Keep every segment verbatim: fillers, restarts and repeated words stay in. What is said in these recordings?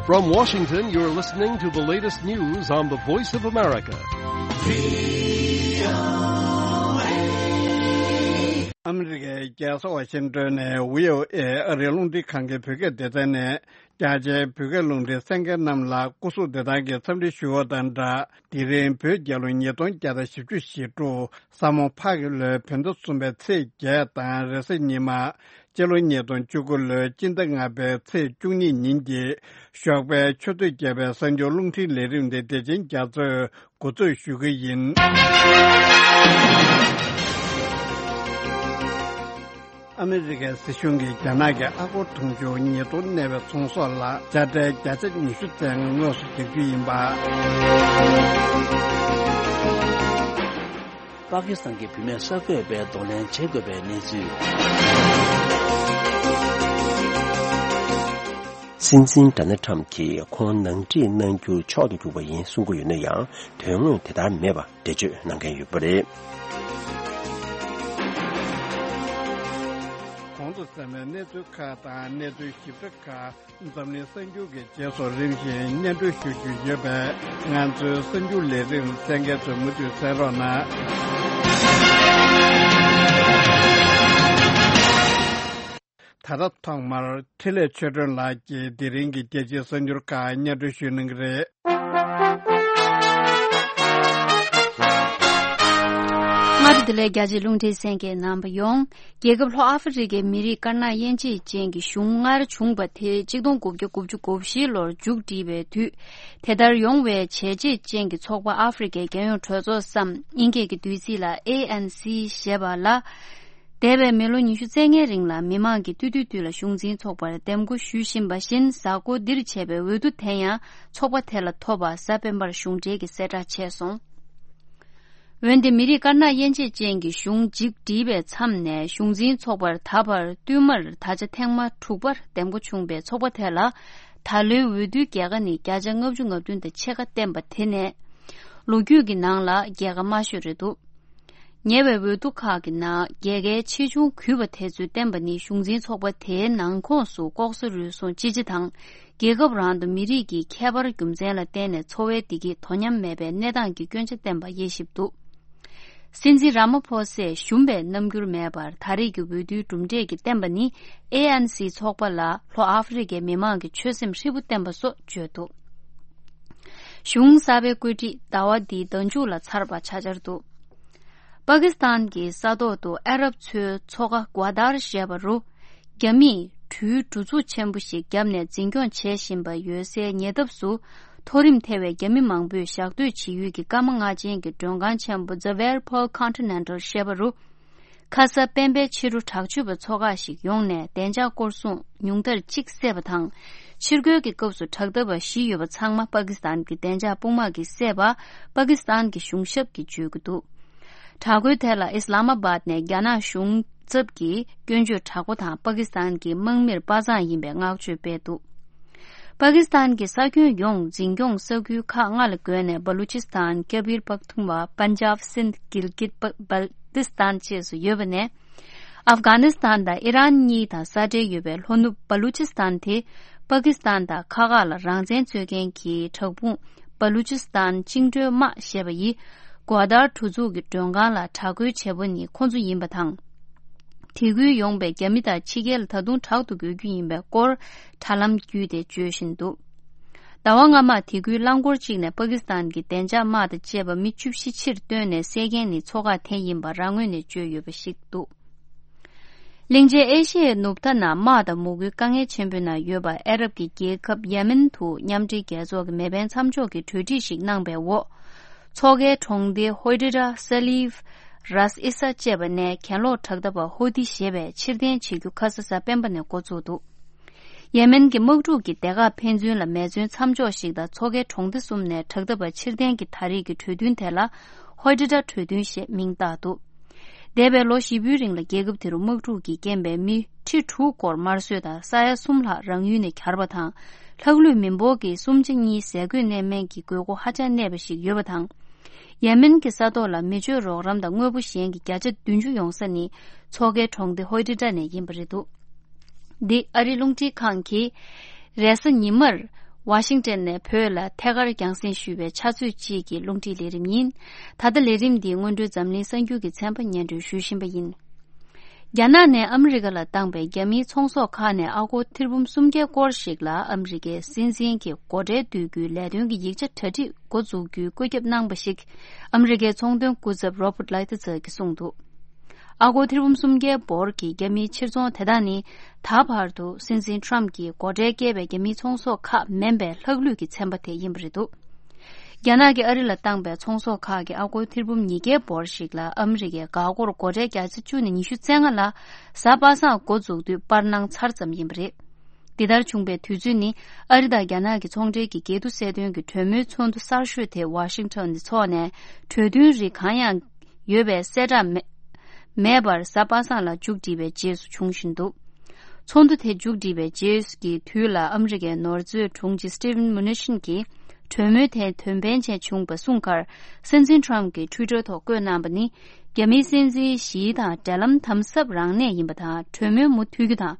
From Washington, you're listening to the latest news on the Voice of America. ཨ་མི་རི་ཀའི་རྒྱལ་ས་ཝ་ཤིང་ཏོན་ནས་བྷི་ཨོ་ཨེ་ཨ་རིའི་རླུང་འཕྲིན་ཁང་གི་བོད་སྐད་སྡེ་ཚན་ནས། རྒྱ་ཆེའི་བོད་སྐད་རླུང་འཕྲིན་གསན་མཁན་རྣམས་ལ་སྐུ་གཟུགས་བདེ་ཐང་གི་འཚམས་འདྲི་ཞུ་བ་དང་སྦྲགས། དེ་རིང་བོད་རྒྱལ་ལོ་ཉིས་སྟོང་བརྒྱ་དང་བཞི་བཅུ་ཞེ་དྲུག་ས་མོ་ཕག་གི་ལོའི་བོད་ཟླ་གསུམ་པའི་ཚེས་བརྒྱད་དང་རེས་གཟའ་ཉི་མ། སྤྱི་ལོ་ཉིས་སྟོང་བཅུ་དགུ་ལོའི་སྤྱི་ཟླ་ལྔ་པའི་ཚེས་བཅུ་གཉིས་ཉིན་གྱི་ཞོགས་པའི་ཆུ་ཚོད་བརྒྱད་པའི་གསར་འགྱུར་རླུང་འཕྲིན་ལས་རིམ་དེ་བདེ་ཆེན་རྒྱ་མཚོས་འགོ་འཛུགས་ཞུ་གི་ཡིན། ཨ་མི་རི་ཀའི་སྲིད་གཞུང་གིས་རྒྱ་ནག་གི་ཨ་སྒོར་དུང་ཕྱུར་ཉིས་སྟོང་གནས་པའི་ཚོང་ཟོག་ལ་དཔྱ་ཁྲལ་བརྒྱ་ཆ་ཉི་ཤུ་ཙམ་དངོས་སུ་རྒྱག་རྒྱུ་ཡིན་པ། པ་ཀི་སི་ཐན་གྱི་བུད་མེད་གསར་འགོད་པས་གདོང་ལེན་བྱེད་དགོས་པའི་གནས་ཚུལ། སྲིད་འཛིན་ཌོ་ནལ་ཁྲམ་གྱིས་ཁོང་ནང་འཁྲིད་གནང་རྒྱུ་མཆོག་ཏུ་གྱུར་པ་ཡིན་གསུང་གི་ཡོད་ན་ཡང་། དོན་དངོས་དེ་ལྟར་མེད་པ་འགྲེལ་བརྗོད་གནང་མཁན་ཡོད་པ་རེད། གོང་དུ་གསན་པའི་གནས་ཚུལ་ཁག་དང་གནས་ཚུལ་ཞིབ་ཕྲ་ཁག་འཛམ་གླིང་གསར་འགྱུར་གྱི་རྗེས་སུ་རིམ་བཞིན་སྙན་སྒྲོན་ཞུ་རྒྱུ་ཡོད་པས། ང་ཚོའི་གསར་འགྱུར་ལས་རིམ་གསན་མཁན་ཚོས་མུ་མཐུད་གསན་རོགས་གནང་། ད་ལྟ་ཐོག་མར་འཕྲིན་ལས་ཆོས་སྒྲོན་ལགས་ཀྱིས་དེ་རིང་གི་རྒྱལ་སྤྱིའི་གསར་འགྱུར་ཁག་སྙན་སྒྲོན་ཞུ་གནང་གི་རེད། སྔ་དྲོ་བདེ་ལེགས། རྒྱ་ཆེའི་རླུང་འཕྲིན་གསན་མཁན་རྣམ་པ་ཡོངས། རྒྱལ་ཁབ་ལྷོ་ཨ་ཧྥེ་རི་ཀའི་མི་རིགས་དཀར་ནག་དབྱེ་འབྱེད་ཅན་གྱི་གཞུང་སྔར་བྱུང་བ་དེ་གཅིག་སྟོང་དགུ་བརྒྱ་དགུ་བཅུ་གོ་བཞི་ལོར་མཇུག་བསྒྲིལ་བའི་དུས། དེ་ལྟར་ཡོང་བའི་བྱས་རྗེས་ཅན་གྱི་ཚོགས་པ་ཨ་ཧྥེ་རི་ཀའི་རྒྱལ་ཡོངས་གྲོས་ཚོགས་སམ། དབྱིན་སྐད་ཀྱི་བསྡུས་ཚིག་ལ་ཨེ་ཨེན་སི་ཞེས་པ་ལ། འདས་པའི་མི་ལོ་ཉི་ཤུ་རྩ་ལྔའི་རིང་ལ་མི་མང་གིས་སྟོད་ཐུང་དུས་ལ་གཞུང་འཛིན་ཚོགས་པར་འདེམས་བསྐོ་ཞུ་བཞིན་པ་བཞིན། གཟའ་འཁོར་འདིར་བྱས་པའི་འོས་བསྡུ་དེ་ཡང་ཚོགས་པ་དེ་ལ་ཐོབ་པ་གཟའ་སྤེན་པར་གཞུང་འབྲེལ་གྱིས་གསལ་བསྒྲགས་བྱས་སོང་། འོན་ཏེ་མི་རིགས་དཀར་ནག་དབྱེ་འབྱེད་ཅན་གྱི་གཞུང་མཇུག་བསྒྲིལ་བའི་མཚམས་ནས་གཞུང་འཛིན་ཚོགས་པར་ད་བར་བསྟུད་མར་ད་ཆ་ཐེངས་མ་དྲུག་པར་འདེམས་བསྐོ་བྱུང་བའི་ཚོགས་པ་དེ་ལ་ད་ལོའི་འོས་བསྡུའི་རྒྱལ་ཁ་ནི་བརྒྱ་ཆ་ལྔ་བཅུ་ང་བདུན་དང་ཕྱེད་ཀ་བསྟན་པ་དེ་ནས་ལོ་རྒྱུས་ཀྱི་ནང་ལ་རྒྱལ་ཁ་དམའ་ཤོས་རེད་འདུག་ཉེ་བའི་འོས་བསྡུ་ཁག་གི་ནང་རྒྱལ་ཁའི་ཆེ་ཆུང་གུས་པ་དེ་ཚོས་བསྟན་པ་ནི་གཞུང་འཛིན་ཚོགས་པ་དེའི་ནང་ཁོངས་སུ་ལྐོག་ཟ་རུལ་སུངས་ཅི་ཆེ་དང་། རྒྱལ་ཁབ་རང་དུ་མི་རིགས་ཀྱི་ཁྱད་པར་རྒྱུ་མཚན་ལ་བརྟེན་ནས་འཚོ་བའི་བདེ་སྐྱིད་དོ་མཉམ་མེད་པའི་གནས་སྟངས་ཀྱི་སྐྱོན་ཆ་བསྟན་པ་དབྱེ་ཞིབ་འདུག་སྲིད་འཛིན་ར་མ་ཕོ་སས་ཞུམ་པའི་རྣམ་འགྱུར་མེད་པར་ད་རེས་ཀྱི་འོས་བསྡུའི་གྲུབ་འབྲས་ཀྱིས་བསྟན་པ་ནི་ཨེ་ཨེན་སི་ཚོགས་པ་ལ་ལྷོ་ཨ་ཧྥེ་རི་ཀའི་མི་མང་གི་ཆོད་སེམས་ཧྲིལ་པོ་བསྟན་པ་སོགས་བརྗོད་འདུག་གཞུང་གསར་པའི་བཀོད་སྒྲིག་ཟླ་བ་འདིའི་ཟླ་མཇུག་ལ་ཚར་བ་ཆགས་འཆར་འདུག་པ་ཀི་སི་ཐན་གྱི་ས་ཐོག་ཏུ་ཨ་རབ་ཚོའི་མཚོ་ཁ་གོ་དར་ཞེས་པ་རུ། རྒྱ་མིས་གྲུའི་གྲུ་ཚུགས་ཆེན་པོ་ཞིག་བརྒྱབ་ནས་འཛིན་སྐྱོང་བྱེད་བཞིན་པ་ཡོད་སའི་ཉེ་འདབས་སུ། མཐོ་རིམ་ཐེ་བའི་རྒྱ་མི་མང་པོས་ཞག་སྡོད་བྱེད་ཡུལ་གྱི་སྐར་མ་ལྔ་ཅན་གྱི་མགྲོན་ཁང་ཆེན་པོ་The Whirlpool Continental ཞེས་པ་རུ། ཁ་ས་སྤེན་པའི་ཕྱི་དྲོ་དྲག་སྤྱོད་པ་ཚོ་ཁག་ཞིག་ཡོང་ནས་བདེ་འཇགས་སྐོར་སྲུང་ཉུང་མཐར་གཅིག་བསད་པ་དང་། ཕྱིར་རྒོལ་གྱི་སྐབས་སུ་དྲག་འཐབ་པ་བཞི་ཡོད་པ་ཚང་མ་པ་ཀི་སི་ཐན་གྱི་བདེ་འཇགས་དཔུང་དམག་གིས་བསད་པ་པ་ཀི་སི་ཐན་གྱི་གཞུང་ཞབས་ཀྱིས་བརྗོད་ཀྱི་འདུག་དྲག་རྒོལ་དེ་ལ་ཨིས་ལ་མ་བཱད་ནས་རྒྱ་ནག་གཞུང་ཚབ་ཀྱིས་སྐྱོན་བརྗོད་དྲག་པོ་དང་པ་ཀི་སི་ཐན་གྱི་དམག་མིར་དཔའ་མཛངས་ཡིན་པའི་བསྔགས་བརྗོད་སྤེལ་འདུག་པ་ཀི་སི་ཐན་གྱི་ས་ཁྱོན་ཡོངས་འཛིན་སྐྱོང་ས་ཁུལ་ཁག་ལྔ་ལ་བགོས་ནས་སྦ་ལུ་ཅི་སི་ཐན། ཁེ་བིར་པག་ཐུང་བ། པན་ཇབ། སིནྡ། གིལ་གིད། པ་བལ་ཏི་སི་ཐན་བཅས་སུ་ཡོད་པ་ནས། ཨབ་གྷ་ནི་སི་ཐན་དང་ཨི་རན་གཉིས་དང་ས་འབྲེལ་ཡོད་པའི་ལྷོ་ནུབ་སྦ་ལུ་ཅི་སི་ཐན་དེ། པ་ཀི་སི་ཐན་དང་ཁ་ཁག་ལ་རང་བཙན་རྩོད་མཁན་གྱི་དྲག་དཔུང་སྦ་ལུ་ཅི་སི་ཐན་བཅིངས་འགྲོལ་དམག་ཞེས་པ་ཡིས་གོ་དར་གྲུ་ཚུགས་ཀྱི་མགྲོན་ཁང་ལ་དྲག་རྒོལ་བྱས་པ་ནི་ཁོ་ཚོ་ཡིན་པ་དང་། དེ་ཁུལ་ཡོང་པའི་རྒྱ་མི་དང་ཕྱི་རྒྱལ་ལ་ད་དུང་དྲག་ཏུ་རྒོལ་རྒྱུ་ཡིན་པའི་སྐོར་དྲ་ལམ་བརྒྱུད་དེ་བརྗོད་བཞིན་འདུག་ཟླ་བ་སྔ་མ་དེ་ཁུལ་རླངས་འཁོར་གཅིག་ནས་པ་ཀི་སི་ཐན་གྱི་བདེ་འཇགས་དམག་དང་བཅས་པ་མི་བཅུ་བཞི་ཕྱིར་བཏོན་ནས་བསད་མཁན་ནི་ཚོ་ཁག་དེ་ཡིན་པ་རང་ངོས་ནས་བརྗོད་ཡོད་པ་ཞིག་འདུག་གླིང་ཆེན་ཨེ་ཤི་ཡའི་ནུབ་མཐའ་ན་དམག་དང་མུ་གུའི་དཀའ་ངལ་ཆེན་པོའི་ནང་ཡོད་པ་ཨ་རབ་ཀྱི་རྒྱལ་ཁབ་ཡེ་མེན་དུ་མཉམ་འབྲེལ་རྒྱལ་ཚོགས་ཀྱི་མེ་འཕེན་མཚམས་འཇོག་གི་གྲོས་སྒྲིག་ཞིག་གནང་པའི་འོག་མཚོ་ཁའི་གྲོང་སྡེ་ཧོ་ཏི་ར། ས་ལིབ། རཱས་ཨི་ས་བཅས་པ་ནས་གྱེན་ལོག་དྲག་འཐབ་པ་ཧོ་ཏི་ཞེས་པས་ཕྱིར་འཐེན་བྱེད་རྒྱུ་ཁ་ས་གཟའ་སྤེན་པ་ནས་འགོ་བཙུགས་འདུག་ཡེ་མེན་གྱི་དམག་འཁྲུག་གི་སྡེ་ཁག་ཕན་ཚུན་ལ་མེ་མཚོན་མཚམས་འཇོག་ཞིག་དང་མཚོ་ཁའི་གྲོང་སྡེ་གསུམ་ནས་དྲག་འཐབ་པ་ཕྱིར་འཐེན་གྱི་ད་རེས་ཀྱི་གྲོས་མཐུན་དེ་ལ་ཧོ་ཏི་ར་གྲོས་མཐུན་ཞེས་མིང་བཏགས་འདུག་འདས་པའི་ལོ་བཞི་པོའི་རིང་ལ་རྒྱལ་ཁབ་དེ་རུ་དམག་འཁྲུག་གིས་རྐྱེན་པས་མི་ཁྲི་དྲུག་སྐོར་དམར་གསོད་དང་ས་ཡ་གསུམ་ལྷག་རང་ཡུལ་ནས་གྱར་བ་དང་། ལྷག་ལུས་མི་འབོར་གྱི་གསུམ་ཆ་གཉིས་ཟས་གོས་གནས་མལ་གྱི་དགོས་མཁོ་ཧ་ཅང་གནས་པ་ཞིག་ཡོད་པ་དང་། ཡེ་མེན་གྱི་ས་ཐོག་ལ་མི་སྤྱོད་རོགས་རམ་དང་དངོས་པོ་གཞན་གྱི་བརྒྱ་ཆ་བདུན་ཅུ་ཡོང་ས་ནི་མཚོ་ཁའི་གྲོང་སྡེ་ཧོ་ཏི་ཏྲ་ནས་ཡིན་པ་རེད་འདུག་འདི་ཨ་རིའི་རླུང་འཕྲིན་ཁང་གིས་རེས་གཟའ་ཉི་མར་ ཝ་ཤིང་ཏན་ནས་བོད་ལ་ཐད་ཀར་རྒྱང་སྲིང་ཞུས་པའི་ཕྱག་ཚོད་གཅིག་གི་རླུང་འཕྲིན་ལས་རིམ་ཡིན། ད་ལྟ་ལས་རིམ་འདི་སྔོན་འགྲོའི་འཛམ་གླིང་གསར་འགྱུར་གྱི་ཚན་པ་སྙན་སྒྲོན་ཞུ་བཞིན་པ་ཡིན། རྒྱ་ནག་ནས་ཨ་མི་རི་ཀ་ལ་བཏང་པའི་རྒྱ་མིའི་ཚོང་ཟོག་ཁག་ནས་ཨ་སྒོར་ཐེར་འབུམ་སུམ་བརྒྱ་སྐོར་ཞིག་ལ་ཨ་མི་རི་ཀའི་སྲིད་འཛིན་གྱི་སྒོ་ཁྲལ་བསྡུ་རྒྱུའི་ལས་དོན་གྱི་ཡིག་ཆ་གྲ་སྒྲིག་འགོ་འཛུགས་རྒྱུའི་བཀོད་ཁྱབ་གནང་པ་ཞིག་ཨ་མི་རི་ཀའི་ཚོང་དོན་སྐུ་ཚབ་Robert Lighthizer་གྱིས་གསུངས་འདུག་ཨ་སྒོར་ཐེར་འབུམ་སུམ་བརྒྱའི་འབོར་གྱི་རྒྱ་མིའི་ཕྱིར་ཚོང་དེ་དག་ནི། ད་བར་དུ་སྲིད་འཛིན་Trump་གྱིས་སྒོ་ཁྲལ་བཀལ་བའི་རྒྱ་མིའི་ཚོང་ཟོག་ཁག་མིན་པའི་ལྷག་ལུས་ཀྱི་ཚན་པ་དེ་ཡིན་པ་རེད་འདུག་རྒྱ་ནག་གིས་ཨ་རི་ལ་བཏང་པའི་ཚོང་ཟོག་ཁག་གི་ཨ་སྒོར་ཐེར་འབུམ་ཉིས་བརྒྱའི་འབོར་ཞིག་ལ་ཨ་མི་རི་ཀས་འགག་སྒོར་སྒོ་ཁྲལ་བརྒྱ་ཆ་བཅུ་ནས་ཉི་ཤུ་རྩ་ལྔ་ལ་གཟའ་པ་སངས་འགོ་འཛུགས་དུས་པར་གནང་ཚར་ཙམ་ཡིན་པ་རེད། འདི་ལྟར་བྱུང་པའི་དུས་ཚོད་ནི་ཨ་རི་དང་རྒྱ་ནག་གི་ཚོང་འབྲེལ་གྱི་འགལ་འདུ་སེལ་དོན་གྱི་གྲོས་མོལ་ཚོགས་འདུ་གསར་ཤོས་དེ་ཝ་ཤིང་ཊོན་ནས་འཚོགས་ནས་གྲོས་མཐུན་རིགས་གང་ཡང་ཡོད་པའི་གསལ་བསྒྲགས་མེད་མེད་པར་གཟའ་པ་སངས་ལ་མཇུག་བསྒྲིལ་བའི་རྗེས་སུ་བྱུང་བཞིན་འདུག་ཚོགས་འདུ་དེ་མཇུག་བསྒྲིལ་བའི་རྗེས་ཀྱི་དུས་ལ་ཨ་མི་རི་ཀའི་ནོར་མཛོད་དྲུང་ཆེ་Steven Mnuchin་གྱིས་གྲོས་མོལ་དེ་དོན་ཕན་ཆེན་བྱུང་བ་གསུངས་ཁར། སྲིད་འཛིན་Trump་གྱིས་Twitter་ཐོག་བཀོད་གནང་པ་ནི། རྒྱ་མིའི་སྲིད་འཛིན་ཞི་དང་འབྲེལ་ལམ་དམ་ཟབ་རང་གནས་ཡིན་པ་དང་གྲོས་མོལ་མུ་མཐུད་རྒྱུ་དང་།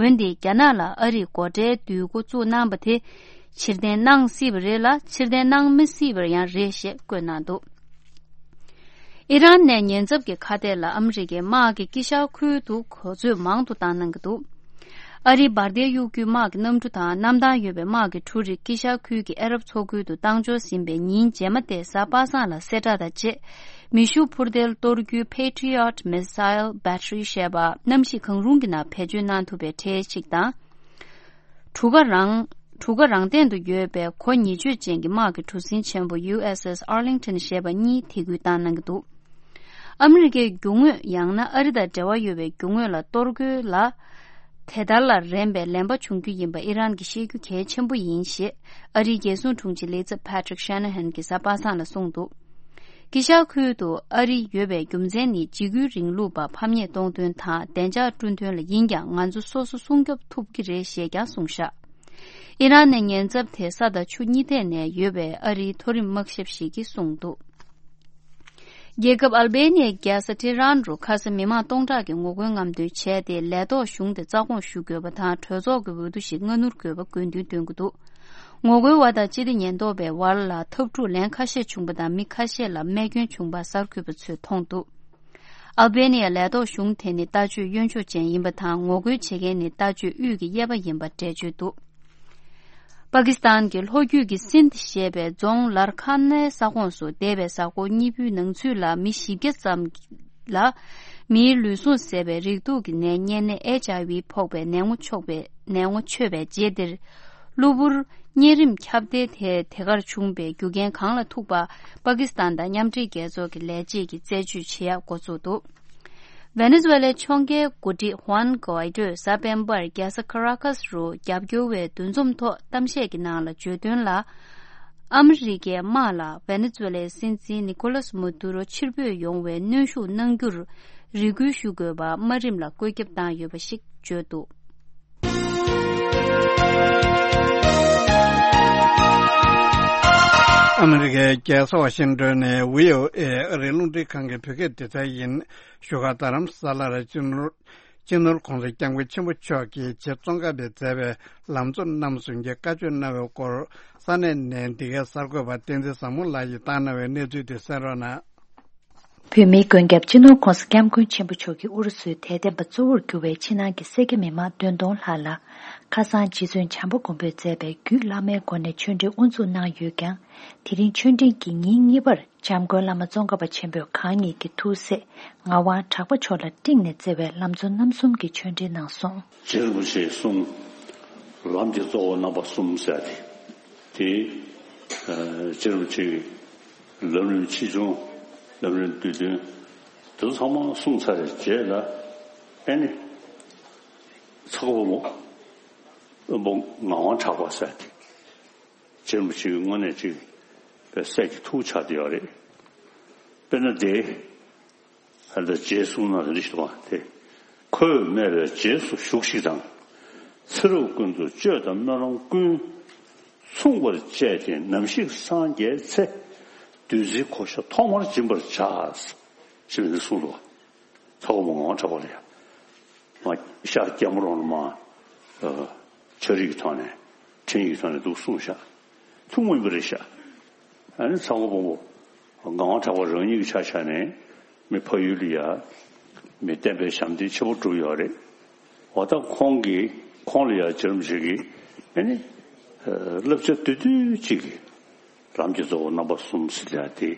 འོན་ཏེ་རྒྱ་ནག་ལ་ཨ་རིས་སྒོ་ཁྲལ་བསྡུ་འགོ་བཙུགས་གནང་པ་དེ་ཕྱིར་འཐེན་གནང་སྲིད་པ་རེད་ལ་ཕྱིར་འཐེན་གནང་མི་སྲིད་པ་ཡང་རེད་ཞེས་བཀོད་གནང་འདུག་ཨི་རན་ནས་ཉེན་ཚབས་ཀྱི་ཁ་གཏད་ལ་ཨ་མི་རི་ཀའི་དམག་གི་དཀྱིལ་ཤར་ཁུལ་དུ་གོ་ཚོད་མང་དུ་བཏང་གནང་གི་འདུག་ཨ་རིའི་འབར་མདེལ་གཡུག་རྒྱུའི་དམག་གི་གནམ་གྲུ་དང་གནམ་ཐང་ཡོད་པའི་དམག་གི་གྲུ་རིགས་དཀྱིལ་ཤར་ཁུལ་གྱི་ཨ་རབ་མཚོ་ཁུལ་དུ་བཏང་འབྱོར་ཟིན་པའི་ཉིན་རྗེས་མ་དེ་གཟའ་པ་སངས་ལ་གསལ་བསྒྲགས་དང་བཅས། མེ་ཤུགས་འཕུར་མདེལ་གཏོར་རྒྱུའི་Patriot Missile Battery་ཞེས་པ་གནམ་གཤིས་གང་རུང་གི་ནང་བེད་སྤྱོད་གནང་ཐུབ་པའི་གྲས་ཤིག་དང་། གྲུ་ཁ་རང་གྲུ་ཁ་རང་སྟེང་དུ་ཡོད་པའི་གོ་ཉེས་བཅོས་ཅན་གྱི་དམག་གི་གྲུ་གཟིངས་ཆེན་པོ་ཡུ་ཨེས་ཨེས་Arlington་ཞེས་པ་གཉིས་ཐད་འགུལ་བཏང་གནང་གི་འདུག་ཨ་མི་རི་ཀའི་རྒྱུ་དངོས་ཡང་ན་ཨ་རི་དང་འབྲེལ་བ་ཡོད་པའི་རྒྱུ་དངོས་ལ་གཏོར་རྒོལ་ལ་དེ་ལྟར་ལ་རན་པའི་ལན་པ་བྱུང་རྒྱུ་ཡིན་པ་ཨི་རན་གྱིས་ཤེས་རྒྱུ་གལ་ཆེན་པོ་ཡིན་ཞེས་ཨ་རིའི་རྒྱལ་སྲུང་དྲུང་ཆེ་ལས་ཚབ་Patrick Shanahan་གྱིས་གཟའ་པ་སངས་ལ་གསུངས་འདུག་དཀྱིལ་ཤར་ཁུལ་དུ་ཨ་རི་ཡོད་པའི་རྒྱུ་མཚན་ནི་འཇིགས་སྐུལ་རིང་ལུགས་པ་ཕམ་ཉེས་གཏོང་དོན་དང་བདེ་འཇགས་བསྐྲུན་དོན་ལ་ཡིན་ཀྱང་ང་ཚོ་སོ་སོ་སྲུང་སྐྱོབ་ཐུབ་ཀྱི་རེད་ཞེས་ཀྱང་གསུངས་བཞག་ཨི་རན་ནས་ཉེན་ཚབས་དེ་ས་དང་ཆུ་གཉིས་ཐད་ནས་ཡོད་པའི་ཨ་རིའི་མཐོ་རིམ་དམག་ཞབས་ཤིག་གིས་གསུངས་འདུག་རྒྱལ་ཁབ་ཨལ་བེ་ནི་ཡའི་རྒྱལ་ས་ཏེ་ཧྲན་རུ་ཁ་སང་མི་མང་སྟོང་ཕྲག་གིས་ངོ་རྒོལ་རྔམ་སྟོན་བྱས་ཏེ་ལས་ཐོག་གཞུང་དེ་རྩ་དགོངས་ཞུ་དགོས་པ་དང་གྲོས་ཚོགས་ཀྱི་འོས་བསྡུ་ཞིག་སྔ་སྣུར་དགོས་པ་དགོས་འདུན་འདོན་གྱི་འདུག་ངོ་རྒོལ་བ་དང་སྤྱི་བདེ་ཉེན་རྟོག་པའི་བར་ལ་འཐབ་འཁྲུག་ལན་ཁ་ཤས་བྱུང་པ་དང་མི་ཁ་ཤས་ལ་རྨས་སྐྱོན་བྱུང་པ་གསར་འགོད་པ་ཚོས་མཐོང་འདུག་ཨལ་བེ་ནི་ཡ་ལས་ཐོག་གཞུང་དེ་ནི་ལྟ་སྤྱོད་གཡོན་ཕྱོགས་ཅན་ཡིན་པ་དང་ངོ་རྒོལ་བྱེད་མཁན་ནི་ལྟ་སྤྱོད་དབུས་ཀྱི་གཡས་པ་ཡིན་པ་འགྲེལ་བརྗོད་འདུག་པ་ཀི་སི་ཐན་གྱི་ལྷོ་རྒྱུད་ཀྱི་སིན་དྷ་ཞེས་པའི་རྫོང་ལར་ཁ་ནའི་ས་ཁོངས་སུ་འདས་པའི་གཟའ་འཁོར་གཉིས་པོའི་ནང་ཚུད་ལ་མི་བཞི་བརྒྱ་ཙམ་ལ་མིའི་ལུས་ཟུངས་ཟད་པའི་རེག་དུག་གི་ནད་གཉན་ནད་ཨེཆ་ཨའི་ཝི་ཕོག་པའི་ནད་ངོ་ཆོད་པའི་ནད་ངོ་ཆོད་པའི་རྗེས་འདིར། གློ་བུར་གཉན་རིམས་ཁྱབ་གདལ་དེ་དེ་གར་བྱུང་པའི་རྒྱུ་རྐྱེན་གང་ལ་ཐུག་པ་པ་ཀི་སི་ཐན་དང་མཉམ་འབྲེལ་རྒྱལ་ཚོགས་ཀྱི་ལས་བྱེད་ཀྱིས་རྩད་གཅོད་བྱེད་ཡག་འགོ་བཙུགས་འདུག་ཝེ་ནེ་ཛུ་ཝེ་ལའི་ཕྱོགས་འགལ་འགོ་ཁྲིད་ཧུའན་གོའི་ཏོས་གཟའ་སྤེན་པར་རྒྱལ་ས་ཁ་ར་ཀཱས་རུ་རྒྱབ་སྐྱོར་བའི་འདུ་འཛོམས་ཐོག་གཏམ་བཤད་ཀྱི་ནང་ལ་བརྗོད་དོན་ལ། ཨ་མི་རི་ཀའི་དམག་ལ་ཝེ་ནེ་ཛུ་ཝེ་ལའི་སྲིད་འཛིན་ནི་ཀོ་ལཱས་མ་དུ་རོ་ཕྱིར་འབུད་ཡོང་བའི་གནོན་ཤུགས་གནང་རྒྱུར་རེ་སྐུལ་ཞུ་དགོས་པ་དམའ་རིམ་ལ་བཀོད་ཁྱབ་བཏང་ཡོད་པ་ཞིག་བརྗོད་འདུག་ཨ་མི་རི་ཀའི་རྒྱལ་ས་ཝ་ཤིང་ཏོན་ནས་བྷི་ཨོ་ཨེ་ཨ་རིའི་རླུང་འཕྲིན་ཁང་གི་བོད་སྐད་སྡེ་ཚན་ཡིན། བཞུགས་སྒར་རྡ་རམ་ས་ལར་སྤྱི་ནོར་སྤྱི་ནོར་གོང་ས་སྐྱབས་མགོན་ཆེན་པོ་མཆོག་གིས་ཆེད་བཙོང་ཁང་པས་མཛད་པའི་ལམ་གཙོ་རྣམ་གསུམ་གྱི་བཀའ་ཆོས་གནང་བའི་སྐོར་ས་གནས་ནས་འདི་གའི་གསར་འགོད་པ་བསྟན་འཛིན་བཟང་མོ་ལགས་ཀྱིས་བཏང་གནང་བའི་གནས་ཚུལ་དེ་གསན་རོགས་གནང་། བོད་མིའི་མགོན་སྐྱབས་སྤྱི་ནོར་༧གོང་ས་༧སྐྱབས་མགོན་ཆེན་པོ་མཆོག་གིས་ཨུ་རུ་སུའི་དད་ལྡན་པ་གཙོ་བོར་གྱུར་བའི་ཕྱི་ནང་གི་སེར་སྐྱ་མི་མང་བདུན་སྟོང་ལྷག་ལ་ཁ་སང་རྗེ་བཙུན་བྱམས་པ་མགོན་པོས་མཛད་པའི་རྒྱུད་བླ་མའི་སྒོ་ནས་ཆོས་འབྲེལ་དབུ་འཛུགས་གནང་ཡོད་ཀྱང་། དེ་རིང་ཆོས་འབྲེལ་གྱི་ཉིན་གཉིས་པར་འཇམ་མགོན་བླ་མ་ཙོང་ཁ་པ་ཆེན་པོས་གང་ཉིད་ཀྱི་ཐུགས་སྲས་ངག་དབང་གྲགས་པ་མཆོག་ལ་སྤྲིངས་ནས་བསྩལ་བའི་ལམ་གཙོ་རྣམ་གསུམ་གྱི་ཆོས་འབྲེལ་གནང་སོང་། རྗེ་རིན་པོ་ཆེས་གསུངས། ལམ་གྱི་གཙོ་བོ་རྣམ་པ་གསུམ་ཟེར་ཏེ། དེ་རྗེ་རིན་པོ་ཆེའི་ལམ་རིམ་ཆེ་ཆུང་། ལམ་རིམ་བསྡུས་དོན། དེ་ཚོ་ཚང་མ་གསུངས་ཚར་བའི་རྗེས་ལ། ཨེ་ནི། ཚ་བོ་མོ། དབོན་པོ་ངག་དབང་གྲགས་པ་ཟེར་ཏེ། རྗེ་རིན་པོ་ཆེའི་དངོས་གནས་ཅིག་པའི་སྲས་ཀྱི་ཐུགས་ཆགས་བསྡད་ཡོད་རེད། དཔེར་ན་དེ། ཨ་ད་རྗེས་གསུངས་ན་རེ་ཞུ་བ་དེ། ཁོས་སྨྲས་པའི་རྗེས་སུ་ཞུགས་ཤིག་དང་། ཚེ་རབས་ཀུན་ཏུ་སྤྱོད་དང་སྨོན་ལམ་ཀུན། མཚུངས་པར་སྤྱད་དེ་ནམ་ཞིག་སངས་རྒྱས་ཚེ། བདུད་རྩིའི་གོ་ཆ་ཐོག་མར་སྦྱིན་པར་བྱ། ཞེས་པའི་གསུངས་འདུག་ཚ་བོ་མོ་ངག་དབང་གྲགས་པ་ལ་ཡང་། མ་ཤར་རྒྱལ་མོ་རོང་ལ་མ། ཨ། ཆ་རིག་གི་ཐོག་ནས་ ཆེན་ཡིག་ཚང་ནས་འདུག་གསུངས་ཤག་ཐུན་མོང་མིན་པ་རེད་ཤག་ཨ་ནི་ཚ་བོ་སྤོང་བོ་ངག་དབང་གྲགས་པ་རང་ཉིད་ཀྱི་ཆ་བཞག་ནས་མི་ཕ་ཡུལ་ལ་ཡ་མི་བསྟན་པའི་ཞབས་འདེགས་ཆེན་པོ་བསྒྲུབས་ཡོད་རེད། འོ་ད་ཁོང་གིས་ཁོང་ལ་ཡ་རྗེ་རིན་པོ་ཆེ་གིས་ཨ་ནི་བསླབ་བྱ་བསྡུས་བསྡུས་གཅིག་གིས་ལམ་གྱི་གཙོ་བོ་རྣམ་པ་གསུམ་ཟེར་ཡ་དེ།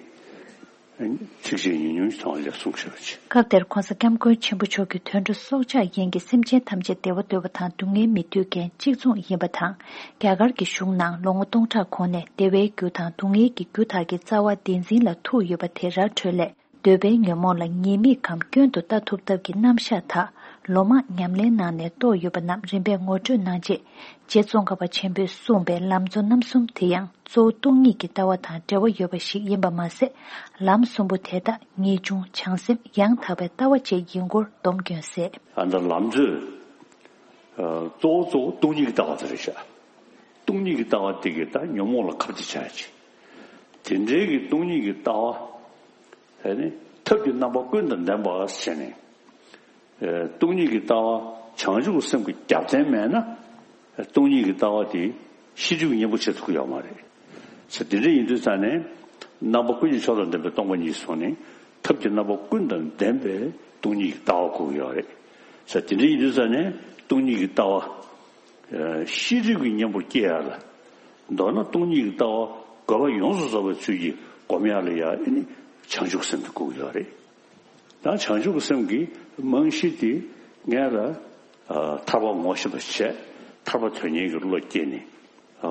ཚིགས་བཅད་ཉུང་ཉུང་ཞིག་ཐོག་ལ་གསུངས་བཞག་པ་ཅིག་སྐབས་དེར་༸གོང་ས་༸སྐྱབས་མགོན་ཆེན་པོ་མཆོག་གིས་དུད་འགྲོ་སྲོག་ཆགས་ཡིན་གྱི་སེམས་ཅན་ཐམས་ཅད་བདེ་བ་འདོད་པ་དང་སྡུག་བསྔལ་མི་འདོད་མཁན་གཅིག་མཚུངས་ཡིན་པ་དང་། རྒྱ་གར་གྱི་གཞུང་ནང་ལོ་ངོ་སྟོང་ཕྲག་གོང་ནས་བདེ་བའི་རྒྱུ་དང་སྡུག་བསྔལ་གྱི་རྒྱུ་དག་གི་རྩ་བ་བདེན་འཛིན་ལ་ཐུག་ཡོད་པ་དེ་ར་འཕྲོད་ལས། འདོད་པའི་ཉོན་མོངས་ལ་ཉེས་དམིགས་གམ་སྐྱོན་དུ་ལྟ་ཐུབ་ཐབས་ཀྱི་རྣམ་གཞག་དག་ལོ་མང་ཉམས་ལེན་གནང་ནས་རྟོགས་ཡོད་པ་རྣམས་རིམ་པས་ངོ་སྤྲོད་གནང་རྗེས། རྗེ་ཙོང་ཁ་པ་ཆེན་པོས་གསུངས་པའི་ལམ་གཙོ་རྣམ་གསུམ་དེ་ཡང་གཙོ་བོ་སྟོང་ཉིད་ཀྱི་ལྟ་བ་དང་འབྲེལ་བ་ཡོད་པ་ཞིག་ཡིན་པ་མ་ཟད། ལམ་གསུམ་པོ་དེ་དག་ངེས་འབྱུང་བྱང་སེམས་ཡང་དག་པའི་ལྟ་བ་བཅས་ཡིན་སྐོར་སྡོམ་སྐྱོན་གསལ། ཨ་ནི་ལམ་གཙོས་གཙོ་བོ་གཙོ་བོ་སྟོང་ཉིད་ཀྱི་ལྟ་བ་དེ་རེད་ཤག་སྟོང་ཉིད་ཀྱི་ལྟ་བ་དེ་གིས་ད་ཉོན་མོངས་ལ་ཁ་གཏད་བྱ་ཡ་ཅིག་དེ་འདྲའི་གི་སྟོང་ཉིད་ཀྱི་ལྟ་བ་ཨ་ནི་ཐབས་ཀྱི་རྣམ་པ་ཀུན་དང་ལྡན་པ་ཟེར་ནས། སྟོང་ཉིད་ཀྱི་ལྟ་བ་བྱང་ཆུབ་ཀྱི་སེམས་ཀྱི་རྒྱབ་རྟེན་མེད་ན། སྟོང་ཉིད་ཀྱི་ལྟ་བ་དེ་ཤེས་སྒྲིབ་ཀྱི་གཉེན་པོ་བྱེད་ཐུབ་ཀྱི་ཡོད་མ་རེད། ས་དེ་འདྲ་ཡིན་དུས་ཙང་ནས་རྣམ་པ་ཀུན་གྱི་མཆོག་དང་ལྡན་པའི་སྟོང་པ་ཉིད་སོང་ནས་ཐབས་ཀྱི་རྣམ་པ་ཀུན་དང་ལྡན་པའི་སྟོང་ཉིད་ཀྱི་ལྟ་བ་དགོས་ཀྱི་ཡོད་རེད། ས་དེ་འདྲ་ཡིན་དུས་ཙང་ནས་སྟོང་ཉིད་ཀྱི་ལྟ་བ་ཤེས་སྒྲིབ་ཀྱི་གཉེན་པོར་སྐྱེ་ཡ་ལ། མདོར་ན་སྟོང་ཉིད་ཀྱི་ལྟ་བ་དགོས་པ་ཡོངས་སུ་རྫོགས་པའི་ཚུལ་གྱིས་སྒོམ་ཡ་ལ་ཡ་ཨེ་ནི་བྱང་ཆུབ་སེམས་དེ་དགོས་ཀྱི་ཡོད་རེད། ད་བྱང་ཆུབ་ཀྱི་སེམས་ཀྱི་རྨང་གཞི་དེ་ངས་ལ་ཨ་ཐར་པ་ངོ་ཤེས་པ་བྱས་ཐར་པ་དོན་གཉེར་གྱི་བློ་སྐྱེས་ནས་ཨ་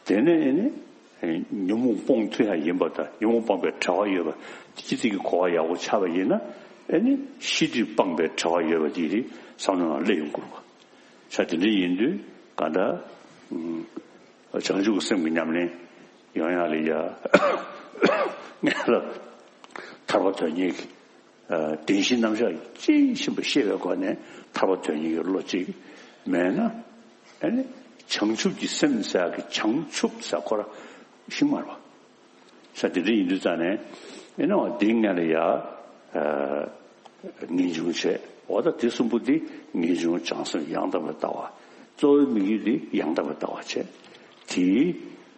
དེ་ནས་ཨེ་ནི་ཉོན་མོངས་སྤོང་ཐུབ་ཡ་ཡིན་པ་དང་ཉོན་མོངས་སྤངས་པའི་བྲལ་བ་ཡོད་པ་སྤྱི་ཚིག་གི་གོ་བ་ཡག་པོ་ཆགས་པ་ཡིན་ན་ཨེ་ནི་ཤེས་སྒྲིབ་སྤངས་པའི་བྲལ་བ་ཡོད་པ་དེ་རེད་བསམ་བློ་ནང་སླེབས་ཡོང་དགོས་པ། ས་དེ་འདྲ་ཡིན་དུས་ག་འདྲ་བྱང་ཆུབ་ཀྱི་སེམས་ཀྱི་ཉམས་ལེན་ཡོང་ཡ་ལ་ཡ་ངས་ལ་ཐར་པ་དོན་གཉེར་གྱི་བདེན་བཞིའི་རྣམ་གཞག་ཅིག་ཤེས་པ་ཤེས་པའི་སྒོ་ནས་ཐར་པ་དོན་གཉེར་གྱི་བློ་གཅིག་མེད་ན་ཨ་ནི་བྱང་ཆུབ་ཀྱི་སེམས་ཟེར་གི་བྱང་ཆུབ་ཟེར་ཁོ་ར་ཤིང་མ་རེད་པ། ས་དེ་འདྲ་ཡིན་དུས་ཙང་ནས་ཨེ་ནི་འོ་འདི་ངས་ལ་ཡ་ངེས་འབྱུང་བྱས་འོ་ད་དེ་གསུམ་པོ་འདི་ངེས་འབྱུང་བྱང་སེམས་ཡང་དག་པའི་ལྟ་བ་གཙོ་བོའི་དམིགས་ཡུལ་འདི་ཡང་དག་པའི་ལྟ་བ་བྱས་དེའི་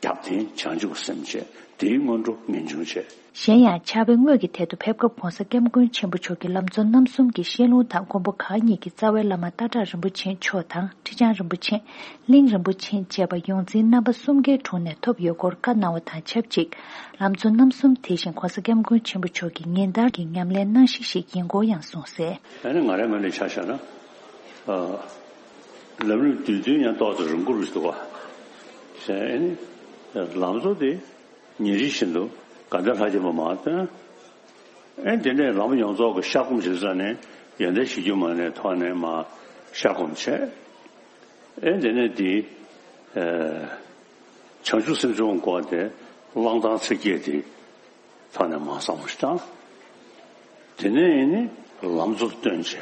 རྒྱབ་རྟེན་བྱང་ཆུབ་སེམས་བྱས་དེའི་སྔོན་འགྲོ་ངེས་འབྱུང་བྱས། གཞན་ཡང་ཕྱག་དཔེ་དངོས་ཀྱི་ཐད་དུ་ཕེབས་སྐབས་༸གོང་ས་༸སྐྱབས་མགོན་ཆེན་པོ་མཆོག་གིས་ལམ་གཙོ་རྣམ་གསུམ་གྱི་བཤད་ལུང་དང་མགོན་པོ་གང་ཉིད་ཀྱི་རྩ་བའི་བླ་མ་སྟག་བྲག་རིན་པོ་ཆེ་མཆོག་དང་ཁྲི་བྱང་རིན་པོ་ཆེ། གླིང་རིན་པོ་ཆེ་བཅས་པ་ཡོངས་འཛིན་རྣམ་པ་གསུམ་ཀའི་དྲུང་ནས་ཐོབ་ཡོད་སྐོར་བཀའ་གནང་བ་དང་ཆབས་ཅིག་ལམ་གཙོ་རྣམ་གསུམ་དེ་བཞིན་༸གོང་ས་༸སྐྱབས་མགོན་ཆེན་པོ་མཆོག་གི་ཉིན་ལྟར་གྱི་ཉམས་ལེན་གནང་གཞི་ཞིག་ཡིན་སྐོར་ཡང་གསུངས་གསལ། ཨ་ནི་ང་རའི་ངོས་ནས་ཆ་བཞག་ན། ཨ། ལམ་རིམ་བསྡུས་དོན་ཡང་ཏོག་ཙམ་རིང་པོ་རེད་འདུག་ག་ཟེར་ཨ་ནི། ལམ་གཙོ་དེ་ཉིན་རེ་བཞིན་དུ་ག་འདྲ་ལྷ་བསྐྱེད་པ་མར་བཏོན། ཨེ་དེ་ནས་ལམ་ཡོངས་རྫོགས་ཀྱི་བཤགས་སྒོམ་བྱེད་ས་ནས་ཡོན་ཏན་གཞིར་གྱུར་མ་ཎིའི་ཐོག་ནས་མར་བཤགས་སྒོམ་བྱས། ཨེ་དེ་ནས་དེ་ཨེ་བྱང་ཆུབ་སེམས་མཆོག་དགོངས་ཏེ་བླང་དང་ཚིག་བརྒྱད་དེ་ཐོག་ནས་མར་བསམ་བློ་ཞིག་བཏང་། དེ་ནས་ཨེ་ནི་ལམ་གཙོར་བཏོན་བྱས།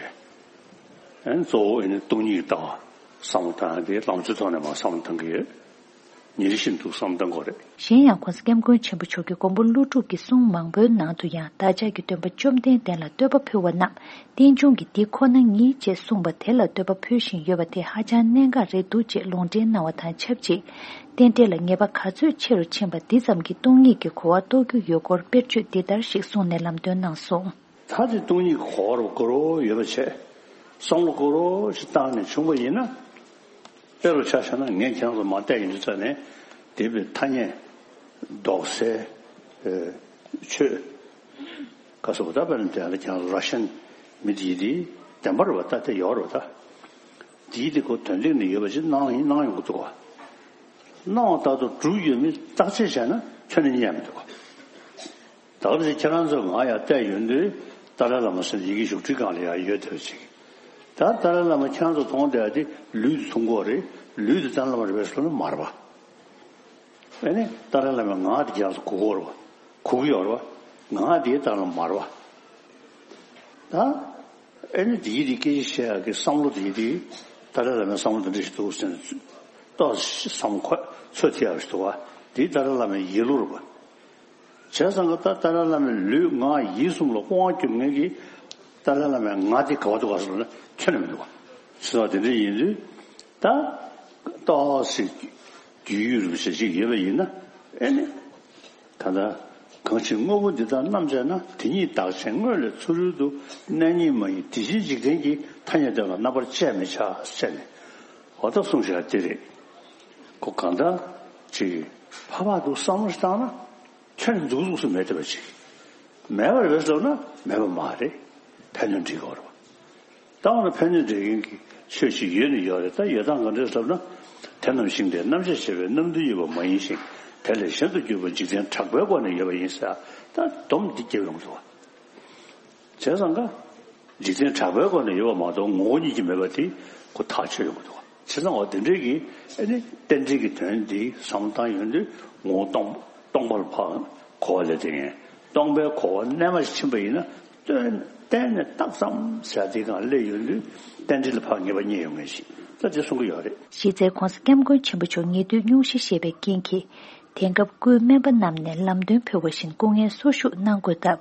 ཨེ་གཙོ་བོ་ཨེ་ནི་སྟོང་ཉིད་ཀྱི་ལྟ་བ་བསམ་བློ་བཏང་ཡ་དེ་ལམ་གཙོའི་ཐོག་ནས་མར་བསམ་བློ་བཏང་གི་ཡོད། ཉིན་རེ་བཞིན་དུ་བསམ་བློ་གཏང་དགོས་རེད། གཞན་ཡང་༸གོང་ས་༸སྐྱབས་མགོན་ཆེན་པོ་མཆོག་གིས་མགོན་པོ་ཀླུ་སྒྲུབ་ཀྱི་གསུང་མང་པོའི་ནང་དུ་ཡང་བདག་ཅག་གི་སྟོན་པ་བཅོམ་ལྡན་འདས་ལ་བསྟོད་པ་ཕུལ་བ་རྣམས་རྟེན་འབྱུང་གི་འདི་ཁོ་ན་ཉིད་ཅེས་གསུངས་པ་དེ་ལ་བསྟོད་པ་ཕུལ་བཞིན་ཡོད་པ་དེ་ཧ་ཅང་གནད་འགག་རེད་འདུག་ཅེས་ལུང་འདྲེན་གནང་བ་དང་ཆབས་ཅིག་རྟེན་འབྲེལ་ལ་ངེས་པ་ག་ཚོད་ཆེ་རུ་ཕྱིན་པ་འདི་ཙམ་གྱིས་སྟོང་ཉིད་ཀྱི་གོ་བ་རྟོགས་རྒྱུ་ཡོད་སྐོར་དཔེར་བརྗོད་འདི་ལྟར་ཞིག་གསུངས་ནས་ལམ་སྟོན་གནང་སོང་། ད་དེ་སྟོང་ཉིད་ཀྱི་གོ་བ་རུ་གོ་རོ་ཡོད་པ་བྱས། བསམ་བློ་གོ་རོ་ཞིག་བཏང་ནས་བྱུང་བ་ཡིན་ན། དཔེ་རུ་ཆ་བཞག་ན་ངས་ཁྱེད་རང་ཚོ་མ་བལྟས་ཡིན་དུས་ཙ་ནས་དེ་བའི་ཐ་སྙད་འདོགས་སའི་ཆོས་ག་སོགས་ད་དཔེར་ན་དེ་ལ་ཁྱེད་རང་ཚོ་ར་ཤན་མི་དེ་ཡི་དེ་བདེན་པ་རུ་བ་ད་དེ་ཡོད་རུ་བ་ད། དེ་ཡི་དེ་ཁོ་དོན་སྟེང་ནས་ཡོད་པ་ཅིག་སྣང་ཡིན་སྣང་ཡོང་གི་འདུག་ག་སྣང་བ་ལྟར་དུ་གྲུབ་ཡོད་མེད་བརྟག་དཔྱད་བྱས་ན་ཁྱོན་ནས་རྙེད་མི་འདུག་ག་ད་ག་ཟེ་ཁྱེད་རང་ཚོ་ང་ཡར་བལྟས་ཡོང་དུས་ཏཱ་ལའི་བླ་མ་ཟེར་ཡི་གེ་བཞུགས་ཁྲིའི་སྒང་ལ་ཡར་ཡོད་བསྡད་པ་ཅིག་ད་ཏཱ་ལའི་བླ་མ་ཁྱེད་རང་ཚོ་མཐོང་བསྡད་ཡ་དེ་ལུས་དེ་མཐོང་གི་ཡོད་རེད། ལུས་དེ་ཏཱ་ལའི་བླ་མ་རེད་པས་ཟེར་ལབ་ན་མ་རེད་པ། ཨེ་ནི་ཏཱ་ལའི་བླ་མའི་ངག་དེ་ཁྱེད་རང་ཚོ་གོ་གི་ཡོད་རེད་པ། གོ་གི་ཡོད་རེད་པ། ངག་དེ་ཏཱ་ལའི་བླ་མ་མ་རེད་པ། ད། ཨེ་ནི་དེའི་དེ་སྐད་ཆ་བཤད་ཡག་གི་བསམ་བློ་དེའི་དེ་ཏཱ་ལའི་བླ་མའི་བསམ་བློ་དེ་འདྲ་ཞིག་འདུག་ཟེར་ནས་ཏོག་ཙམ་བསམ་ཁོ་ཚོད་ཐིག་ཡག་ཞིག་འདུག་བ། དེའི་ཏཱ་ལའི་བླ་མའི་ཡིད་བློ་རུ་བ། བྱས་ཙང་གི་ད་ཏཱ་ལའི་བླ་མའི་ལུས་ངག་ཡིད་གསུམ་ལ་དབང་སྒྱུར་མཁན་གྱི་ཏཱ་ལའི་བླ་མའི་ངག་དེ་ག་བ་འདུག་ག་ཟེར་ན་ཁྱོན་ནས་མི་འདུག་བ། ཟེར་བ་དེ་འདྲ་ཡིན་དུས་ད། ཏོག་ཙམ་རྒྱུས་ཡོད་རུ་ཞེ་ཅིག་ཡོད་པ་ཡིན་ན། ཨེ་ནི། ད་ལྟ་གང་ཕྱིར་དངོས་པོ་འདི་དག་རྣམ་དཔྱད་ན། དེ་ཉིད་བདག་ཆེན་དངོས་ལས་ཚུ་རོལ་དུ། གནས་རྙེད་མ་ཡིན་དེ་བཞིན་འཇིག་རྟེན་གྱི། ཐ་སྙད་དོན་ལ་རྣམ་པར་དཔྱད་མི་བྱ་ཟེར་ནས། འོ་ད་གསུངས་བཞག་དེ་རེད། ཁོ་གང་ལྟར་ཅིག་ཕ་བག་འདུག་བསམ་བློ་ཞིག་བཏང་ན། ཁྱོད་ནི་འཛུགས་འཛུགས་སུ་མེད་བསྡད་པ་ཅིག་མེད་པ་རེད་ཟེར་ན་མེད་པ་མ་རེད། ཕན་གནོད་འདྲེས་ཀྱི་ཡོད་རེད་པ། ད་འོ་ན་ཕན་གནོད་འདྲེས་མཁན་གྱི་ཆོས་ཅིག་ཡོད་ནི་ཡོད་རེད། ད་ཡོད་སྟངས་ག་འདྲས་ཟེར་ན། དེ་རྣམས་ཞིང་དེར་རྣམ་དཔྱད་བྱེད་པའི་རྣམ་འདུན་ཡོད་པ་མ་ཡིན་ཞིང་། དེ་ལས་གཞན་དུ་གྱུར་པ་འཇིག་རྟེན་གྲགས་པའི་སྒོ་ནས་ཡོད་པ་ཡིན་ཟེར། ད་སྡོམ་འདི་རྒྱབ་ཡོང་གི་འདུག་བ། བྱས་ཙང་ཀ། འཇིག་རྟེན་གྲགས་པའི་སྒོ་ནས་ཡོད་པ་མ་གཏོགས་ངོ་བོ་ཉིད་ཀྱིས་མེད་པ་དེ་ཁོ་ཐག་ཆོད་ཡོང་གི་འདུག་བ། བྱས་ཙང་འོ་དེ་འདྲའི་གི་ཨ་ནི་རྟེན་འབྲེལ་གྱི་དོན་འདི་བསམ་བློ་བཏང་ཡོང་དུས། ངོ་བོ་སྟོང་སྟོང་པ་ལ་ཕར་གོ་བ་ལས་དེ་ངས་སྟོང་པའི་གོ་བ་རྣལ་མ་ཞིག་ཕྱིན་པ་ཡིན་ན། གཏན་གཏན་ནས་རྟགས་ཙམ་ཟེར་དེ་སྒང་སླེབས་ཡོང་དུས་རྟེན་འབྲེལ་ལ་ཕར་ངེས་པ་རྙེད་ཡོང་མཁན་ཞིག་ད་དེ་གསུང་གི་ཡོད་རེད། གཞི་རྩའི་༸གོང་ས་༸སྐྱབས་མགོན་ཆེན་པོ་མཆོག་ཉེ་དུས་སྙུང་གཞི་བཞེས་པའི་རྐྱེན་གྱིས། དེང་སྐབས་སྐུའི་སྨན་པ་རྣམས་ནས་ལམ་སྟོན་ཕུལ་བ་བཞིན་སྐུ་ངལ་གསོ་བཞུགས་གནང་དགོས་སྟབས།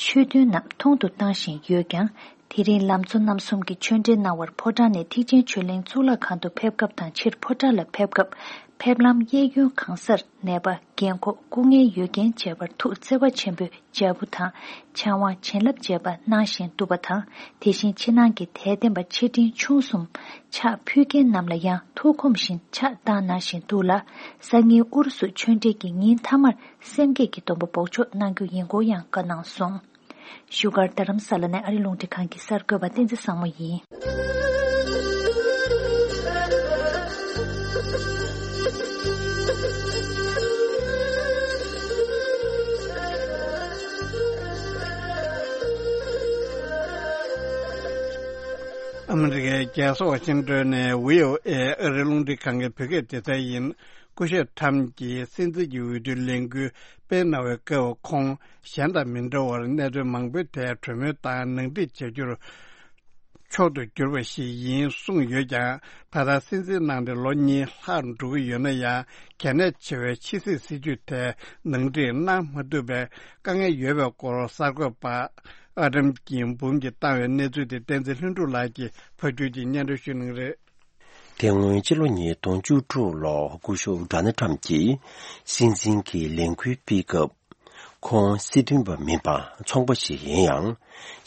ཆོས་ཐུན་རྣམས་ཐུང་དུ་བཏང་བཞིན་ཡོད་ཀྱང་། དེ་རིང་ལམ་གཙོ་རྣམ་གསུམ་གྱིས་ཆོས་འབྲེལ་གནང་བར་ཕོ་བྲང་ནས་ཐེག་ཆེན་ཆོས་གླིང་གཙུག་ལག་ཁང་དུ་ཕེབས་སྐབས་དང་། ཕྱིར་ཕོ་བྲང་ལ་ཕེབས་སྐབས། ཕེབས་ལམ་གཡས་གཡོན་གང་སར་ནད་པ། རྒན་འཁོགས། སྐུ་ངལ་ཡོད་མཁན་བཅས་པར་ཐུགས་བརྩེ་བ་ཆེན་པོས་འཇབ་རྒོལ་དང་། ཕྱག་དབང་བྱིན་རླབས་བཅས་པ་གནང་བཞིན་འདུག་པ་དང་། དེ་བཞིན་ཕྱི་ནང་གི་དད་ལྡན་པ་ཆེ་འབྲིང་ཆུང་གསུམ་ཕྱག་ཕུལ་མཁན་རྣམས་ལ་ཡང་ཐུགས་ཁོམ་བཞིན་ཕྱག་བཏང་གནང་བཞིན་འདུག་ལ། སང་ཉིན་ཨུ་རུ་སུ་ཆོས་འབྲེལ་གྱི་ཉིན་མཐའ་མར་སེམས་བསྐྱེད་ཀྱི་སྡོམ་པ་འབོགས་ཆོག་གནང་རྒྱུ་ཡིན་སྐོར་ཡང་བཀའ་གནང་སོང་། བཞུགས་སྒར་རྡ་རམ་ས་ལ་ནས་ཨ་རི་རླུང་འཕྲིན་ཁང་གི་གསར་འགོད་པ་བསྟན་འཛིན་བཟང་མོ་ཡིན། ཨ་མི་རི་ཀའི་རྒྱལ་ས་ཝ་ཤིང་ཏོན་ནས་བྷི་ཨོ་ཨེ་ཨ་རི་རླུང་འཕྲིན་ཁང་གི་བོད་སྐད་སྡེ་ཚན་ཡིན། སྐུ་ཞབས་ཁྲམ་གྱིས་སྲིད་འཛིན་གྱི་འོས་བསྡུའི་ལས་འགུལ་སྤེལ་གནང་བའི་སྐབས། ཁོང་གཞན་དང་མི་འདྲ་བར་གནད་དོན་མང་པོའི་ཐད་གྲོས་མོལ་དང་ནང་འགྲིག་བྱ་རྒྱུར་མཆོག་ཏུ་གྱུར་པ་ཞིག་ཡིན་གསུངས་ཡོད་ཀྱང་། ད་ལྟ་སྲིད་འཛིན་གནང་སྟེ་ལོ་གཉིས་ལྷག་འགྲོ་གི་ཡོད་ན་ཡང་། གལ་གནད་ཆེ་བའི་ཕྱི་སྲིད་སྲིད་ཇུས་ཐད་ནང་འགྲིག་གནང་མ་ཐུབ་པའི་དཀའ་ངལ་ཡོད་པའི་སྐོར། གསར་འགོད་པ་ཨ་དམ་སྐྱིད་འབུམ་གྱིས་བཏང་བའི་གནས་ཚུལ་དེ་བསྟན་འཛིན་ལྷུན་གྲུབ་ལགས་ཀྱིས་ཕབ་སྒྱུར་གྱིས་སྙན་སྒྲོན་ཞུ་གནང་གི་རེད། དེ་སྔོན་ཕྱི་ལོ་ཉིས་སྟོང་བཅུ་དྲུག་ལོར་སྐུ་ཞབས་ཌོ་ནལ་ཁྲམ་གྱིས་སྲིད་འཛིན་གྱི་ལས་འགུལ་སྤེལ་སྐབས། ཁོང་སྲིད་དོན་པ་མིན་པར་ཚོང་པ་ཞིག་ཡིན་ཡང་།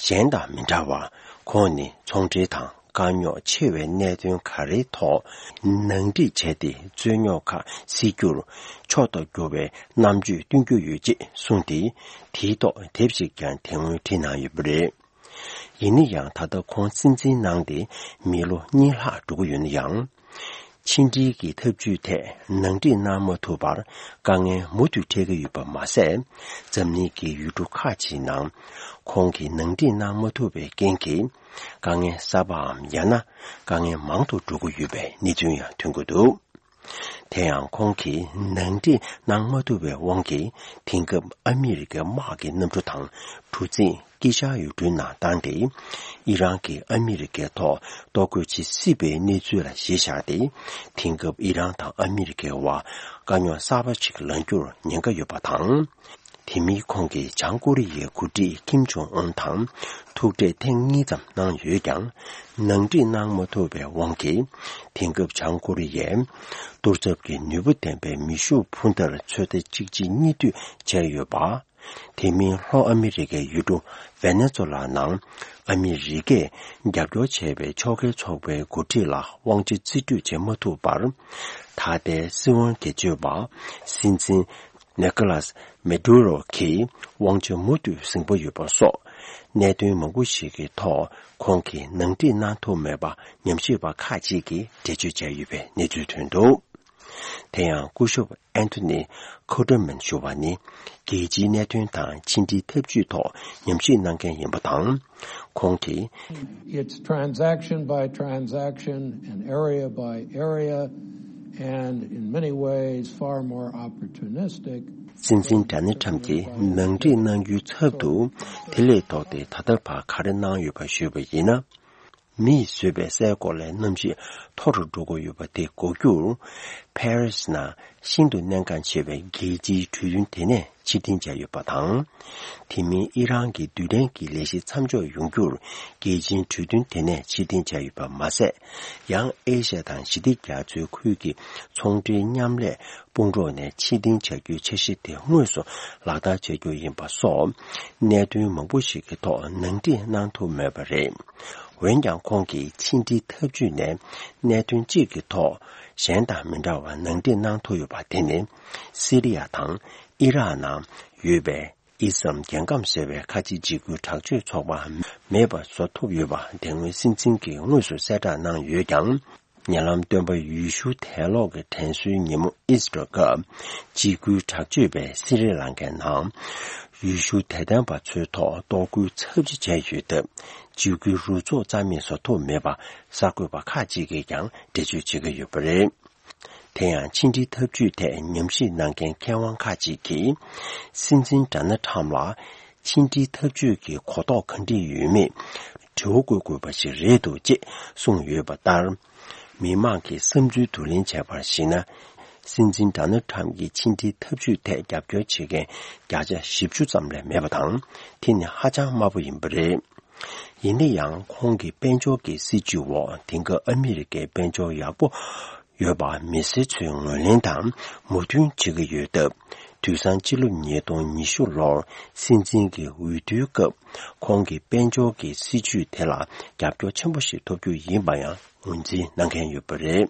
གཞན་དང་མི་འདྲ་བར། ཁོང་ནི་ཚོང་འབྲེལ་དང་དཀའ་རྙོག་ཆེ་བའི་གནད་དོན་ག་རེའི་ཐོག་ནང་འགྲིག་བྱས་ཏེ། རྩོད་རྙོག་ཁག་སེལ་རྒྱུར་མཆོག་ཏུ་གྱུར་བའི་རྣམ་དཔྱོད་སྟོན་རྒྱུ་ཡོད་ཅེས་གསུངས་ཏེ། དེའི་ཐོག་དེབ་ཞིག་ཀྱང་དེ་སྔོན་བྲིས་གནང་ཡོད་པ་རེད། ཡིན་ན་ཡང་། ད་ལྟ་ཁོང་སྲིད་འཛིན་གནང་སྟེ་མི་ལོ་གཉིས་ལྷག་འགྲོ་གི་ཡོད་ན་ཡང་། ཕྱི་འབྲེལ་གྱི་ཐབས་ཇུས་ཐད་ནང་འགྲིག་གནང་མ་ཐུབ་པར་དཀའ་ངལ་མུ་མཐུད་འཕྲད་ཀྱི་ཡོད་པ་མ་ཟད། འཛམ་གླིང་གི་ཡུལ་གྲུ་ཁག་ཅིག་ནང་ཁོང་གིས་ནང་འགྲིག་གནང་མ་ཐུབ་པའི་རྐྱེན་གྱིས། དཀའ་ངལ་གསར་པའམ། ཡང་ན་དཀའ་ངལ་མང་དུ་འགྲོ་གི་ཡོད་པའི་གནས་ཚུལ་ཡང་ཐོན་གྱི་འདུག། དེ་ཡང་ཁོང་གིས་ནང་འགྲིག་གནང་མ་ཐུབ་པའི་དབང་གིས། དེང་སྐབས་ཨ་མི་རི་ཀའི་དམག་གི་གནམ་གྲུ་དང་གྲུ་གཟིངས་དཀྱིལ་ཤར་ཡུལ་གྲུའི་ནང་བཏང་སྟེ། ཨི་རན་གྱིས་ཨ་མི་རི་ཀའི་ཐོག་གཏོར་རྒོལ་བྱེད་སྲིད་པའི་གནས་ཚུལ་ལ་གཞི་བཞག་སྟེ། དེང་སྐབས་ཨི་རན་དང་ཨ་མི་རི་ཀའི་བར་དཀའ་རྙོག་གསར་པ་ཞིག་ལངས་རྒྱུར་ཉེན་ཁ་ཡོད་པ་དང་། དེ་མིན་ཁོང་གིས་བྱང་ཀོ་རི་ཡའི་འགོ་ཁྲིད་ཀིམ་ཇོང་ཨུན་དང་ཐུག་འཕྲད་ཐེངས་གཉིས་ཙམ་གནང་ཡོད་ཀྱང་། ནང་འགྲིག་གནང་མ་ཐུབ་པའི་དབང་གིས། དེང་སྐབས་བྱང་ཀོ་རི་ཡས་གཏོར་ཚབ་ཀྱི་ནུས་པ་ལྡན་པའི་མེ་ཤུགས་འཕུར་མདའ་ཚོད་ལྟ་གཅིག་གཅིག་གཉིས་མཐུད་བྱས་ཡོད་པ། དེ་མིན་ལྷོ་ཨ་མི་རི་ཀའི་ཡུལ་གྲུ་ཝེ་ནེ་ཛོ་ལ་ནང་ཨ་མི་རི་ཀས་རྒྱབ་སྐྱོར་བྱས་པའི་ཕྱོགས་འགལ་ཚོགས་པའི་འགོ་ཁྲིད་ལ་དབང་ཆ་རྩིས་སྤྲོད་བྱེད་མ་ཐུབ་པར། ད་ལྟའི་སྲིད་དབང་སྒེར་གཅོད་པ་སྲིད་འཛིན་ནི་ཀོ་ལཱས་མེ་ཌུ་རོ་གིས་དབང་ཆ་མུ་མཐུད་ཟིན་པ་ཡོད་པ་སོགས། གནད་དོན་མང་པོ་ཞིག་གི་ཐོག་ཁོང་གིས་ནང་འགྲིག་གནང་ཐུབ་མེད་པ་ཉམས་ཞིབ་པ་ཁག་ཅིག་གིས་འགྲེལ་བརྗོད་བྱས་ཡོད་པའི་གནས་ཚུལ་ཐོན་འདུག། དེ་ཡང་སྐུ་ཞབས་ཨན་ཐོ་ནི་ཁོ་ཏྲ་མན་ཞུ་བ་ནི། རྒྱལ་སྤྱིའི་གནད་དོན་དང་ཕྱི་འབྲེལ་ཐབས་ཇུས་ཐོག་ཉམས་ཞིབ་གནང་མཁན་ཡིན་པ་དང་། ཁོང་གིས། It's transaction by transaction and area by area and in many ways far more opportunistic. སྲིད་འཛིན་ཌོ་ནལ་ཁྲམ་གྱིས་ནང་འགྲིག་གནང་རྒྱུའི་ཚབ་ཏུ། དེ་ལས་ལྡོག་སྟེ་ད་ལྟ་བར་ག་རེ་གནང་ཡོད་པ་ཞུས་པ་ཡིན་ན། མིས་བཟོས་པའི་སའི་གོ་ལའི་གནམ་གཤིས་མཐོ་རུ་འགྲོ་གི་ཡོད་པ་དེ་འགོག་རྒྱུར། ཕ་རི་སི་ནང་ཤིན་ཏུ་གནད་འགག་ཆེ་བའི་རྒྱལ་སྤྱིའི་གྲོས་མཐུན་དེ་ནས་ཕྱིར་འཐེན་བྱས་ཡོད་པ་དང་། དེ་མིན་ཨི་རན་གྱི་རྡུལ་ཕྲན་གྱི་ལས་གཞི་མཚམས་འཇོག་ཡོང་རྒྱུར་རྒྱལ་སྤྱིའི་གྲོས་མཐུན་དེ་ནས་ཕྱིར་འཐེན་བྱས་ཡོད་པ་མ་ཟད། ཡང་ཨེ་ཤ་ཡ་དང་ཞི་བདེ་རྒྱ་མཚོའི་ཁུལ་གྱི་ཚོང་འབྲེལ་མཉམ་ལས་དཔུང་རོགས་ནས་ཕྱིར་འཐེན་བྱ་རྒྱུའི་འཆར་གཞི་དེ་དངོས་སུ་ལག་བསྟར་བྱ་རྒྱུ་ཡིན་པ་སོགས། གནད་དོན་མང་པོ་ཞིག་གི་ཐོག་ནང་འགྲིག་གནང་ཐུབ་མེད་པ་རེད། འོན་ཀྱང་ཁོང་གིས་ཕྱི་འབྲེལ་འཐབ་ཇུས་ནས་གནད་དོན་གཅིག་གི་ཐོག་གཞན་དང་མི་འདྲ་བར་ནང་འགྲིག་གནང་ཐུབ་ཡོད་པ་དེ་ནི། སི་རི་ཡ་དང་ཨི་རག་ནང་ཡོད་པའི་ཨི་སམ་རྒྱལ་ཁམས་ཟེར་བའི་ཁ་ཆེ་འཇིགས་སྐུལ་དྲག་སྤྱོད་ཚོགས་པ་མེད་པ་བཟོ་ཐུབ་ཡོད་པ་དེ་སྔོན་སྲིད་འཛིན་གྱིས་དངོས་སུ་གསལ་བསྒྲགས་གནང་ཡོད་ཀྱང་། ཉེ་ལམ་སྟོན་པ་ཡེ་ཤུ་དད་སློང་གི་དྲན་གསོའི་ཉིན་མོ་ཨིས་ཊར་སྐབས། འཇིགས་སྐུལ་དྲག་སྤྱོད་པས་སི་རི་ལང་ཀའི་ནང་ཡེ་ཤུ་དད་ལྡན་པ་ཚོའི་ཐོག་གཏོར་རྒོལ་ཚབས་ཆེ་བྱས་ཡོད་སྟབས། འཇིགས་སྐུལ་རུ་ཚོགས་རྩ་མེད་བཟོ་ཐུབ་མེད་པ་གསར་འགོད་པ་ཁག་ཅིག་གིས་ཀྱང་འགྲེལ་བརྗོད་བྱེད་ཀྱི་ཡོད་པ་རེད། དེ་ཡང་ཕྱི་འབྲེལ་འཐབ་ཇུས་ཐད་ཉམས་ཞིབ་གནང་མཁན་མཁས་དབང་ཁག་ཅིག་གིས། སྲིད་འཛིན་ཌོ་ནལ་ཊམ་ལ་ཕྱི་འབྲེལ་འཐབ་ཇུས་ཀྱི་གོ་རྟོགས་ག་འདྲ་ཡོད་མེད་དྲི་བ་བཀོད་དགོས་པ་ཞིག་རེད་འདུག་ཅེས་གསུངས་ཡོད་པ་ལྟར། མི་མང་གི་བསམ་ཚུལ་བསྡུ་ལེན་བྱས་པར་གཞིགས་ན། སྲིད་འཛིན་ཌོ་ནལ་ཊམ་གྱི་ཕྱི་འབྲེལ་འཐབ་ཇུས་ཐད་རྒྱབ་སྐྱོར་བྱེད་མཁན་བརྒྱ་ཆ་བཞི་བཅུ་ཙམ་ལས་མེད་པ་དང་། དེ་ནི་ཧ་ཅང་དམའ་པོ་ཡིན་པ་རེད། ཡིན་ན་ཡང་ཁོང་གི་དཔལ་འབྱོར་གྱི་སྲིད་བྱུས་འོག་དེང་སྐབས་ཨ་མི་རི་ཀའི་དཔལ་འབྱོར་ཡག་པོ་ཡོད་པ་མི་སེར་ཚོས་ངོས་ལེན་དང་མོས་མཐུན་བྱེད་ཀྱི་ཡོད་སྟབས། དུས་སང་ཕྱི་ལོ་ཉིས་སྟོང་ཉི་ཤུ་ལོར་སྲིད་འཛིན་གྱི་འོས་བསྡུའི་སྐབས་ཁོང་གི་དཔལ་འབྱོར་གྱི་སྲིད་བྱུས་དེ་ལ་རྒྱབ་སྐྱོར་ཆེན་པོ་ཞིག་ཐོབ་རྒྱུ་ཡིན་པ་ཡང་ངོས་འཛིན་གནང་མཁན་ཡོད་པ་རེད།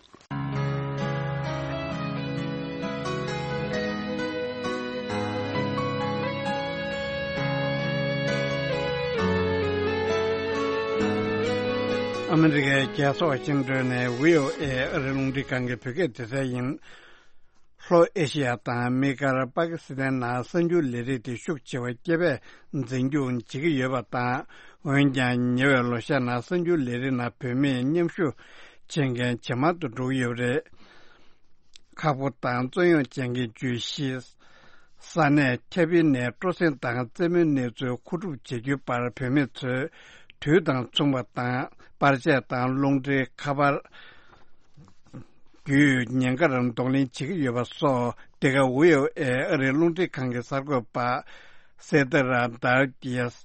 ཨ་མི་རི་ཀའི་རྒྱལ་ས་ཝ་ཤིང་ཏོན་ནས་བྷི་ཨོ་ཨེ་ཨ་རིའི་རླུང་འཕྲིན་ཁང་གི་བོད་སྐད་སྡེ་ཚན་ཡིན། ལྷོ་ཨེ་ཤེ་ཡ་དང་དམིགས་བཀར་པ་ཀི་སི་ཐན་ནང་གསར་འགྱུར་ལས་རིགས་དེ་ཤུགས་ཆེ་བ་སྐྱེ་འཕེལ་འཛིན་སྐྱོང་བྱེད་ཀྱི་ཡོད་པ་དང་། འོན་ཀྱང་ཉེ་བའི་ལོ་ཤས་ནང་གསར་འགྱུར་ལས་རིགས་ནང་བོད་མིས་མཉམ་ཞུགས་བྱེད་མཁན་ཇེ་མང་དུ་འགྲོ་གི་ཡོད་པ་རེད། ཁག་པོ་དང་རྩོད་གཡེང་ཅན་གྱི་བརྗོད་གཞི། ས་གནས་ཁྱབ་སྤེལ་ནས་སྤྲོ་གསེང་དང་རྩེད་མོའི་གནས་ཚུལ་མཁོ་སྒྲུབ་བྱེད་རྒྱུའི་བར་བོད་མི་ཚོས་དུས་དང་མཚུངས་པ་དང་པར་ཆས་དང་རླུང་འཕྲིན་ཁ་པར་བརྒྱུད་ཉེན་ཁར་གདོང་ལེན་བྱེད་ཀྱི་ཡོད་པ་སོགས། འདི་ག་བྷི་ཨོ་ཨེ་ཨ་རིའི་རླུང་འཕྲིན་ཁང་གི་གསར་འགོད་པ་སེ་ཏ་ར་དར་གྱིས་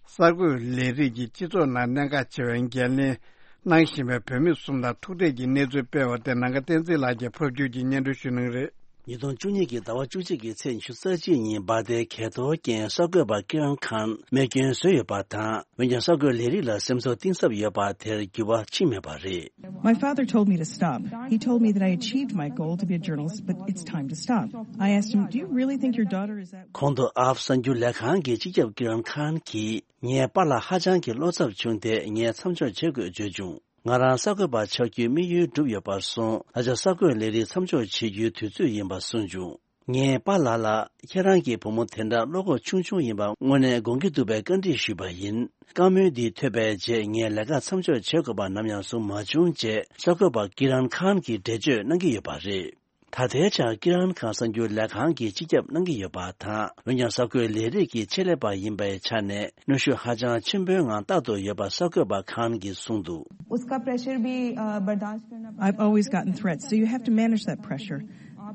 གསར་འགོད་ལས་རིགས་ཀྱི་སྤྱི་ཚོགས་ནང་གནད་འགག་ཆེ་བའི་འགན་ལེན་གནང་བཞིན་པའི་བོད་མི་གསུམ་ལ་ཐུག་འཕྲད་ཀྱི་གནས་ཚུལ་སྤེལ་བ་དེ་ནང་ཁ་བསྟན་འཛིན་ལགས་ཀྱིས་ཕབ་སྒྱུར་གྱིས་སྙན་སྒྲོན་ཞུ་གནང་གི་རེད། ཉིས་སྟོང་བཅུ་གཉིས་ཀྱི་ཟླ་བ་བཅུ་གཅིག་གི་ཚེས་ཉི་ཤུ་རྩ་གཅིག་ཉིན་འབར་མདེལ་གས་གཏོར་རྐྱེན་གསར་འགོད་པ་ཀི་རན་ཁཱན་རྨས་སྐྱོན་བཟོས་ཡོད་པ་དང་། འོན་ཀྱང་གསར་འགོད་ལས་རིགས་ལ་སེམས་ཚོར་གཏིང་ཟབ་ཡོད་པ་དེར་འགྱུར་བ་ཕྱིན་མེད་པ་རེད། My father told me to stop. He told me that I achieved my goal to be a journalist, but it's time to stop. I asked him, "Do you really think your daughter is that?" གོང་དུ་ཨ་ཕ་གསར་འགྱུར་ལས་ཁང་གི་སྤྱི་ཁྱབ་ཀི་རན་ཁཱན་གྱིས། ངའི་པཱ་ལགས་ཧ་ཅང་གི་བློ་འཚབ་བྱུང་སྟེ། ངས་མཚམས་འཇོག་བྱེད་དགོས་བརྗོད་བྱུང་། ང་རང་གསར་འགོད་པ་ཆགས་རྒྱུའི་དམིགས་ཡུལ་འགྲུབ་ཡོད་པར་སོང་། ད་ཆ་གསར་འགོད་ལས་རིགས་མཚམས་འཇོག་བྱེད་རྒྱུའི་དུས་ཚོད་ཡིན་པ་གསུངས་བྱུང་། ངས་པཱ་ལགས་ལ། ཁྱེད་རང་གི་བུ་མོ་དེ་འདྲ་བློ་ཁོག་ཆུང་ཆུང་ཡིན་པ་དངོས་གནས་དགོངས་ཀྱི་འདུག་པའི་བཀའ་འདྲི་ཞུས་པ་ཡིན། བཀའ་མོལ་འདི་ཐོས་པའི་རྗེས་ངས་ལས་ཀ་མཚམས་འཇོག་བྱེད་དགོས་པ་ནམ་ཡང་བཟུང་མ་བྱུང་ཅེས་གསར་འགོད་པ་ཀི་རན་ཁཱན་གྱིས་འགྲེལ་བརྗོད་གནང་གི་ཡོད་པ་རེད། ད་ལྟའི་ཆར་ཀི་རན་ཁཱན་གསར་འགྱུར་ལས་ཁང་གི་སྤྱི་ཁྱབ་གནང་གི་ཡོད་པ་དང་། འོན་ཀྱང་གསར་འགོད་ལས་རིགས་ཀྱི་ཆེད་ལས་པ་ཡིན་པའི་ཆ་ནས་གནོན་ཤུགས་ཧ་ཅང་ཆེན་པོའི་ངང་ལྟ་དོ་ཡོད་པ་གསར་འགོད་པ་ཁཱན་གྱིས་གསུངས་འདུག། उसका प्रेशर भी अ, बर्दाश्त करना पड़ता है। I've always gotten threats, so you have to manage that pressure.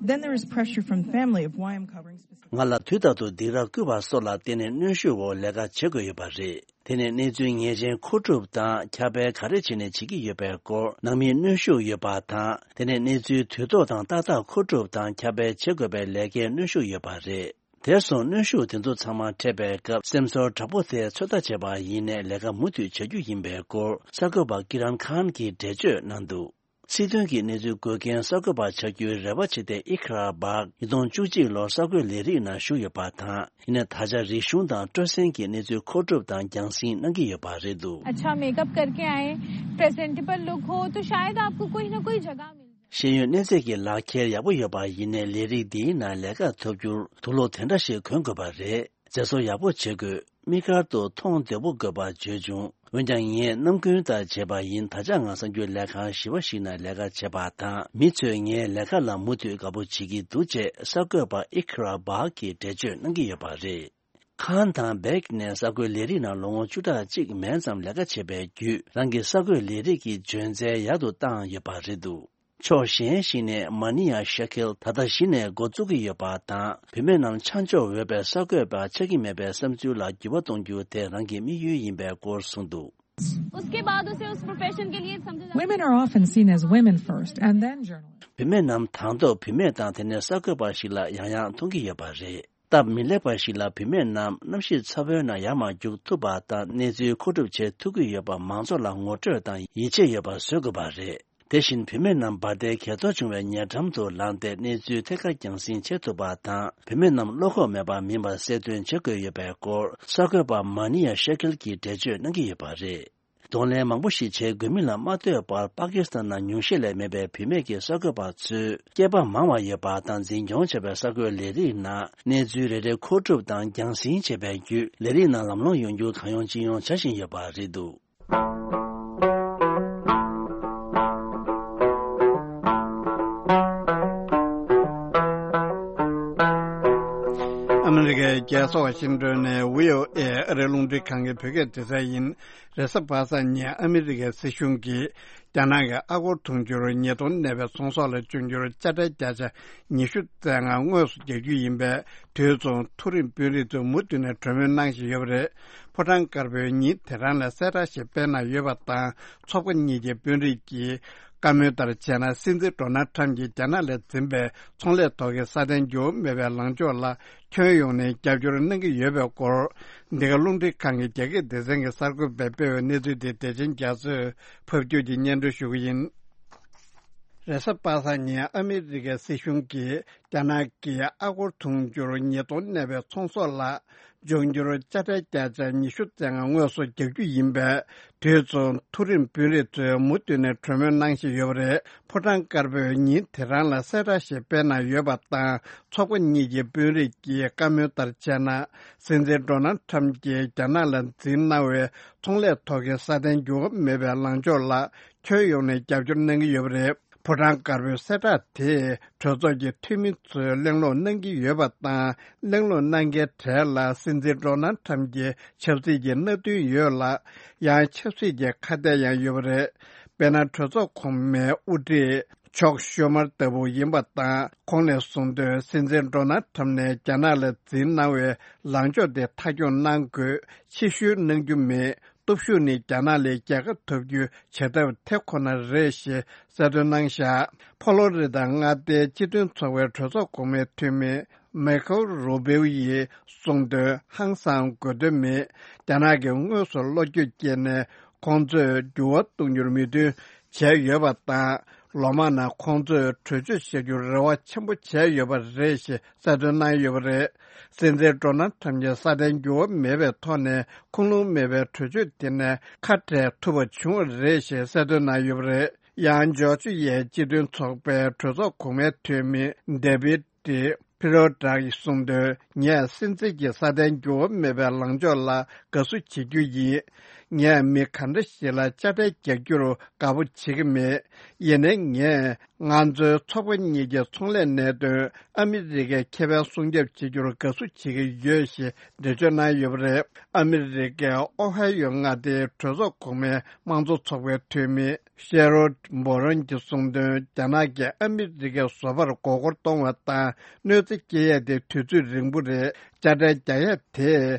Then there is pressure from family of why I'm covering specific. ང་ལ་དུས་རྟག་ཏུ་སྡིགས་ར་བསྐུལ་བ་སོགས་ལ་བརྟེན་ནས་གནོན་ཤུགས་འོག་ལས་ཀ་བྱེད་དགོས་ཡོད་པ་རེད། དེ་ནས་གནས་ཚུལ་ངེས་ཅན་མཁོ་སྒྲུབ་དང་ཁྱབ་སྤེལ་ག་རེ་བྱས་ནས་བྱེད་ཀྱི་ཡོད་པའི་སྐོར་ནང་མིའི་གནོན་ཤུགས་ཡོད་པ་དང་། དེ་ནས་གནས་ཚུལ་དུས་ཐོག་དང་ཏག་ཏག་མཁོ་སྒྲུབ་དང་ཁྱབ་སྤེལ་བྱེད་དགོས་པའི་ལས་ཀའི་གནོན་ཤུགས་ཡོད་པ་རེད། དེར་སོང་གནོན་ཤུགས་དེ་ཚོ་ཚང་མ་འཕྲད་པའི་སྐབས་སེམས་ཚོར་དྲག་པོ་དེ་ཚོད་ལྟ་བྱས་པ་ཡིན་ནའི་ལས་ཀ་མུ་མཐུད་བྱ་རྒྱུ་ཡིན་པའི་སྐོར་གསར་འགོད་པ་ཀི་རན་ཁཱན་གྱིས་འགྲེལ་བརྗོད་གནང་འདུག། སྲིད་དོན་གྱི་གནས་ཚུལ་འགོད་མཁན་གསར་འགོད་པ་ཆགས་རྒྱུའི་རེ་བ་བྱས་ཏེ་ཨི་ཁ་ར་བག་ཉིས་སྟོང་བཅུ་གཅིག་ལོར་གསར་འགོད་ལས་རིགས་ནང་ཞུགས་ཡོད་པ་དང་། ཡིན་ནའི་ད་ཆ་རིག་གཞུང་དང་སྤྲོ་གསེང་གི་གནས་ཚུལ་མཁོ་སྒྲུབ་དང་རྒྱང་སྲིང་གནང་གི་ཡོད་པ་རེད་འདུག། अच्छा मेकअप करके आए, presentable look हो तो शायद आपको कोई ना कोई जगह मिल जाए। ཤེས་ཡོན་གནས་ཚད་ཀྱི་ལག་འཁྱེར་ཡག་པོ་ཡོད་པ་ཡིན་ནའི་ལས་རིགས་འདིའི་ནང་ལས་ཀ་ཐོབ་རྒྱུར་དུག་སློག་དེ་འདྲ་ཞིག་གོན་དགོས་པ་རེད། མཛེས་བཟོ་ཡག་པོ་བྱེད་དགོས། དམིགས་བཀར་དུ་མཐོང་བདེ་པོ་དགོས་པ་བརྗོད་བྱུང་། འོན་ཀྱང་ངས་རྣམ་ཀུན་ལྟར་བྱས་པ་ཡིན། ད་ཆ་ང་གསར་འགྱུར་ལས་ཁང་ཞི་བ་ཞིག་ནང་ལས་ཀ་བྱེད་པ་དང་། མི་ཚོས་ངའི་ལས་ཀ་ལ་མུ་མཐུད་དགའ་པོ་བྱེད་ཀྱི་འདུག་ཅེས་གསར་འགོད་པ་ཨི་ཁ་ར་བག་གིས་འགྲེལ་བརྗོད་གནང་གི་ཡོད་པ་རེད། ཁཱན་དང་སྦེག་ནས་གསར་འགོད་ལས་རིགས་ནང་ལོ་ངོ་བཅུ་ཕྲག་གཅིག་མན་ཙམ་ལས་ཀ་བྱས་པའི་བརྒྱུད། རང་གི་གསར་འགོད་ལས་རིགས་ཀྱི་འཇོན་ཚད་ཡག་ཏུ་བཏང་ཡོད་པ་རེད་འདུག་ཕྱོགས་གཞན་ཞིག་ནས་མ་ནི་ཡ་ཤ་ཁེལ་ད་ལྟ་གཞི་ནས་འགོ་བཙུགས་ཀྱི་ཡོད་པ་དང་། བུད་མེད་རྣམས་ཆ་འཇོག་འོས་པའི་གསར་འགོད་པ་ཆགས་ཀྱི་མེད་པའི་བསམ་ཚུལ་ལ་འགྱུར་བ་གཏོང་རྒྱུ་དེ་རང་གི་དམིགས་ཡུལ་ཡིན་པའི་སྐོར་གསུངས་འདུག། उसके बाद उसे उस प्रोफेशन के लिए समझा जाता है। Women are often seen as women first and then journalists. བུད་མེད་རྣམས་དང་ཐོག་བུད་མེད་དང་དེ་ནས་གསར་འགོད་པ་ཞིག་ལ་ཡང་ཡང་མཐོང་གི་ཡོད་པ་རེད། སྟབས་མི་ལེགས་པ་ཞིག་ལ་བུད་མེད་རྣམས་གནམ་གཤིས་ཚ་བོའི་ནང་ཡར་མར་རྒྱུག་ཐུབ་པ་དང་གནས་ཚུལ་མཁོ་སྒྲུབ་བྱེད་ཐུབ་ཀྱི་ཡོད་པ་མང་ཚོགས་ལ་ངོ་སྤྲོད་དང་ཡིད་ཆེས་ཡོད་པ་བཟོ་དགོས་པ་རེད། དེ་བཞིན་བུད་མེད་རྣམས་འབར་མདེལ་གས་གཏོར་བྱུང་བའི་ཉེ་འགྲམ་དུ་ལངས་ཏེ་གནས་ཚུལ་ཐད་ཀར་རྒྱང་སྲིང་བྱེད་ཐུབ་པ་དང་། བུད་མེད་རྣམས་བློ་ཁོག་མེད་པ་མིན་པར་གསལ་སྟོན་བྱེད་དགོས་ཡོད་པའི་སྐོར་གསར་འགོད་པ་མ་ནི་ཡ་ཤེ་ཁེལ་གྱིས་འགྲེལ་བརྗོད་གནང་གི་ཡོད་པ་རེད། གདོང་ལེན་མང་པོ་ཞིག་བྱེད་དགོས་མིན་ལ་མ་ལྟོས་པར། པ་ཀི་སི་ཐན་ནང་ཉུང་ཤས་ལས་མེད་པའི་བུད་མེད་ཀྱི་གསར་འགོད་པ་ཚོས་སྐྱེས་པ་མང་བ་ཡོད་པ་དང་། འཛིན་སྐྱོང་བྱས་པའི་གསར་འགོད་ལས་རིགས་ནང་གནས་ཚུལ་རེ་རེ་མཁོ་སྒྲུབ་དང་རྒྱང་སྲིང་བྱས་པའི་བརྒྱུད། ལས་རིགས་ནང་ལམ་ལྷོང་ཡོང་རྒྱུ་གང་ཡོང་ཅི་ཡོང་བྱ་བཞིན་ཡོད་པ་རེད་འདུག། ཨ་མི་རི་ཀའི་རྒྱལ་ས་ཝ་ཤིང་ཏོན་ནས་བྷི་ཨོ་ཨེ་ཨ་རིའི་རླུང་འཕྲིན་ཁང་གི་བོད་སྐད་སྡེ་ཚན་ཡིན། རེས་གཟའ་པ་སངས་ཉིན་ཨ་མི་རི་ཀའི་སྲིད་གཞུང་གིས་རྒྱ་ནག་གི་ཨ་སྒོར་དུང་ཕྱུར་ཉིས་སྟོང་གནས་པའི་ཚོང་ཟོག་ལ་འབྱུང་འགྱུར་དཔྱ་ཁྲལ་བརྒྱ་ཆ་ཉི་ཤུ་རྩ་ལྔ་དངོས་སུ་རྒྱག་རྒྱུ་ཡིན་པས། དུས་མཚུངས་མཐོ་རིམ་དཔོན་རིགས་ཚོས་མུ་མཐུད་ནས་གྲོས་མོལ་གནང་བཞིན་ཡོད་པ་རེད། ཕོ་བྲང་དཀར་པོས་ཉིན་དེ་རང་ལ་གསལ་བསྒྲགས་ཤིག་སྤེལ་གནང་ཡོད་པ་དང་། ཚོགས་པ་གཉིས་ཀྱི་དཔོན་རིགས་ཀྱིས་བཀའ་མོལ་ལྟར་བྱས་ན། སྲིད་འཛིན་ཌོ་ནལ་ཁྲམ་གྱིས་རྒྱ་ནག་ལ་འཛིན་པའི་ཚོང་ལས་ཐོག་གི་སྲ་བརྟན་འགྱུར་བ་མེད་པའི་ལངས་ཕྱོགས་ལ་ཁྱོན་ཡོངས་ནས་རྒྱབ་སྐྱོར་གནང་གི་ཡོད་པའི་སྐོར། འདི་ག་རླུང་འཕྲིན་ཁང་གི་རྒྱ་སྐད་སྡེ་ཚན་གྱི་གསར་འགོད་པས་སྤེལ་བའི་གནས་ཚུལ་དེ་བདེ་ཆེན་རྒྱ་མཚོས་ཕབ་སྒྱུར་གྱིས་སྙན་སྒྲོན་ཞུ་གི་ཡིན། རེས་གཟའ་པ་སངས་ཉིན་ཨ་མི་རི་ཀའི་སྲིད་གཞུང་གིས་རྒྱ་ནག་གི་ཨ་སྒོར་དུང་ཕྱུར་ཉིས་སྟོང་གནས་པའི་ཚོང་ཟོག་ལ་འབྱུང་འགྱུར་དཔྱ་ཁྲལ་བརྒྱ་ཆ་ཉི་ཤུ་རྩ་ལྔ་དངོས་སུ་རྒྱག་རྒྱུ་ཡིན་པས། དུས་མཚུངས་མཐོ་རིམ་དཔོན་རིགས་ཚོས་མུ་མཐུད་ནས་གྲོས་མོལ་གནང་བཞིན་ཡོད་པ་རེད། ཕོ་བྲང་དཀར་པོས་ཉིན་དེ་རང་ལ་གསལ་བསྒྲགས་ཤིག་སྤེལ་གནང་ཡོད་པ་དང་། ཚོགས་པ་གཉིས་ཀྱི་དཔོན་རིགས་ཀྱིས་བཀའ་མོལ་ལྟར་བྱས་ན། སྲིད་འཛིན་ཌོ་ནལ་ཁྲམ་གྱིས་རྒྱ་ནག་ལ་འཛིན་གནང་བའི་ཚོང་ལས་ཐོག་གི་སྲ་བརྟན་འགྱུར་བ་མེད་པའི་ལངས་ཕྱོགས་ལ་ཁྱོན་ཡོངས་ནས་རྒྱབ་སྐྱོར་གནང་གི་ཡོད་པ་རེད། ཕོ་བྲང་དཀར་པོའི་གསལ་བསྒྲགས་དེས་གྲོས་ཚོགས་ཀྱི་འཐུས་མི་ཚོས་གླེང་སློང་གནང་གི་ཡོད་པ་དང་། གླེང་སློང་གནང་མཁན་གྲས་ལ་སྲིད་འཛིན་ཌོ་ནལ་ཁྲམ་གྱི་ཆབ་སྲིད་ཀྱི་མནའ་མཐུན་ཡོད་ལ། ཡང་ཆབ་སྲིད་ཀྱི་ཁ་གཏད་ཡང་ཡོད་པ་རེད། དཔེར་ན། གྲོས་ཚོགས་གོང་མའི་དབུ་ཁྲིད་ཅག་ཤུ་མར་ལྟ་བུ་ཡིན་པ་དང་། ཁོང་ནས་གསུངས་དོན། སྲིད་འཛིན་ཌོ་ནལ་ཁྲམ་ནས་རྒྱ་ནག་ལ་འཛིན་གནང་བའི་ལངས་ཕྱོགས་དེ་མཐའ་འཁྱོངས་གནང་དགོས། ཕྱིར་བཤོལ་གནང་རྒྱུ་མེད། སྟོབས་ཤུགས་ནི་རྒྱ་ནག་ལས་རྒྱལ་ཁ་ཐོབ་རྒྱུའི་བྱ་ཐབས་དེ་ཁོ་ན་རེད་ཞེས་གསལ་སྟོན་གནང་བཞག། ཕོ་ལོ་རི་དང་མངའ་སྡེའི་སྤྱི་མཐུན་ཚོགས་པའི་གྲོས་ཚོགས་གོང་མའི་འཐུས་མི་མེ་ཁོ་རུ་བེའུ་ཡིས་གསུངས་དོན། ཧང་སང་དགོས་དོན་མེད། རྒྱ་ནག་གིས་དངོས་སུ་བློ་འགྱོད་སྐྱེས་ནས་ཁོང་ཚོས་འགྱུར་བ་གཏོང་རྒྱུར་མོས་མཐུན་བྱས་ཡོད་པ་དང་། ལོ་མང་ནང་ཁོང་ཚོས་གྲོས་ཆོད་བཞག་རྒྱུར་རེ་བ་ཆེན་པོ་བྱས་ཡོད་པ་རེད་ཞེས་གསལ་སྟོན་གནང་ཡོད་པ་རེད། སྲིད་འཛིན་ཌོ་ནལ་ཁྲམ་གྱིས་སྲ་བརྟན་འགྱུར་བ་མེད་པའི་ཐོག་ནས་ཁུངས་ལུང་མེད་པའི་གྲོས་ཆོད་དེ་ནས་ཁ་བྲལ་ཐུབ་པ་བྱུང་བ་རེད་ཞེས་གསལ་སྟོན་གནང་ཡོད་པ་རེད། ཡང་ཇོར་ཇི་ཡའི་སྤྱི་མཐུན་ཚོགས་པའི་གྲོས་ཚོགས་གོང་མའི་འཐུས་མི་ཌེ་བིད་ཏི་ཕི་རོ་ཏྲ་ཡིས་གསུངས་དོན། ངས་སྲིད་འཛིན་གྱི་སྲ་བརྟན་འགྱུར་བ་མེད་པའི་ལངས་ཕྱོགས་ལ་དགའ་བསུ་བྱེད་རྒྱུ་ཡིན། ངས་མི་ག་འདྲ་ཞིག་ལ་དཔྱ་ཁྲལ་རྒྱག་རྒྱུར་དགའ་པོ་བྱེད་ཀྱི་མེད། ཡིན་ནའི་ངས་ང་ཚོའི་ཚོགས་པ་གཉིས་ཀྱི་ཚོང་ལས་གནད་དོན་ཨ་མི་རི་ཀའི་ཁེ་ཕན་སྲུང་སྐྱོབ་བྱེད་རྒྱུར་དགའ་བསུ་བྱེད་ཀྱི་ཡོད་ཞེས་འགྲེལ་བརྗོད་གནང་ཡོད་པ་རེད། ཨ་མི་རི་ཀའི་ཨོ་ཧའི་ཡོ་མངའ་སྡེའི་གྲོས་ཚོགས་གོང་མའི་དམངས་གཙོ་ཚོགས་པའི་འཐུས་མི་ཤེ་རོད་འབོ་རོན་གྱིས་གསུངས་དོན། རྒྱ་ནག་གིས་ཨ་མི་རི་ཀའི་བཟོ་པར་མགོ་སྐོར་གཏོང་བ་དང་གནོད་འཚེ་སྐྱེལ་ཡས་དེ་དུས་ཚོད་རིང་པོ་རེད། དཔྱ་ཁྲལ་རྒྱག་ཡས་དེ་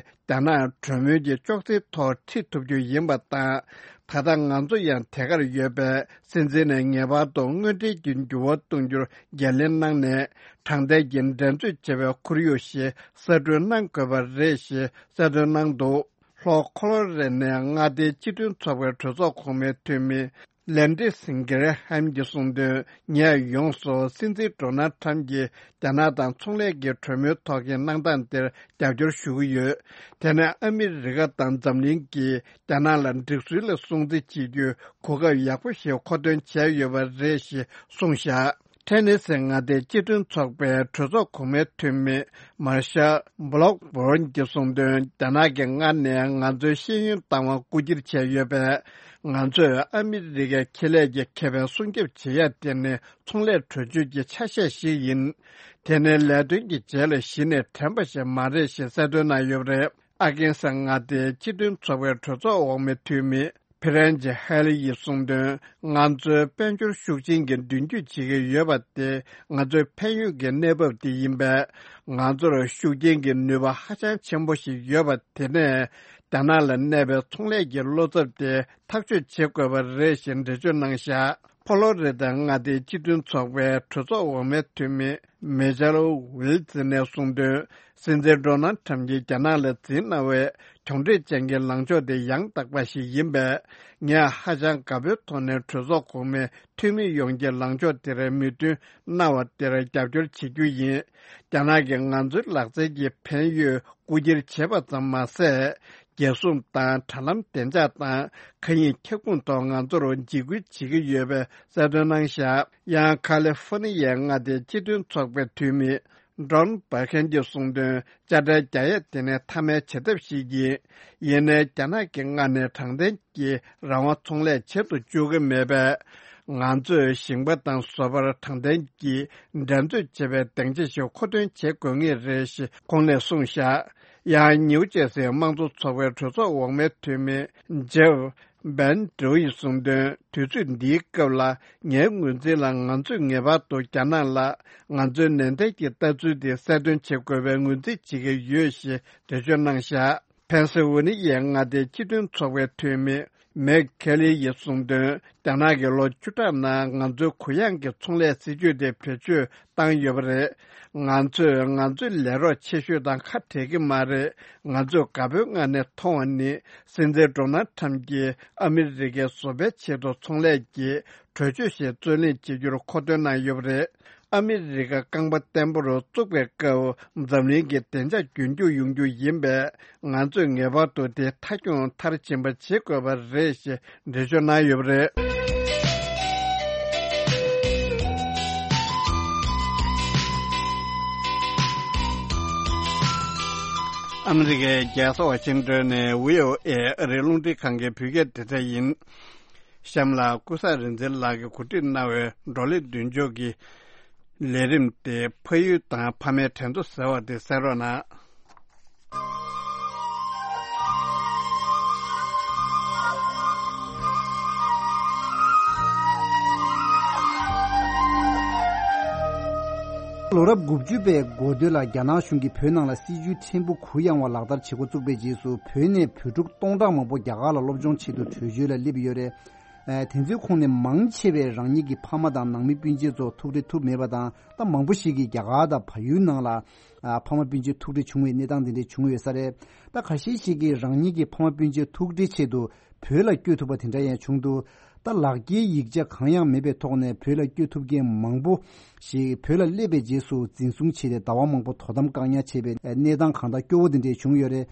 རྒྱ་ནག་གྲོས་མོལ་གྱི་ཅོག་ཙེའི་ཐོག་ཁྲིད་ཐུབ་རྒྱུ་ཡིན་པ་དང་། ད་ལྟ་ང་ཚོ་ཡང་དེ་གར་ཡོད་པས། སྲིད་འཛིན་ནས་ངེས་པར་དུ་དངོས་འབྲེལ་གྱི་འགྱུར་བ་གཏོང་རྒྱུར་འགན་ལེན་གནང་ནས། དྲང་བདེན་གྱི་འགྲན་རྩོད་བྱེད་པའི་ཁོར་ཡུག་ཞིག་གསར་སྐྲུན་གནང་དགོས་པ་རེད་ཞེས་གསལ་སྟོན་གནང་འདུག། ལྷོ་ཁོ་ལོ་རེ་ནས་མངའ་སྡེའི་སྤྱི་མཐུན་ཚོགས་པའི་གྲོས་ཚོགས་གོང་མའི་འཐུས་མི་ལན་ཏི་སིན་གྷེ་ར་ཧམ་གྱིས་གསུངས་དོན། ངས་ཡོངས་སུ་སྲིད་འཛིན་ཌོ་ནལ་ཁྲམ་གྱིས་རྒྱ་ནག་དང་ཚོང་ལས་ཀྱི་གྲོས་མོལ་ཐོག་གི་གནང་སྟངས་དེར་རྒྱབ་སྐྱོར་ཞུ་གི་ཡོད། དེ་ནས་ཨ་མི་རི་ཀ་དང་འཛམ་གླིང་གིས་རྒྱ་ནག་ལ་འགྲིག་སྲོལ་ལ་སྲུང་བརྩི་བྱེད་རྒྱུའི་གོ་སྐབས་ཡག་པོ་ཞིག་མཁོ་འདོན་བྱས་ཡོད་པ་རེད་ཞེས་གསུངས་བཞག། ཐེ་ནེ་སི་མངའ་སྡེའི་སྤྱི་མཐུན་ཚོགས་པའི་གྲོས་ཚོགས་གོང་མའི་འཐུས་མི་མར་ཤལ་བྷ་ལོག་བྷོན་གྱིས་གསུངས་དོན། རྒྱ་ནག་གིས་སྔར་ནས་ང་ཚོའི་ཤེས་ཡོན་བཏང་བ་རྐུ་འཁྱེར་བྱས་ཡོད་པས། ང་ཚོས་ཨ་མི་རི་ཀའི་ཁེ་ལས་ཀྱི་ཁེ་ཕན་སྲུང་སྐྱོབ་བྱེད་ཡ་དེ་ནི་ཚོང་ལས་གྲོས་ཆོད་ཀྱི་ཆ་ཤས་ཤིག་ཡིན། དེ་ནི་ལས་དོན་གྱི་རྗེས་ལ་གཞི་ནས་དྲན་པ་ཞིག་མ་རེད་ཞེས་གསལ་སྟོན་གནང་ཡོད་པ་རེད། ཨ་རྒན་ས་མངའ་སྡེའི་སྤྱི་མཐུན་ཚོགས་པའི་གྲོས་ཚོགས་འོག་མའི་འཐུས་མི་ཕི་རན་ཇི་ཧེ་ལི་ཡིས་གསུངས་དོན། ང་ཚོའི་དཔལ་འབྱོར་ཤུགས་ཆེན་གྱི་མདུན་སྐྱོད་བྱེད་ཀྱི་ཡོད་པ་དེ་ང་ཚོའི་ཕན་ཡོན་གྱི་གནས་བབ་དེ་ཡིན་པས། ང་ཚོར་ཤུགས་རྐྱེན་གྱི་ནུས་པ་ཧ་ཅང་ཆེན་པོ་ཞིག་ཡོད་པ་དེ་ནས། རྒྱ་ནག་ལ་གནས་པའི་ཚོང་ལས་ཀྱི་བློ་འཚབ་དེ་ཐག་གཅོད་བྱེད་དགོས་པ་རེད་ཞེས་འགྲེལ་བརྗོད་གནང་བཞག་ཕོ་ལོ་རི་ཐ་མངའ་སྡེའི་སྤྱི་མཐུན་ཚོགས་པའི་གྲོས་ཚོགས་འོག་མའི་འཐུས་མི་མེ་ཅལ་ཝིལ་ཛི་ནས་གསུངས་དོན། སྲིད་འཛིན་ཌོ་ནལ་ཁྲམ་གྱིས་རྒྱ་ནག་ལ་འཛིན་གནང་བའི་གྱོང་འབྲས་ཅན་གྱི་ལངས་ཕྱོགས་དེ་ཡང་དག་པ་ཞིག་ཡིན་པས། ངས་ཧ་ཅང་དགའ་པོའི་ཐོག་ནས་གྲོས་ཚོགས་གོང་མའི་འཐུས་མི་ཡོངས་ཀྱི་ལངས་ཕྱོགས་དེར་མོས་མཐུན་གནང་བ་དེར་རྒྱབ་སྐྱོར་བྱེད་རྒྱུ་ཡིན། རྒྱ་ནག་གིས་ང་ཚོའི་ལག་རྩལ་གྱི་ཕན་ཡོད་རྐུ་འཁྱེར་བྱེད་པ་ཙམ་མ་ཟད། རྒྱལ་སྲུང་དང་དྲ་ལམ་བདེ་འཇགས་དང་མཁའ་དབྱིངས་ཁྱབ་ཁོངས་ཐོག་ང་ཚོར་འཇིགས་སྐུལ་བྱེད་ཀྱི་ཡོད་པའི་གསལ་སྟོན་གནང་བཞག་ཡང་ཁ་ལི་ཧྥོ་ནི་ཡའི་མངའ་སྡེའི་སྤྱི་མཐུན་ཚོགས་པའི་འཐུས་མི་ཌོན་བྷ་ཁན་གྱིས་གསུངས་དོན། དཔྱ་ཁྲལ་རྒྱག་ཡས་དེ་ནི་མཐའ་མའི་བྱེད་ཐབས་ཤིག་ཡིན། ཡིན་ནའི་རྒྱ་ནག་གི་མངགས་ནས་དྲང་བདེན་གྱི་རང་དབང་ཚོང་ལས་བྱེད་དུ་བཅུག་གི་མེད་པས། ང་ཚོས་ཞིང་པ་དང་བཟོ་པར་དྲང་བདེན་གྱི་འགྲན་རྩོད་བྱེད་པའི་སྡིངས་ཆ་ཞིག་མཁོ་འདོན་བྱེད་དགོས་ངེས་རེད་ཞེས་ཁོང་ནས་གསུངས་བཞག་ཡང་ནིའུ་ཇེར་སིའི་དམངས་གཙོ་ཚོགས་པའི་གྲོས་ཚོགས་འོག་མའི་འཐུས་མི་ཇེབ་བན་ཌོ་ཡིས་གསུངས་དོན། དུས་ཚོད་འདིའི་སྐབས་ལ་ངའི་ངོས་འཛིན་ལ། ང་ཚོས་ངེས་པར་དུ་རྒྱ་ནག་ལ་ང་ཚོའི་ནན་ཏན་གྱི་ལྟ་ཚུལ་དེ་གསལ་སྟོན་བྱེད་དགོས་པའི་ངོས་འཛིན་བྱེད་ཀྱི་ཡོད་ཞེས་འགྲེལ་བརྗོད་གནང་བཞག་ཕེན་སི་ཝེ་ནི་ཡའི་མངའ་སྡེའི་སྤྱི་མཐུན་ཚོགས་པའི་འཐུས་མི་མེག་ཁེ་ལི་ཡིས་གསུངས་དོན། རྒྱ་ནག་གིས་ལོ་བཅུ་ཕྲག་ནང་ང་ཚོའི་གུ་ཡངས་ཀྱི་ཚོང་ལས་སྲིད་ཇུས་དེ་བེད་སྤྱོད་བཏང་ཡོད་པ་རེད། ང་ཚོས་ང་ཚོའི་ལས་རོགས་ཆེ་ཤོས་དང་ཁ་བྲལ་གྱི་མ་རེད། ང་ཚོས་དགའ་པོའི་ངང་ནས་མཐོང་བ་ནི། སྲིད་འཛིན་ཌོ་ནལ་ཁྲམ་གྱིས་ཨ་མི་རི་ཀའི་བཟོ་པའི་ཆེད་དུ་ཚོང་ལས་ཀྱི་གྲོས་ཆོད་ཞིག་རྩོད་ལེན་བྱེད་རྒྱུར་མཁོ་འདོན་གནང་ཡོད་པ་རེད། ཨ་མི་རི་ཀ་རྐང་པ་བརྟན་པོར་བཙུགས་པའི་སྐབས། འཛམ་གླིང་གི་བདེ་འཇགས་རྒྱུན་འཁྱོངས་ཡོང་རྒྱུ་ཡིན་པས། ང་ཚོས་ངེས་པར་དུ་དེ་མཐའ་འཁྱོངས་མཐར་ཕྱིན་པ་བྱེད་དགོས་པ་རེད་ཞེས་འགྲེལ་བརྗོད་གནང་ཡོད་པ་རེད། ཨ་མི་རི་ཀའི་རྒྱལ་ས་ཝ་ཤིང་ཏོན་ནས་བྷི་ཨོ་ཨེ་ཨ་རིའི་རླུང་འཕྲིན་ཁང་གི་བོད་སྐད་སྡེ་ཚན་ཡིན། གཤམ་ལ་ཀུན་བཟང་རིག་འཛིན་ལགས་ཀྱིས་གོ་སྒྲིག་གནང་བའི་བགྲོ་གླེང་མདུན་ལྕོག་གི་ལས་རིམ་སྟེ། ཕ་ཡུལ་དང་ཕ་མའི་དྲན་གསོ་ཟེར་བ་དེ་གསན་རོགས་གནང་། ལོ་རབས་དགུ་བཅུ་པའི་འགོ་སྟོད་ལ་རྒྱ་ནག་གཞུང་གིས་བོད་ནང་ལ་སྲིད་ཇུས་ཕྲན་བུ་གུ་ཡངས་པ་ལག་བསྟར་བྱེད་འགོ་བཙུགས་པའི་རྗེས་སུ། བོད་ནས་བོད་ཕྲུག་སྟོང་ཕྲག་མང་པོ་རྒྱ་གར་ལ་སློབ་སྦྱོང་ཆེད་དུ་བྲོས་བྱོལ་ལ་སླེབས་ཡོད་རེད། ཨ། དེ་ཚོའི་ཁོངས་ནས་མང་ཆེ་བས་རང་ཉིད་ཀྱི་ཕ་མ་དང་ནང་མི་སྤུན་མཆེད་ཚོ་ཐུག་འཕྲད་ཐུབ་མེད་པ་དང་། ད་མང་པོ་ཞིག་གིས་རྒྱ་གར་དང་བལ་ཡུལ་ནང་ལ། ཨ། ཕ་མ་སྤུན་མཆེད་ཐུག་འཕྲད་བྱུང་བའི་གནས་སྟངས་དེ་འདྲ་བྱུང་ཡོད་ས་རེད། ད་ཁ་ཤས་ཤིག་གིས་རང་ཉིད་ཀྱི་ཕ་མ་སྤུན་མཆེད་ཐུག་འཕྲད་ཆེད་དུ་བོད་ལ་བསྐྱོད་ཐུབ་པ་དེ་འདྲ་ཡང་བྱུང་འདུག་ད་ལག་འཁྱེར་ཡིག་ཆ་གང་ཡང་མེད་པའི་ཐོག་ནས་བོད་ལ་བསྐྱོད་ཐུབ་མཁན་མང་པོ་ཞིག་བོད་ལ་སླེབས་པའི་རྗེས་སུ་འཛིན་བཟུང་བྱས་ཏེ་ཟླ་བ་མང་པོ་དོ་དམ་བཀག་ཉར་བྱས་པའི་གནས་སྟངས་གང་ལྟར་སྐྱོ་བོ་དེ་འདྲ་བྱུང་ཡོད་རེད།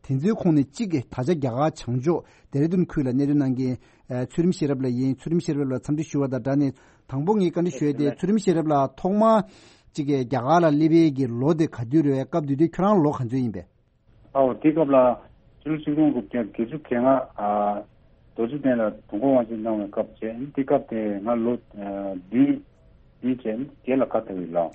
དེ་ཚོའི་ཁོངས་ནས་གཅིག་གིས་ད་ཆ་རྒྱ་གར་བྱང་ཕྱོགས་ལྡེ་ར་ལྡུན་ཁུལ་ལ་གནས་སྡོད་གནང་མཁན་ཚུལ་ཁྲིམས་ཤེས་རབ་ལགས་ཡིན། ཚུལ་ཁྲིམས་ཤེས་རབ་ལགས་འཚམས་འདྲི་ཞུ་བ་དང་སྦྲགས་ནས། དང་པོ་ངས་བཀའ་འདྲི་ཞུ་ཡས་དེ། ཚུལ་ཁྲིམས་ཤེས་རབ་ལགས་ཐོག་མར་གཅིག་གིས་རྒྱ་གར་ལ་སླེབས་ཡས་ཀྱི་ལོ་དེ་ག་དུས་རེད། སྐབས་དེ་དུས་ཁྱོད་རང་ལོ་ག་ཚོད་ཡིན་པས། ཨའོ། དེ་སྐབས་ལ་ཕྱི་ལོ་ཆིག་སྟོང་དགུ་བརྒྱ་བརྒྱད་ཅུ་གྱ་ལྔ། ཨ། རྡོ་རྗེ་གདན་ལ་དུས་འཁོར་དབང་ཆེན་གནང་བའི་སྐབས་བྱས། དེ་སྐབས་དེ་ང་ལོ་ཨ་བདུན་བདུན་བྱས་བརྒྱད་ལ་ཁ་ཐར་བའི་ལོ།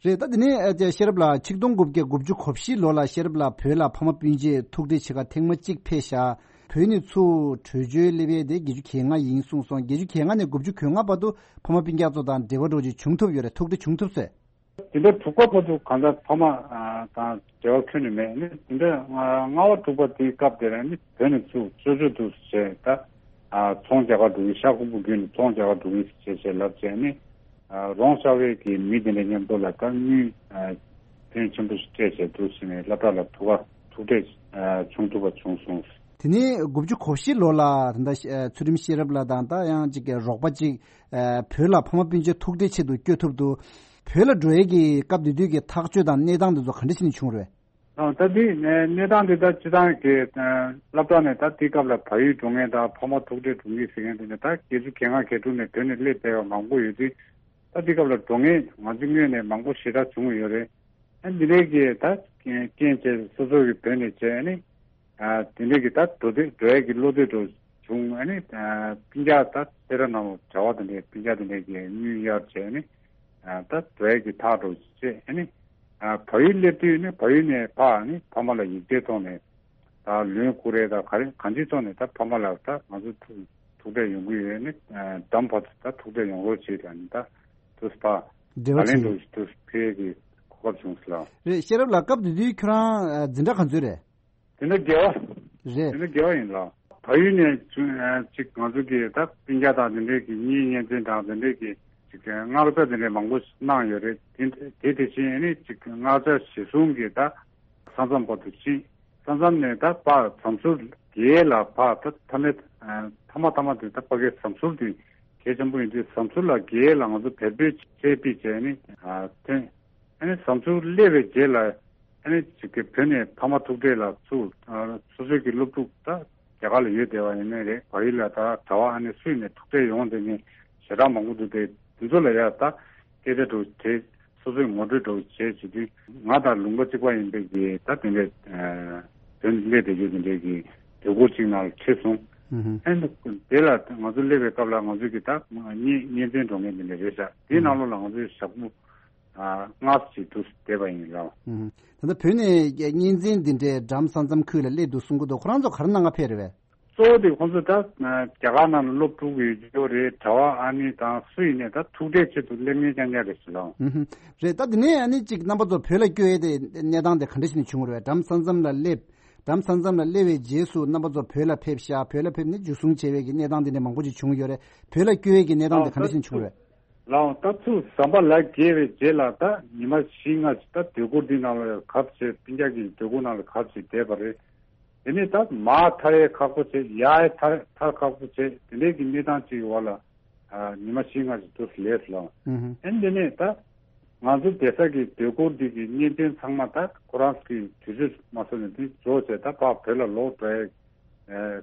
རེད། ད་དེ་ནས་ཨ་ཅེ་ཤེས་རབ་ལགས་ཆིག་སྟོང་དགུ་བརྒྱ་དགུ་བཅུ་གོ་བཞི་ལོ་ལ་ཤེས་རབ་ལགས་བོད་ལ་ཕ་མ་སྤུན་མཆེད་ཐུག་འཕྲད་བྱེད་གར་ཐེངས་མ་གཅིག་ཕེབས་ཤག་བོད་ནས་ཚུར་བྲོས་བྱོལ་སླེབས་ཡས་དེ་བརྒྱད་ཅུ་གྱ་ལྔ་ཡིན་གསུངས་སོང་། བརྒྱད་ཅུ་གྱ་ལྔ་ནས་དགུ་བཅུ་གོ་ལྔ་བར་དུ་ཕ་མ་སྤུན་ཀྱག་ཚོ་དང་འབྲེལ་བ་འདྲ་བོ་ཅིག་བྱུང་ཐུབ་ཡོད་རེད། ཐུག་འཕྲད་བྱུང་ཐུབ་སོང་། དེ་འདྲ་དྲུག་པ་བར་དུ་གང་ལྟར་ཕ་མ་ཨ་དང་འབྲེལ་བ་ཁྱོན་ནས་མེད། ནི་དེ་འདྲ་ལྔ་པ་དྲུག་པ་དེའི་སྐབས་དེ་ལ་ནི་བོད་ནས་ཚུར་ཅོ་ཅོ་འདུག་ཟེར། ད་ཨ་ཚོང་རྒྱག་གར་འགྲོ་གི། ཤ་ཁུ་བོ་བརྒྱུད་ནས་ཚོང་རྒྱག་གར་འགྲོ་གི་ཟེར་བྱས་ལབ་བྱས་ནི། ཨ་རོང་ཤར་བའི་གི་མི་དེ་འདྲ་མཉམ་དུ་ལ་ད་དངུལ་ཨ་ཕོན་ཆེན་པོ་ཞིག་སྤྲད་བྱས་འདུག་ཟེར་ནས་སློབ་གྲྭ་ལ་ཐུག་ག་ཐུག་འཕྲད་ཨ་བྱུང་ཐུབ་པ་བྱུང་སོང་། དེ་ནས་དགུ་བཅུ་གོ་བཞི་ལོ་ལ་ད་ལྟ་ཨ་ཚུལ་ཁྲིམས་ཤེས་རབ་ལགས་དང་ད་ཡང་གཅིག་གི་རོགས་པ་གཅིག་ཨ་བོད་ལ་ཕ་མ་སྤུན་མཆེད་ཐུག་འཕྲད་ཆེད་དུ་བསྐྱོད་ཐུབ་འདུག་བོད་ལ་འགྲོ་ཡས་ཀྱི་སྐབས་དེ་དུས་ཀྱི་ཐག་གཅོད་དང་གནས་སྟངས་དེ་ཚོ་ག་འདྲ་བྱས་ནས་བྱུང་རེད། ཨ་ད་དེ་གནས་སྟངས་དེ་ད་སྤྱི་བཏང་གི་ཨ་སློབ་གྲྭ་ནས་ད་དེའི་སྐབས་ལ་བལ་ཡུལ་འགྲོ་མཁན་དང་ཕ་མ་ཐུག་འཕྲད་འགྲོ་མཁན་ཟེར་མཁན་དེ་ནས་ད་བརྒྱད་ཅུ་གྱ་ལྔ་གྱ་དྲུག་ནས་བོད་ནས་སླེབས་བསྡད་པ་མང་པོ་ཡོད་དུས། ད་དེའི་སྐབས་ལ་འགྲོ་མཁན་ང་ཚོའི་ངོས་ནས་མང་པོ་ཞེ་དྲག་བྱུང་ཡོད་རེད། ཨ་འདི་འདྲའི་གི་ད་རྐྱེན་བྱས་སོ་སོ་གི་བོད་ནས་བྱས་ནི་ཨ་དེ་འདྲའི་གི་ད་འགྲོ་འདོད་འགྲོ་ཡས་ཀྱི་བློ་འདོད་འདྲ་ བྱུང་། ཨ་ནི་སྤུན་ཀྱག་ད་སེ་ར་ནང་ལ་གྲྭ་པ་དེ་འདྲའི་སྤུན་ཀྱག་དེ་འདྲའི་གི་དངུལ་གཡར་བྱས་ནི་ད་འགྲོ་ཡས་ཀྱི་ཐག་འགྲོ་བྱས། ཨ་ནི་བལ་ཡུལ་སླེབས་དུས་ནི་བལ་ཡུལ་ནས་ཕར་ནི་ཕ་མ་ལ་ཡིག་ཆའི་ཐོག་ནས་ད་ལོན་བསྐུར་རེས་ད་ག་རེ་གང་ཅིའི་ཐོག་ནས་ད་ཕ་མ་ལ་ད་ང་ཚོ་ཐུག་ཐུག་འཕྲད་ཡོང་གི་ཡོད། ནི་འགྲམ་བར་དུ་ད་ཐུག་འཕྲད་ཡོང་རོགས་བྱེད་ལ་ནི་ད་དུས་ཕར་འབྲེལ་བ་བར་ལན་བྱེད་འགྲོ་དུས་ཕེབས་ཀྱི་གོ་སྐབས་བྱུང་སོང་ལ། རེད། ཤེས་རབ་ལགས། སྐབས་དེ་དུས་ཁྱོད་རང་འཛིན་གྲྭ་ག་ཚོད་རེད། དེ་འདྲ་དགེ་བ། རེད། དེ་འདྲ་དགེ་བ་ཡིན་ལ། བལ་ཡུལ་ནས་ཅིག་ང་ཚོ་གི་ད་སྤུན་ཀྱག་དང་དེ་འདྲའི་གི་གཉེན་ཉེ་ཚན་དང་དེ་འདྲའི་གི་ཅིག་མངགས་ཆ་དེ་འདྲའི་མང་པོ་གནང་ཡོད་རེད། དེ་དེ་དེ་བཞིན་ཨ་ནི་ཅིག་མངགས་ཆ་གཞི་བཟུང་གི་ད་ས་མཚམས་བར་དུ་ཕྱིན། ས་མཚམས་ནས་ད་ཕར་ཟམ་ཟུར་རྒྱལ་ལ་ཕར་ད་མཐའ་མའི་མཐའ་མ་མཐའ་མ་དེ་ད་ཕ་གའི་ཟམ་ཟུར་དེ་གལ་ཆེན་པོ་ཡིན་དུས་ཟམ་ཟུར་ལ་རྒྱལ་ལ་ང་ཚོ་བལ་པོའི་ཆས་པི་བྱས་ནི་ཐོན། ཨ་ནི་ཟམ་ཟུར་སླེབས་པའི་རྗེས་ལ་ཨ་ནི་ཅིག་གི་བོད་ནས་ཕ་མ་ཐུག་འཕྲད་ལ་ཚུར་སོ་སོའི་གི་སློབ་ཕྲུག་ད་རྒྱ་གར་ལ་ཡོད་བསྡད་པ་ཡིན་ནའི་རེད། བལ་ཡུལ་ལ་ད་གྲྭ་པ་ཨ་ནི་སུ་ཡིན་ནས་ཐུག་འཕྲད་ཡོང་དེ་ནི་ཞེ་དྲག་མང་པོ་འདུག་དེ་དེ་ཚོ་ལ་ཡ་ད་སྐད་ཆ་འདྲ་བོ་དྲིས། སོ་སོའི་ངོ་སྤྲོད་འདྲ་བོ་བྱས་བྱེད་དུས་ང་དང་ལུང་པ་གཅིག་པ་ཡིན་པའི་གི་ད་དེ་འདྲའི་བོད་སླེབས་བསྡད་རྒྱུ་དེ་འདྲའི་གི་སྡོད་སྒོ་གཅིག་ནང་ལ་ཁྲིད་སོང་། ཨ་ནི་དེ་ལ་ང་ཚོ་སླེབས་པའི་སྐབས་ལ་ང་ཚོ་གི་ད་གཉེན་གཉེན་ཚན་འགྲོ་མཁན་དེ་འདྲ་རེད་ཤག་དེའི་ནང་ལོགས་ལ་ང་ཚོའི་ཞག་པོ་ལྔ་ཙམ་ཅིག་འདུག་བསྡད་པ་ཡིན་ལ། ད་ལྟ་བོད་ནས་གཉེན་ཚན་འདི་འདྲའི་འགྲམ་ས་མཚམས་ཁུལ་ལ་སླེབས་འདུག་གསུང་གི་འདུག་ཁོ་རང་ཚོ་ག་རེ་གནང་ག་ཕེབས་རེད་པས། གཙོ་བོ་དེ་ཁོང་ཚོ་ད་རྒྱ་གར་ནང་ལ་སློབ་ཕྲུག་ཡོད་རྒྱུ་རེད། གྲྭ་པ་ཨ་ནི་དང་སུ་ཡིན་ནའི་ད་ཐུག་འཕྲད་ཆེད་དུ་སླེབས་མཁན་རྐྱང་རྐྱང་རེད་ཟེར་ལ། ཨུ་ཧུམ། རེད། ད་དེ་ནས་ཨ་ནི་ཅིག་རྣམ་པ་ཚོ་བོད་ལ་བསྐྱོད་ཡས་དེ་གནས་སྟངས་དེ་ག་འདྲ་ཞིག་ནས་བྱུང་རེད། འགྲམ་ས་མཚམས་ལ་སླེབས། འགྲམ་ས་མཚམས་ལ་སླེབས་པའི་རྗེས་སུ་རྣམ་པ་ཚོ་བོད་ལ་ཕེབས་ཤག་བོད་ལ་ཕེབས་ནས་འཇུ་བཟུང་བྱས་པའི་གི་གནས་སྟངས་དེ་འདྲ་མང་པོ་ཞིག་བྱུང་ཡོད་རེད། བོད་ལ་བསྐྱོད་ཡས་ཀྱི་གནས་སྟངས་དེ་ག་འདྲ་ཞིག་བྱུང་རེད། ལའང་ད་ཚུར་ཟམ་པ་ལ་བརྒལ་བའི་རྗེས་ལ་ད་ཉི་མ་བཞི་ལྔ་ཞིག་ད་སྡོད་སྒོ་འདི་ནང་ལ་གབ་བྱས་སྤུན་ཀྱག་གི་སྡོད་སྒོ་ནང་ལ་གབ་བྱས་བསྡད་པ་རེད། དེ་ནས་ད་མར་ཐར་ཡས་ཁག་པོ་བྱས། ཡར་ཡས་ཐར་ཐར་ཁག་པོ་བྱས། དེ་འདྲའི་གི་གནས་སྟངས་ཅིག་གི་འོག་ལ་ཉི་མ་བཞི་ལྔ་ཞིག་དུ་ལས་སུ་ལངས། ཨན་དེ་ནས་ད་ང་ཚོ་བསྡད་ས་གི་སྡོད་སྒོ་འདི་གི་གཉེན་ཚན་ཚང་མ་ད་ཁོ་རང་གི་དུས་ཚོད་མ་སོང་ནས་དེ་རྫོགས་བྱས་ད་ཕར་བོད་ལ་ལོག་འགྲོ་ཡས་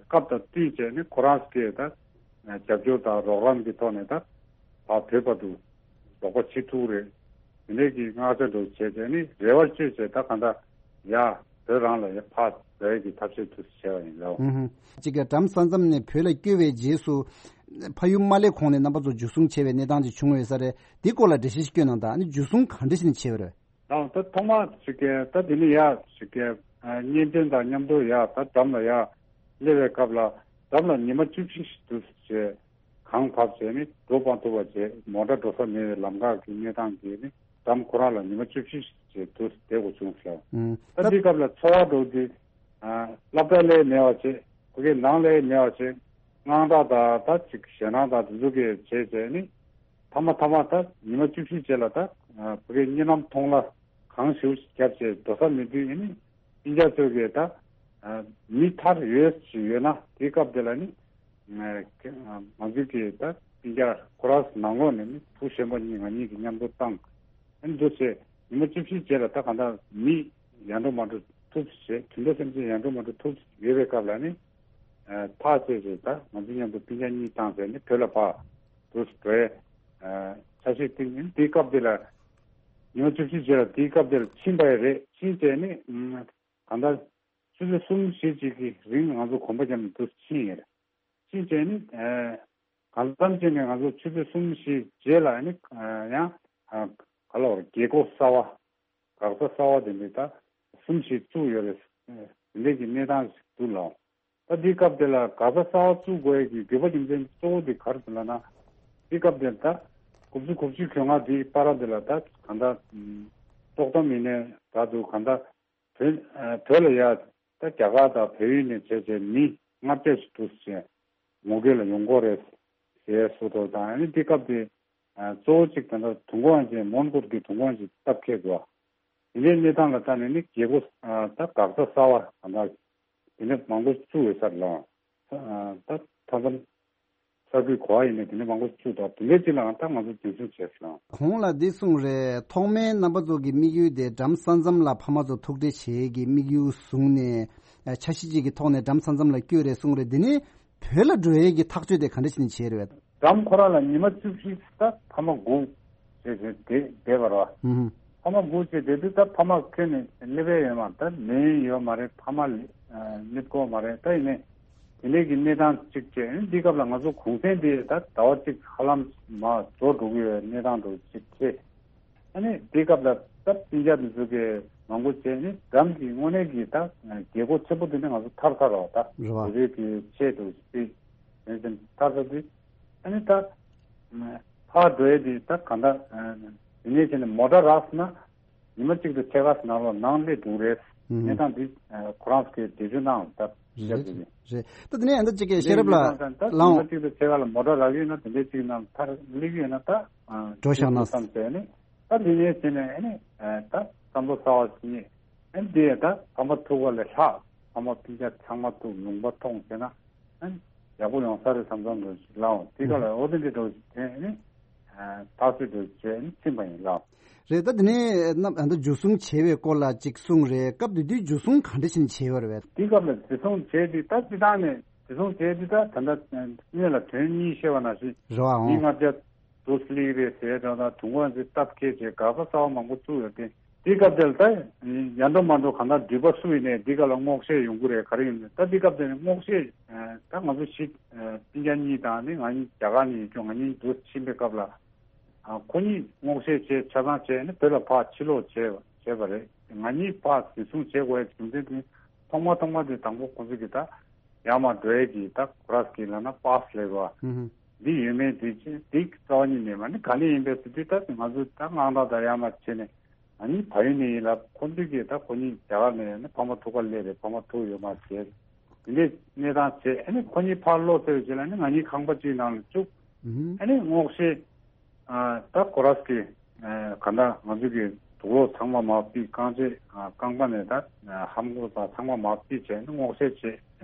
སྐབས་དང་བསྟུན་བྱས་ནས་ཁོ་རང་གི་ད་རྒྱབ་སྐྱོར་དང་རོགས་རམ་གྱི་ཐོག་ནས་ད་ཕར་བོད་བར་དུ་རོགས་པ་བྱེད་ཐུབ་རེད། དེ་འདྲའི་གི་མངགས་ཆ་འདྲ་བོ་བྱས་བྱས་ནས་རེ་བ་བཅོལ་བྱས་ད་གང་ལྟར་ཡ་བོད་རང་ལ་ཡ་ཕར་འགྲོ་ཡས་ཀྱི་ཐབས་ཤེས་དུ་བྱས་པ་ཡིན་ལོ། ཨུ་ཧུ། གཅིག་གི་འགྲམ་ས་མཚམས་ནས་བོད་ལ་བསྐྱོད་པའི་རྗེས་སུ་ཕ་ཡུལ་མ་སླེབས་གོང་ནས་རྣམ་པ་ཚོ་འཇུ་བཟུང་བྱས་པའི་གནས་སྟངས་ཅིག་བྱུང་ཡོད་ས་རེད། འདི་སྐོར་ལ་འགྲེལ་བཤད་ཞིག་སྐྱོན་གནང་དང་། ཨ་ནི་འཇུ་བཟུང་ག་འདྲ་ཞིག་ནས་བྱས་པ་རེད། ལའང་ད་ཐོག་མ་ཞིག་གི་ད་དེ་ནི་ཡ་ཞིག་གི་གཉེན་ཚན་དང་མཉམ་དུ་ཡ་ད་འགྲམ་ལ་ཡ་སླེབས་པའི་སྐབས་ལ་འགྲམ་ལ་ཉི་མ་བཅུ་བཞི་ཞིག་འདུག་ཟེར་བྱས། གངས་བབས་བྱས་ནས་འགྲོ་སྤང་ཐུབ་པ་བྱས། མོ་ཊ་འགྲོ་ས་མེད་པའི་ལམ་ཁ་གི་གནས་སྟངས་ཀྱིས་ནི་འགྲམ་ཁོ་རང་ལ་ཉི་མ་བཅུ་བཞི་ཞིག་བྱས་འདུག་བསྡད་དགོས་བྱུང་ཟེར། ཨུམ། ད་འདི་སྐབས་ལ་འཚོ་བ་འགྲོ་དུས་སློབ་གྲྭ་ལས་མེད་པ་བྱས། ཕ་གི་ནང་ལས་མེད་པ་བྱས། དངངས་སྐྲག་དང་ད་ཅིག་ཞེད་སྣང་དང་དེ་ཚོ་གི་བྱས་བྱས་ནི་མཐའ་མ་མཐའ་མ་ད་ཉི་མ་བཅུ་བཞི་རྗེས་ལ་ད་ཕ་གི་གཉིད་ལམ་མཐོང་ལ་གང་ཞིག་བརྒྱབ་བྱས་འགྲོ་ས་མེད་དུས་ཨེ་ནི་སྤུན་ཀྱག་ཚོས་གི་ད་མི་ཐར་ཡོད་ཅིག་ཡོད་ན་དེའི་སྐབས་དེ་ལ་ནི་ང་ཚོས་གི་ད་སྤུན་ཀྱག་ཁོ་རང་ནང་ལོགས་ནས་ནི་བུ་གཞོན་པ་གཉིས་ང་གཉིས་ཀྱིས་མཉམ་དུ་བཏང་། ཨེ་འདུག་བྱས་ཉི་མ་བཅུ་བཞི་རྗེས་ལ་ད་གང་ལྟར་མི་ཡར་འགྲོ་མར་འགྲོ་ཐུབ་བྱས། དུད་འགྲོ་སེམས་ཅན་ཡར་འགྲོ་མར་འགྲོ་ཐུབ་ཡོད་པའི་སྐབས་ལ་ནི་ཐག་བཅད་བྱས་ད་ང་ཚོ་མཉམ་དུ་སྤུན་ཀྱག་གཉིས་བཏང་བྱས་ནི་བོད་ལ་ཕར་འགྲོ་འགྲོ་ཡས་འཆར་གཞི་བཏིང་། ཨེ་དེའི་སྐབས་དེ་ལ་ཉི་མ་བཅུ་བཞི་རྗེས་ལ་དེའི་སྐབས་དེར་ཕྱིན་པ་ཡང་རེད། ཕྱིན་བྱས་ནི་གང་ལྟར་ཆུ་ཚོད་གསུམ་བཞི་ཅིག་གི་རིང་ང་ཚོ་གོམ་པ་བརྒྱབ་ནས་འདུག་ཕྱིན་ཡོད་རེད། ཕྱིན་བྱས་ནི་གང་ལྟར་ཕྱིན་ནས་ང་ཚོ་ཆུ་ཚོད་གསུམ་བཞི་རྗེས་ལ་ནི་ཡང་ག་ལ་བར་རྒྱལ་སྒོ་གསར་པ་འགག་རྩ་གསར་པ་དེ་འདྲ་ད་གསུམ་བཞི་བཙུགས་ཡོད་རེད། དེ་འདྲའི་གི་གནས་སྟངས་ཤིག་འདུག་ལགས། ད་འདིའི་སྐབས་དེ་ལ་འགག་རྩ་གསར་པ་བཙུགས་དགོས་ཡས་ཀྱི་དགོས་པ་རྒྱུ་མཚན་གཙོ་བོ་དེ་ག་རེ་ཟེར་ལབ་ན། འདིའི་སྐབས་དེ་ད་དགུ་བཅུ་གོ་གཅིག་གྱོང་ཁ་འདིའི་བར་དེ་ལ་ད་གང་ལྟར་ཏོག་ཙམ་ཡིན་ནའི་ད་དུ་གང་ལྟར་བོད་བོད་ལ་ཡ་ད་རྒྱ་གར་དང་བལ་ཡུལ་ནས་བྱས་བྱས་མི་ལྔ་བརྒྱ་ཞིག་འདུག་ཟེར་ངོ་རྒོལ་ལ་ཡོང་གི་རེད་ཟེར་སོ་ཐོ་དང་། ཨ་ནི་འདི་སྐབས་དེ་གཙོ་བོ་གཅིག་ད་ལྟ་དུས་འཁོར་དབང་ཆེན་མོན་གྷོ་གི་དུས་འཁོར་དབང་ཆེན་སྟབས་ཁེལ་འདུག་དེ་འདྲའི་གནས་སྟངས་ལ་ལྟ་ནས་ནི་རྒྱལ་སྒོ་ད་འགག་རྩ་གསར་པ་གང་ལྟར་དེ་འདྲ་མང་པོ་བཙུགས་ཡོད་ས་རེད་ལགས། ད་མཐའ་མཚམས་གསར་འགོད་གོ་བ་ཡིན་ནའི་དེ་འདྲ་མང་པོ་བཙུགས་འདུག་དེ་འདྲའི་སྤྱི་ལའང་ད་ང་ཚོ་རྒྱུན་འཁྱོངས་བྱས་སོང་། གོང་ལ་འདི་གསུངས་རེད། ཐོག་མའི་རྣམ་པ་ཚོ་གི་དམིགས་ཡུལ་དེ་འགྲམ་ས་མཚམས་ལ་ཕ་མ་ཚོ་ཐུག་འཕྲད་བྱེད་ཀྱི་དམིགས་ཡུལ་བཟུང་ནས་འཆར་གཞི་གཅིག་གི་ཐོག་ནས་འགྲམ་ས་མཚམས་ལ་བསྐྱོད་རེད་གསུངས་རེད། འདི་ནི་བོད་ལ་འགྲོ་ཡས་ཀྱི་ཐག་གཅོད་དེ་ག་འདྲ་བྱས་ནས་བྱས་རེད། འགྲམ་ཁོ་རང་ལ་ཉི་མ་བཅུ་བཞི་ད་ཕ་མ་སྒུག་བྱས་བྱས་བསྡད་བསྡད་པ་རེད་བ། ཨུ་ཧུ། ཕ་མ་སྒུག་བྱས་བསྡད་དུས་ད་ཕ་མ་ཁྱོན་ནས་སླེབས་ཡས་ཡོད་མ་རེད། ད་ལན་ཡོད་མ་རེད། ཕ་མ་སླེབས་ཀྱི་ཡོད་མ་རེད། ད་ཡིན་ནའི་ དེ་འདྲའི་གི་གནས་སྟངས་གཅིག་བྱས། ཨ་ནི་འདི་སྐབས་ལ་ང་ཚོ་གུང་གསེང་འདི་ད་ཟླ་བ་གཅིག་ཧ་ལམ་མར་རྫོགས་འགྲོ་གི་ཡོད་གནས་སྟངས་འདྲ་གཅིག་ཆེ། ཨ་ནི་འདི་སྐབས་ལ་ད་སྤུན་ཀྱག་འདི་ཚོ་གི་མང་པོ་བྱས་ནི་འགྲམ་གྱི་དངོས་གནས་ཀྱི་ད་རྒྱལ་སྒོ་ཆེན་པོ་འདི་ནས་ང་ཚོ་ཐར་ཚར་བ་ད་རེད་བ། བོད་པའི་གི་ཆེད་དུ་སྤེལ་ཡོད་ཟིན་ཐར་ཚར་དུས། ཨ་ནི་ད་ཕར་འགྲོ་ཡས་འདི་ད་གང་ལྟར་འདི་ནས་བྱས་ནས་མོ་ཊ་རག་སོང་ན། ཉི་མ་གཅིག་ཏུ་ཕྱེད་ཀ་ནང་ལོགས་ནང་སླེབས་འགྲོ་གི་རེད། ཨུམ། གནས་སྟངས་འདི་ཁོ་རང་ཚོ་གིས་འགྲེལ་བརྗོད་གནང་ད་རེད་རྒྱབ་ཀྱི་རེད། རེད། ད་དེ་ནས་ཨ་ད་ཅིག་གི་ཤེས་རབ་ལགས་ད་ལའང་ཉི་མ་གཅིག་ཏུ་ཕྱེད་ཀ་ལ་མོ་ཊ་རག་གི་ཡོད་ན་དེ་འདྲའི་གཅིག་ནང་མཐར་སླེབས་ཀྱི་ཡོད་ན་ད་འགྲོ་བཞག་ན་བསམ་བྱས་ནས་ད་འདི་ནས་བྱས་ནས་ཨ་ནི་ད་བསམ་བློ་གསར་བ་ཞིག་རྙེད། ཨ་ནི་དེ་ད་ཕ་མ་ཐུག་པ་ལས་ལྷག་ཕ་མ་སྤུན་ཀྱག་ཚང་མ་ཐུག་ལུང་པ་མཐོང་བྱས་ན། ཨ་ནི་ཡག་པོ་ཡོང་ས་རེད་བསམ་བསམ་འདྲ་ཞིག་ལའང་དེ་ག་ལ་འོ་དེ་འདྲའི་འདྲ་ཞིག་དེ་ནི་ཐག་གཅོད་འདྲ་བྱས་ནི་ཕྱིན་པ་ཡིན་ལ། རེད། ད་དེ་ནས་རྣམ་ཨ་ད་འཇུ་བཟུང་བྱས་པའི་སྐོར་ལ་ཅིག་གསུངས་རེད། སྐབས་དེ་དུས་འཇུ་བཟུང་ག་འདྲ་ཞིག་བྱས་པ་རེད་པས། དེ་སྐབས་ལ་འཇུ་བཟུང་བྱས་དུས་ད་སྤྱི་བཏང་ནས་འཇུ་བཟུང་བྱས་དུས་ད་ད་ལྟ་སྔོན་ལ་དོན་གཉིས་བཤད་པ་ནང་བཞིན་རེད་བ་མི་ཨང་། ལྔ་བརྒྱ་དུ་སླེབས་རེད་ཟེར་དང་དང་དུང་བ་ཚོས་སྟབས་ཁེལ་བྱས་དགག་པ་རྩ་བ་མང་པོ་བཙུགས་ཡོད་དེ། དེའི་སྐབས་དེར་ད་ཡར་འགྲོ་མར་འགྲོ་གང་ལྟར་འདྲུད་པ་སུ་ཡིན་ནའི་འདི་ག་ལ་སྔོག་བཤེར་ཡོང་གི་རེད། ག་རེ་ཡིན་ནའི་ད་འདི་སྐབས་དེར་སྔོག་བཤེར་ད་ང་ཚོ་ཞིག་སྤུན་ཀྱག་གཉིས་དང་ནི་ང་གཉིས་རྒྱ་གར་ནས་ཡིན་ཀྱང་ང་གཉིས་འདུ་ཕྱིན་པའི་སྐབས་ལ་ཁོ་གཉིས་སྔོག་བཤེར་བྱས་ཆ་ཚང་བྱས་ནི་བོད་ལ་ཕར་ཕྱིར་ལོག་བྱས་བྱས་པ་རེད། ང་གཉིས་ཕར་འཛིན་བཟུང་བྱེད་དགོས་ཡ་རྒྱུ་མཚན་དེ་ཐོག་མ་ཐོག་མ་དེ་དང་པོ་ཁོ་ཚོ་གིས་ད་ཡར་མར་འགྲོ་ཡས་ཀྱི་ད་ཁོ་རང་གི་ལབ་ན་པཱ་སི་ལབ་དགོས་འདི་ཡོད་མེད་དེ་ཅི་འདི་རྩ་བ་ཉིད་ནས་མ་ནི་ག་ནས་ཡིན་པའི་ཟེར་དུས་ད་ང་ཚོ་ད་དངངས་སྐྲག་དང་ཡར་མར་བྱས་ནས། ང་གཉིས་ཕ་ཡུལ་ནས་ཡིན་ལབ། ཁོ་ཚོས་ཀྱིས་ད་ཁོ་གཉིས་རྒྱ་གར་ནས་ནི་ཕ་མ་ཐུག་ག་སླེབས་རེད། ཕ་མ་ཐུག་ཡོད་མ་རེད། དེ་འདྲའི་གནས་སྟངས་བྱས། ཨ་ནི་ཁོ་གཉིས་ཕར་ལོག་ཚར་བའི་རྗེས་ལ་ནི་ང་གཉིས་ཁང་པ་གཅིག་ནང་ལ་བཅུག་ཨ་ནི་སྔོག་བཤེར་ད་ཁོ་རང་གིས་ག་འདྲ་ང་ཚོ་གི་དུག་ལོག་ཚང་མ་མར་ཕུད། རྐང་རྗེས་རྐང་པ་ནས་ད་ལྷམ་གོག་དང་ཚང་མ་མར་ཕུད་བྱས་ནི་སྔོག་བཤེར་བྱས།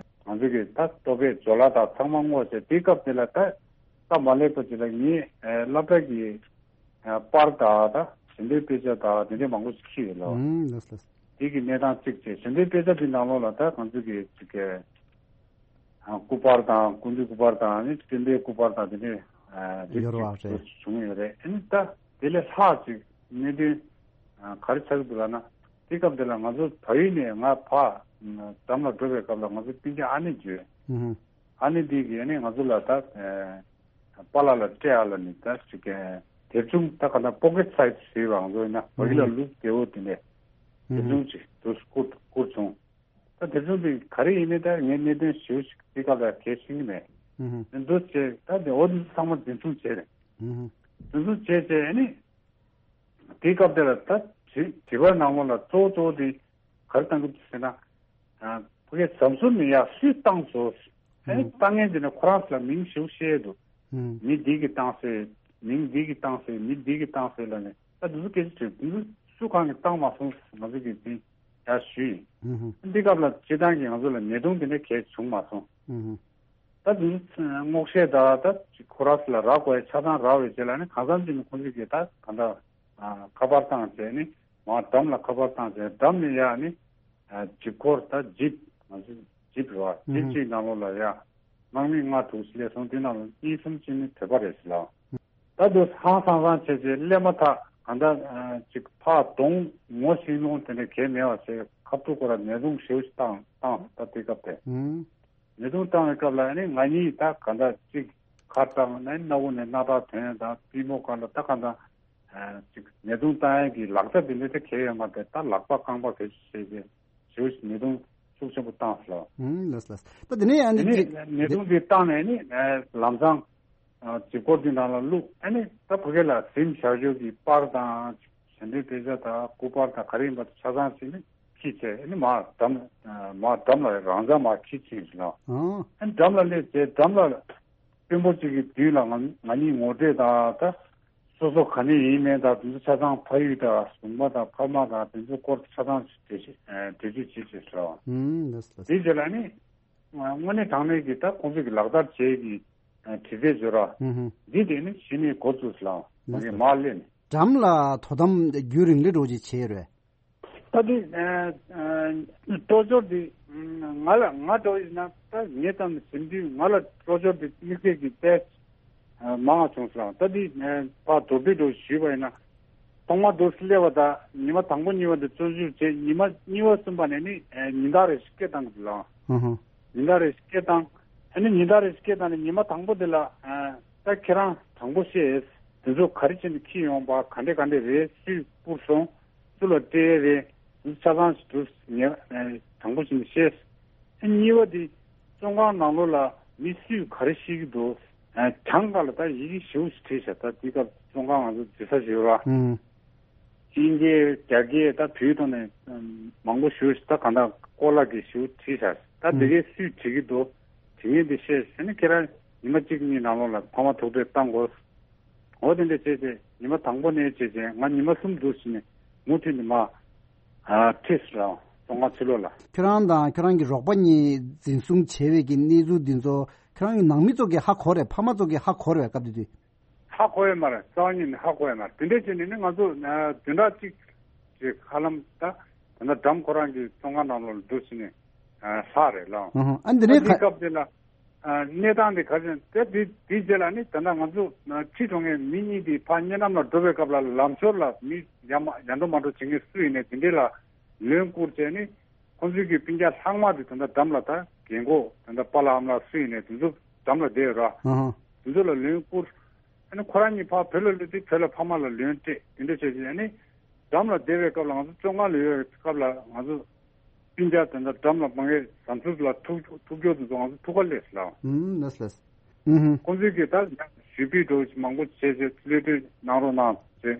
ང་ཚོ་གི་ད་ལྟོ་ཕད་ཇོ་ལ་དང་ཚང་མ་སྔོག་བྱས། དེའི་སྐབས་དེ་ལ་ད་སྟབས་མ་ལེགས་པ་ཅིག་ལ་ངའི་སློབ་གྲྭ་གི་པར་དང་ད་ཞལ་འདོན་དཔེ་ཆ་དང་དེ་འདྲའི་མང་པོ་ཞིག་ཁྱེར་ཡོད་ལོ། ཨང་། ལགས་སོ། དེ་གི་གནས་སྟངས་གཅིག་བྱས། ཞལ་འདོན་དཔེ་ཆ་དེ་ནང་ལོགས་ལ་ད་ང་ཚོ་གི་ཅིག་གི་སྐུ་པར་དང་སྐུ་མདུན་སྐུ་པར་དང་ནི་སྤྲིན་པའི་སྐུ་པར་དང་དེ་འདྲའི་དེ་ཡོད་རེད་བ། ཅིག་རེད། བྱུང་ཡོད་རེད། ཨ་ནི་ད་དེ་ལས་ལྷག་ཅིག་གནད་དོན་ག་རེ་ཆགས་ཀྱི་འདུག་ལབ་ན། དེ་སྐབས་དེ་ལ་ང་ཚོ་བལ་ཡུལ་ནས་ང་ཕར་འགྲམ་ལ་འགྲོ་བའི་སྐབས་ལ་ང་ཚོ་སྤུན་ཀྱག་ཨ་ནེ་བརྒྱུད། ཨ་ནེ་འདི་གིས་ནི་ང་ཚོ་ལ་ད་པཱ་ལགས་ལ་སྤྲད་ཨ་ལ་ནི་ད་ཅིག་དེབ་ཆུང་ད་ག་ན་པོ་ཀེ་སའིཛ་ཟེར་བ་ང་ཚོ་ཡིན་ན་བོད་ཡིག་ལ་ལུག་བདེ་བོ་དེ་འདྲས་དེབ་ཆུང་ཅིག་འདུག་བསྐུར་བསྐུར་བྱུང་། ད་དེབ་ཆུང་འདི་ག་རེ་ཡིན་མིན་ད་ངས་གནད་དོན་ཞིབ་ཞིག་འདི་སྐབས་ལ་གལ་ཤེས་ཀྱི་མེད། འདུག་བྱས་ད་དེ་འོ་འདི་ཚང་མ་འཛིན་བཟུང་བྱས་རེད། འཛིན་བཟུང་བྱས་བྱས་ནི། དེའི་སྐབས་དེ་ལ་ད་དྲི་དྲི་བ་ནང་ལོགས་ལ་གཙོ་བོ་གཙོ་བོ་དེ་ག་རེ་བཏང་གི་འདུག་ཟེར་ན། ཕ་གིའི་ཟམ་གཟུར་ནས་ཡར་སུས་བཏང་སོང་། ཨ་ནི་བཏང་མཁན་དེ་ནི་ཁོ་རང་ཚོ་ལ་མིང་ཞིག་བཤད་འདུག་མི་འདི་གིས་བཏང་ཟེར། མིང་འདི་གིས་བཏང་ཟེར། མི་འདི་གིས་བཏང་ཟེར་ལབ་ནས་ད་འདི་ཚོ་སྐད་ཆ་དྲིས། འདི་ཚོ་སུ་གང་གིས་བཏང་མ་སོང་ང་ཚོ་གིས་འདི་ཡར་ཞུས་ཡིན། འདི་སྐབས་ལ་སྤྱི་བཏང་གི་ང་ཚོ་ལ་ཉེས་རྡུང་དེ་འདྲ་གས་བྱུང་མ་སོང་། ད་དེ་ཚོ་སྔོག་བཤེར་དང་ད་ཁོ་རང་ཚོ་ལ་རག་དགོས་ཡ་ཆ་ཚང་རག་པའི་རྗེས་ལ་ནི་གང་འཚམ་ཅིག་ནི་ཁོང་ཚོ་གིས་ད་གང་ལྟར་ཁ་པར་བཏང་བྱས་ནི་མར་འགྲམ་ལ་ཁ་པར་བཏང་བྱས་འགྲམ་ནས་ཡར་ནི་ཇིབ་འཁོར་ད་ཇིབ་ང་ཚོ་ཇིབ་རེད་བ། ཇིབ་ཅིག་ནང་ལོགས་ལ་ཡར་དམག་མི་ལྔ་དྲུག་སླེབས་སོང་། དེ་ནང་ལ་གཉིས་གསུམ་ཅིག་ནི་བོད་པ་རེད་ཟེར་ལ། ད་དུ་ཧང་སང་སང་བྱས་བྱས་སླེབས་མ་ཐག་གང་ལྟར་ཅིག་ཕར་གདོང་ངོ་ཤེས་ལུང་དེ་འདྲ་གས་མེད་པ་བྱས་ཁ་ཐུག་ཁོ་ར་ཉེས་རྡུང་ཞེ་པོ་ཞིག་བཏང་བཏང་ད་དེ་སྐབས་དེ། ཉེས་རྡུང་བཏང་བའི་སྐབས་ལ་ནི་ང་གཉིས་ད་ག་འདྲ་གཅིག་ཁ་བཏང་ནས་སྣ་བུག་ནས་སྣ་ཐག་ཐོན་དང་པུས་མོ་སྒང་ལ་ད་ག་འདྲ་གཅིག་ཉེས་རྡུང་བཏང་ཡས་ཀྱི་ལག་ཆ་དེ་འདྲ་ད་གས་ཡོད་མ་རེད། ད་ལག་པ་རྐང་པ་གས་བྱས་བྱས་ཞེ་པོ་ཞིག་ཉེས་རྡུང་ཤུགས་ཆེན་པོ་བཏང་སོང་། ལགས་ལགས། ད་དེ་ནས་ཨ་ནི་ཉེས་རྡུང་དེ་བཏང་ནས་ནི་ལམ་སང་ཇིབ་འཁོར་དེ་ནང་ལ་བླུགས། ཨ་ནི་ད་ཕ་གི་ལ་གཟིམ་བཞག་ཆོག་གི་པར་དང་ཞལ་འདོན་དཔེ་ཆ་དང་སྐུ་པར་དང་ག་རེ་ཡིན་པ་ཆ་ཚང་ཞིག་ནི་ཁྱེར་བྱས་ཨ་ནི་མར་འགྲམ་མར་འགྲམ་ལ་རང་འཇགས་མར་ཁྱེར་ཕྱིན་ཟིན་ལ། ཨ་ནི་འགྲམ་ལ་སླེབས་བྱས་འགྲམ་ལ་དཔོན་པོ་གཅིག་གི་མདུན་ལ་ང་ང་གཉིས་ངོ་སྤྲོད་དང་ད་སོ་སོ་ག་ནས་ཡིན་མིན་དང་དེ་ཚོ་ཆ་ཚང་ཕ་ཡུལ་དང་གཟུགས་པོ་དང་ཕ་མ་དང་དེ་ཚོའི་སྐོར་ཆ་ཚང་འགྲེལ་བརྗོད་འགྲེལ་བརྗོད་བྱེད་ཅེས་ཟེར་བ། ཨུམ། ལགས་སོ། དེའི་རྗེས་ལ་ནི་དངོས་གནས་དྲང་གནས་ཀྱི་ད་ཁོང་ཚོ་གི་ལག་བསྟར་བྱེད་ཀྱི་དྲི་རྩད་བྱོས་ར། ཨུམ། འདི་དེ་ནི་གཞི་ནས་འགོ་བཙུགས་ལ་ལགས་སོ། མར་སླེབས་ནས། འགྲམ་ལ་དོ་དམ་རྒྱུན་རིང་ལི་འགྲོ་ཅིག་བྱས་རེད། ད་འདི་སྤྲོ་སྦྱོར་འདི་ང་ལ་ང་འདྲ་བོ་ཡིན་ན་ད་ངའི་ཙམ་ཟིན་དུས་ང་ལ་སྤྲོ་སྦྱོར་འདི་དམིགས་བསལ་གྱི་དཔེ་མང་བ་བྱུང་སོང་། ད་འདི་ཕར་དོ་པོའི་འགྲོ་ཞུས་པ་ཡིན་ན་ཐོག་མ་འདུག་སླེབས་པ་དང་ཉི་མ་དང་པོ་གཉིས་པ་འདི་བཙོན་འཇུག་བྱས། ཉི་མ་གཉིས་པ་གསུམ་པ་ནས་ནི་ཉིན་ལྟར་རེ་ཞིག་སྐད་བཏང་གི་འདུག་ལགས། ཨུ་ཧུ། ཉིན་ལྟར་རེ་ཞིག་སྐད་བཏང་ ཨ་ནི་ཉིན་ལྟར་རེ་སྐད་བཏང་ནས་ཉི་མ་དང་པོ་དེ་ལ་ཨ་ད་ཁྱེད་རང་དྲང་པོ་བཤད། དེ་ཚོ་ག་རེ་བྱས་ནས་འཁྱེར་ཡོང་པ། ག་འདྲས་ག་འདྲས་རེད། སུས་སྤུར་སོང་། སུ་ལ་སྤྲད་རེད། དེ་ཚོ་ཆ་ཚང་ཞིག་འདུག་ངས་ཨ་དྲང་པོ་བྱས་ནས་བཤད། ཨ་གཉིས་པ་དེ་བཙོན་ཁང་ནང་ལོགས་ལ་མི་སུས་ག་རེ་བཤད་ཀྱི་འདུག་ཨ་གྱང་ཁ་ལ་ད་ཡི་གེ་ཞེ་པོ་ཞིག་བྲིས་བཞག་ད་དེ་སྐབས་བཙོན་ཁང་ང་ཚོ་འཛུལ་ས་ཞིག་ཡོད་ར། ཨུམ། དབྱིན་ཇི་རྒྱ་སྐད་ད་བོད་ཐོག་ནས་ཨམ་མང་པོ་ཞེ་པོ་ཞིག་ད་གང་ལྟར་ཀོ་ལག་གིས་ཞེ་པོ་བྲིས་བཞག་ད་དེ་ཨུམ། གས་སུས་བྲིས་ཀྱི་འདུག་དེ་ངས་འདི་བཤད་ཟེར་ནས་ཁྱེད་རང་ཉི་མ་གཅིག་གཉིས་ནང་ལོགས་ལ་ཕ་མ་ཐུག་འཕྲད་བཏང་དགོས། འོ་དེ་འདྲ་བྱས་བྱས་ཉི་མ་དང་པོ་ནས་བྱས་བྱས་ང་ཉི་མ་གསུམ་འདུག་ཟེར་ནས་མུ་མཐུད་ནས་མ་ཨ་ཁྲིད་སོང་བཙོན་ཁང་ཕྱི་ལོགས་ལ། ཁྱེད་རང་དང་ཁྱེད་རང་གི་རོགས་པ་གཉིས་འཛིན་བཟུང་བྱས་པའི་གི་གནས་ཚུལ་འདི་ཚོ་ཁྱེད་རང་གི་ནང་མི་ཚོ་གིས་ཧ་གོ་རེད། ཕ་མ་ཚོ་གིས་ཧ་གོ་རེད་བས་སྐབས་དེ་དུས། ཧ་གོ་ཡོད་མ་རེད། རྩ་བ་ཉིད་ནས་ཧ་གོ་ཡོད་མ་རེད། དེ་འདྲ་བྱས་ནས་ནི་ང་ཚོ་ཨ་བདུན་ཕྲག་གཅིག་ཅིག་ཧ་ལམ་ད་ད་ལྟ་འགྲམ་ཁོ་རང་གི་བཙོན་ཁང་ནང་ལོགས་ལ་འདུག་ཟེར་ནས་ཨ་ལྷག་རེད་ལགས། ཨ་ཧ། ཨ་འདི་ད་ནས་དེའི་ཁ་སྐབས་དེ་ལ་ཨ་གནས་སྟངས་དེ་ག་རེ་ཟེར་ན་དེ་དེ་དེའི་རྗེས་ལ་ནི་ད་ལྟ་ང་ཚོ་ཨ་ཁྲིད་འགྲོ་མཁན་མི་གཉིས་དེ་ཕར་གཉའ་ནམ་ལ་འགྲོ་བའི་སྐབས་ལ་ལམ་ཞོར་ལ་མི་ཡ་མ་ཡ་འགྲོ་མ་འགྲོ་བྱེད་མཁན་སུ་ཡིན་ནའི་དེ་འདྲས་ལ་ལན་བསྐུར་བྱས་ནི་ཁོང་ཚོའི་གི་སྤུན་ཀྱག་ལྷག་མ་དེ་ད་ལྟ་འགྲམ་ལ་ད་རྒན་གོག་ད་ལྟ་པཱ་ལགས་ཨ་མ་ལགས་སུ་ཡིན་ནའི་དེ་ཚོ་འགྲམ་ལ་བསྡད་ཡོད་ར། ཨ་ཧ། དེ་ཚོ་ལ་ལན་བསྐུར། ཨ་ནི་ཁོ་རང་གཉིས་ཕར་བོད་ལ་སླེབས་དུས་བོད་ལ་ཕ་མ་ལ་ལན་སྤྲད་དེ་འདྲ་བྱས་བྱས་ཨ་ནི་འགྲམ་ལ་བསྡད་པའི་སྐབས་ལ་ང་ཚོ་བཙོན་ཁང་ལ་ཡོད་པའི་སྐབས་ལ་ང་ཚོ་སྤུན་ཀྱག་དེ་འདྲ་འགྲམ་ལ་མ་ངེས་བཟའ་འཐུང་ལ་ཐུག་ཐུག་སྐྱོར་དེ་ཚོ་ང་ཚོ་ཐུག་ག་སླེབས་ལ། ཨུམ་ལགས་ལགས། ཨུམ་ཧུམ། ཁོང་ཚོས་ཀྱིས་ད་ཞུ་སྤེལ་འདྲ་བོ་ཞིག་མང་པོ་བྱས་བྱས་གློད་གྲོལ་གནང་རོགས་གནང་ཟེར་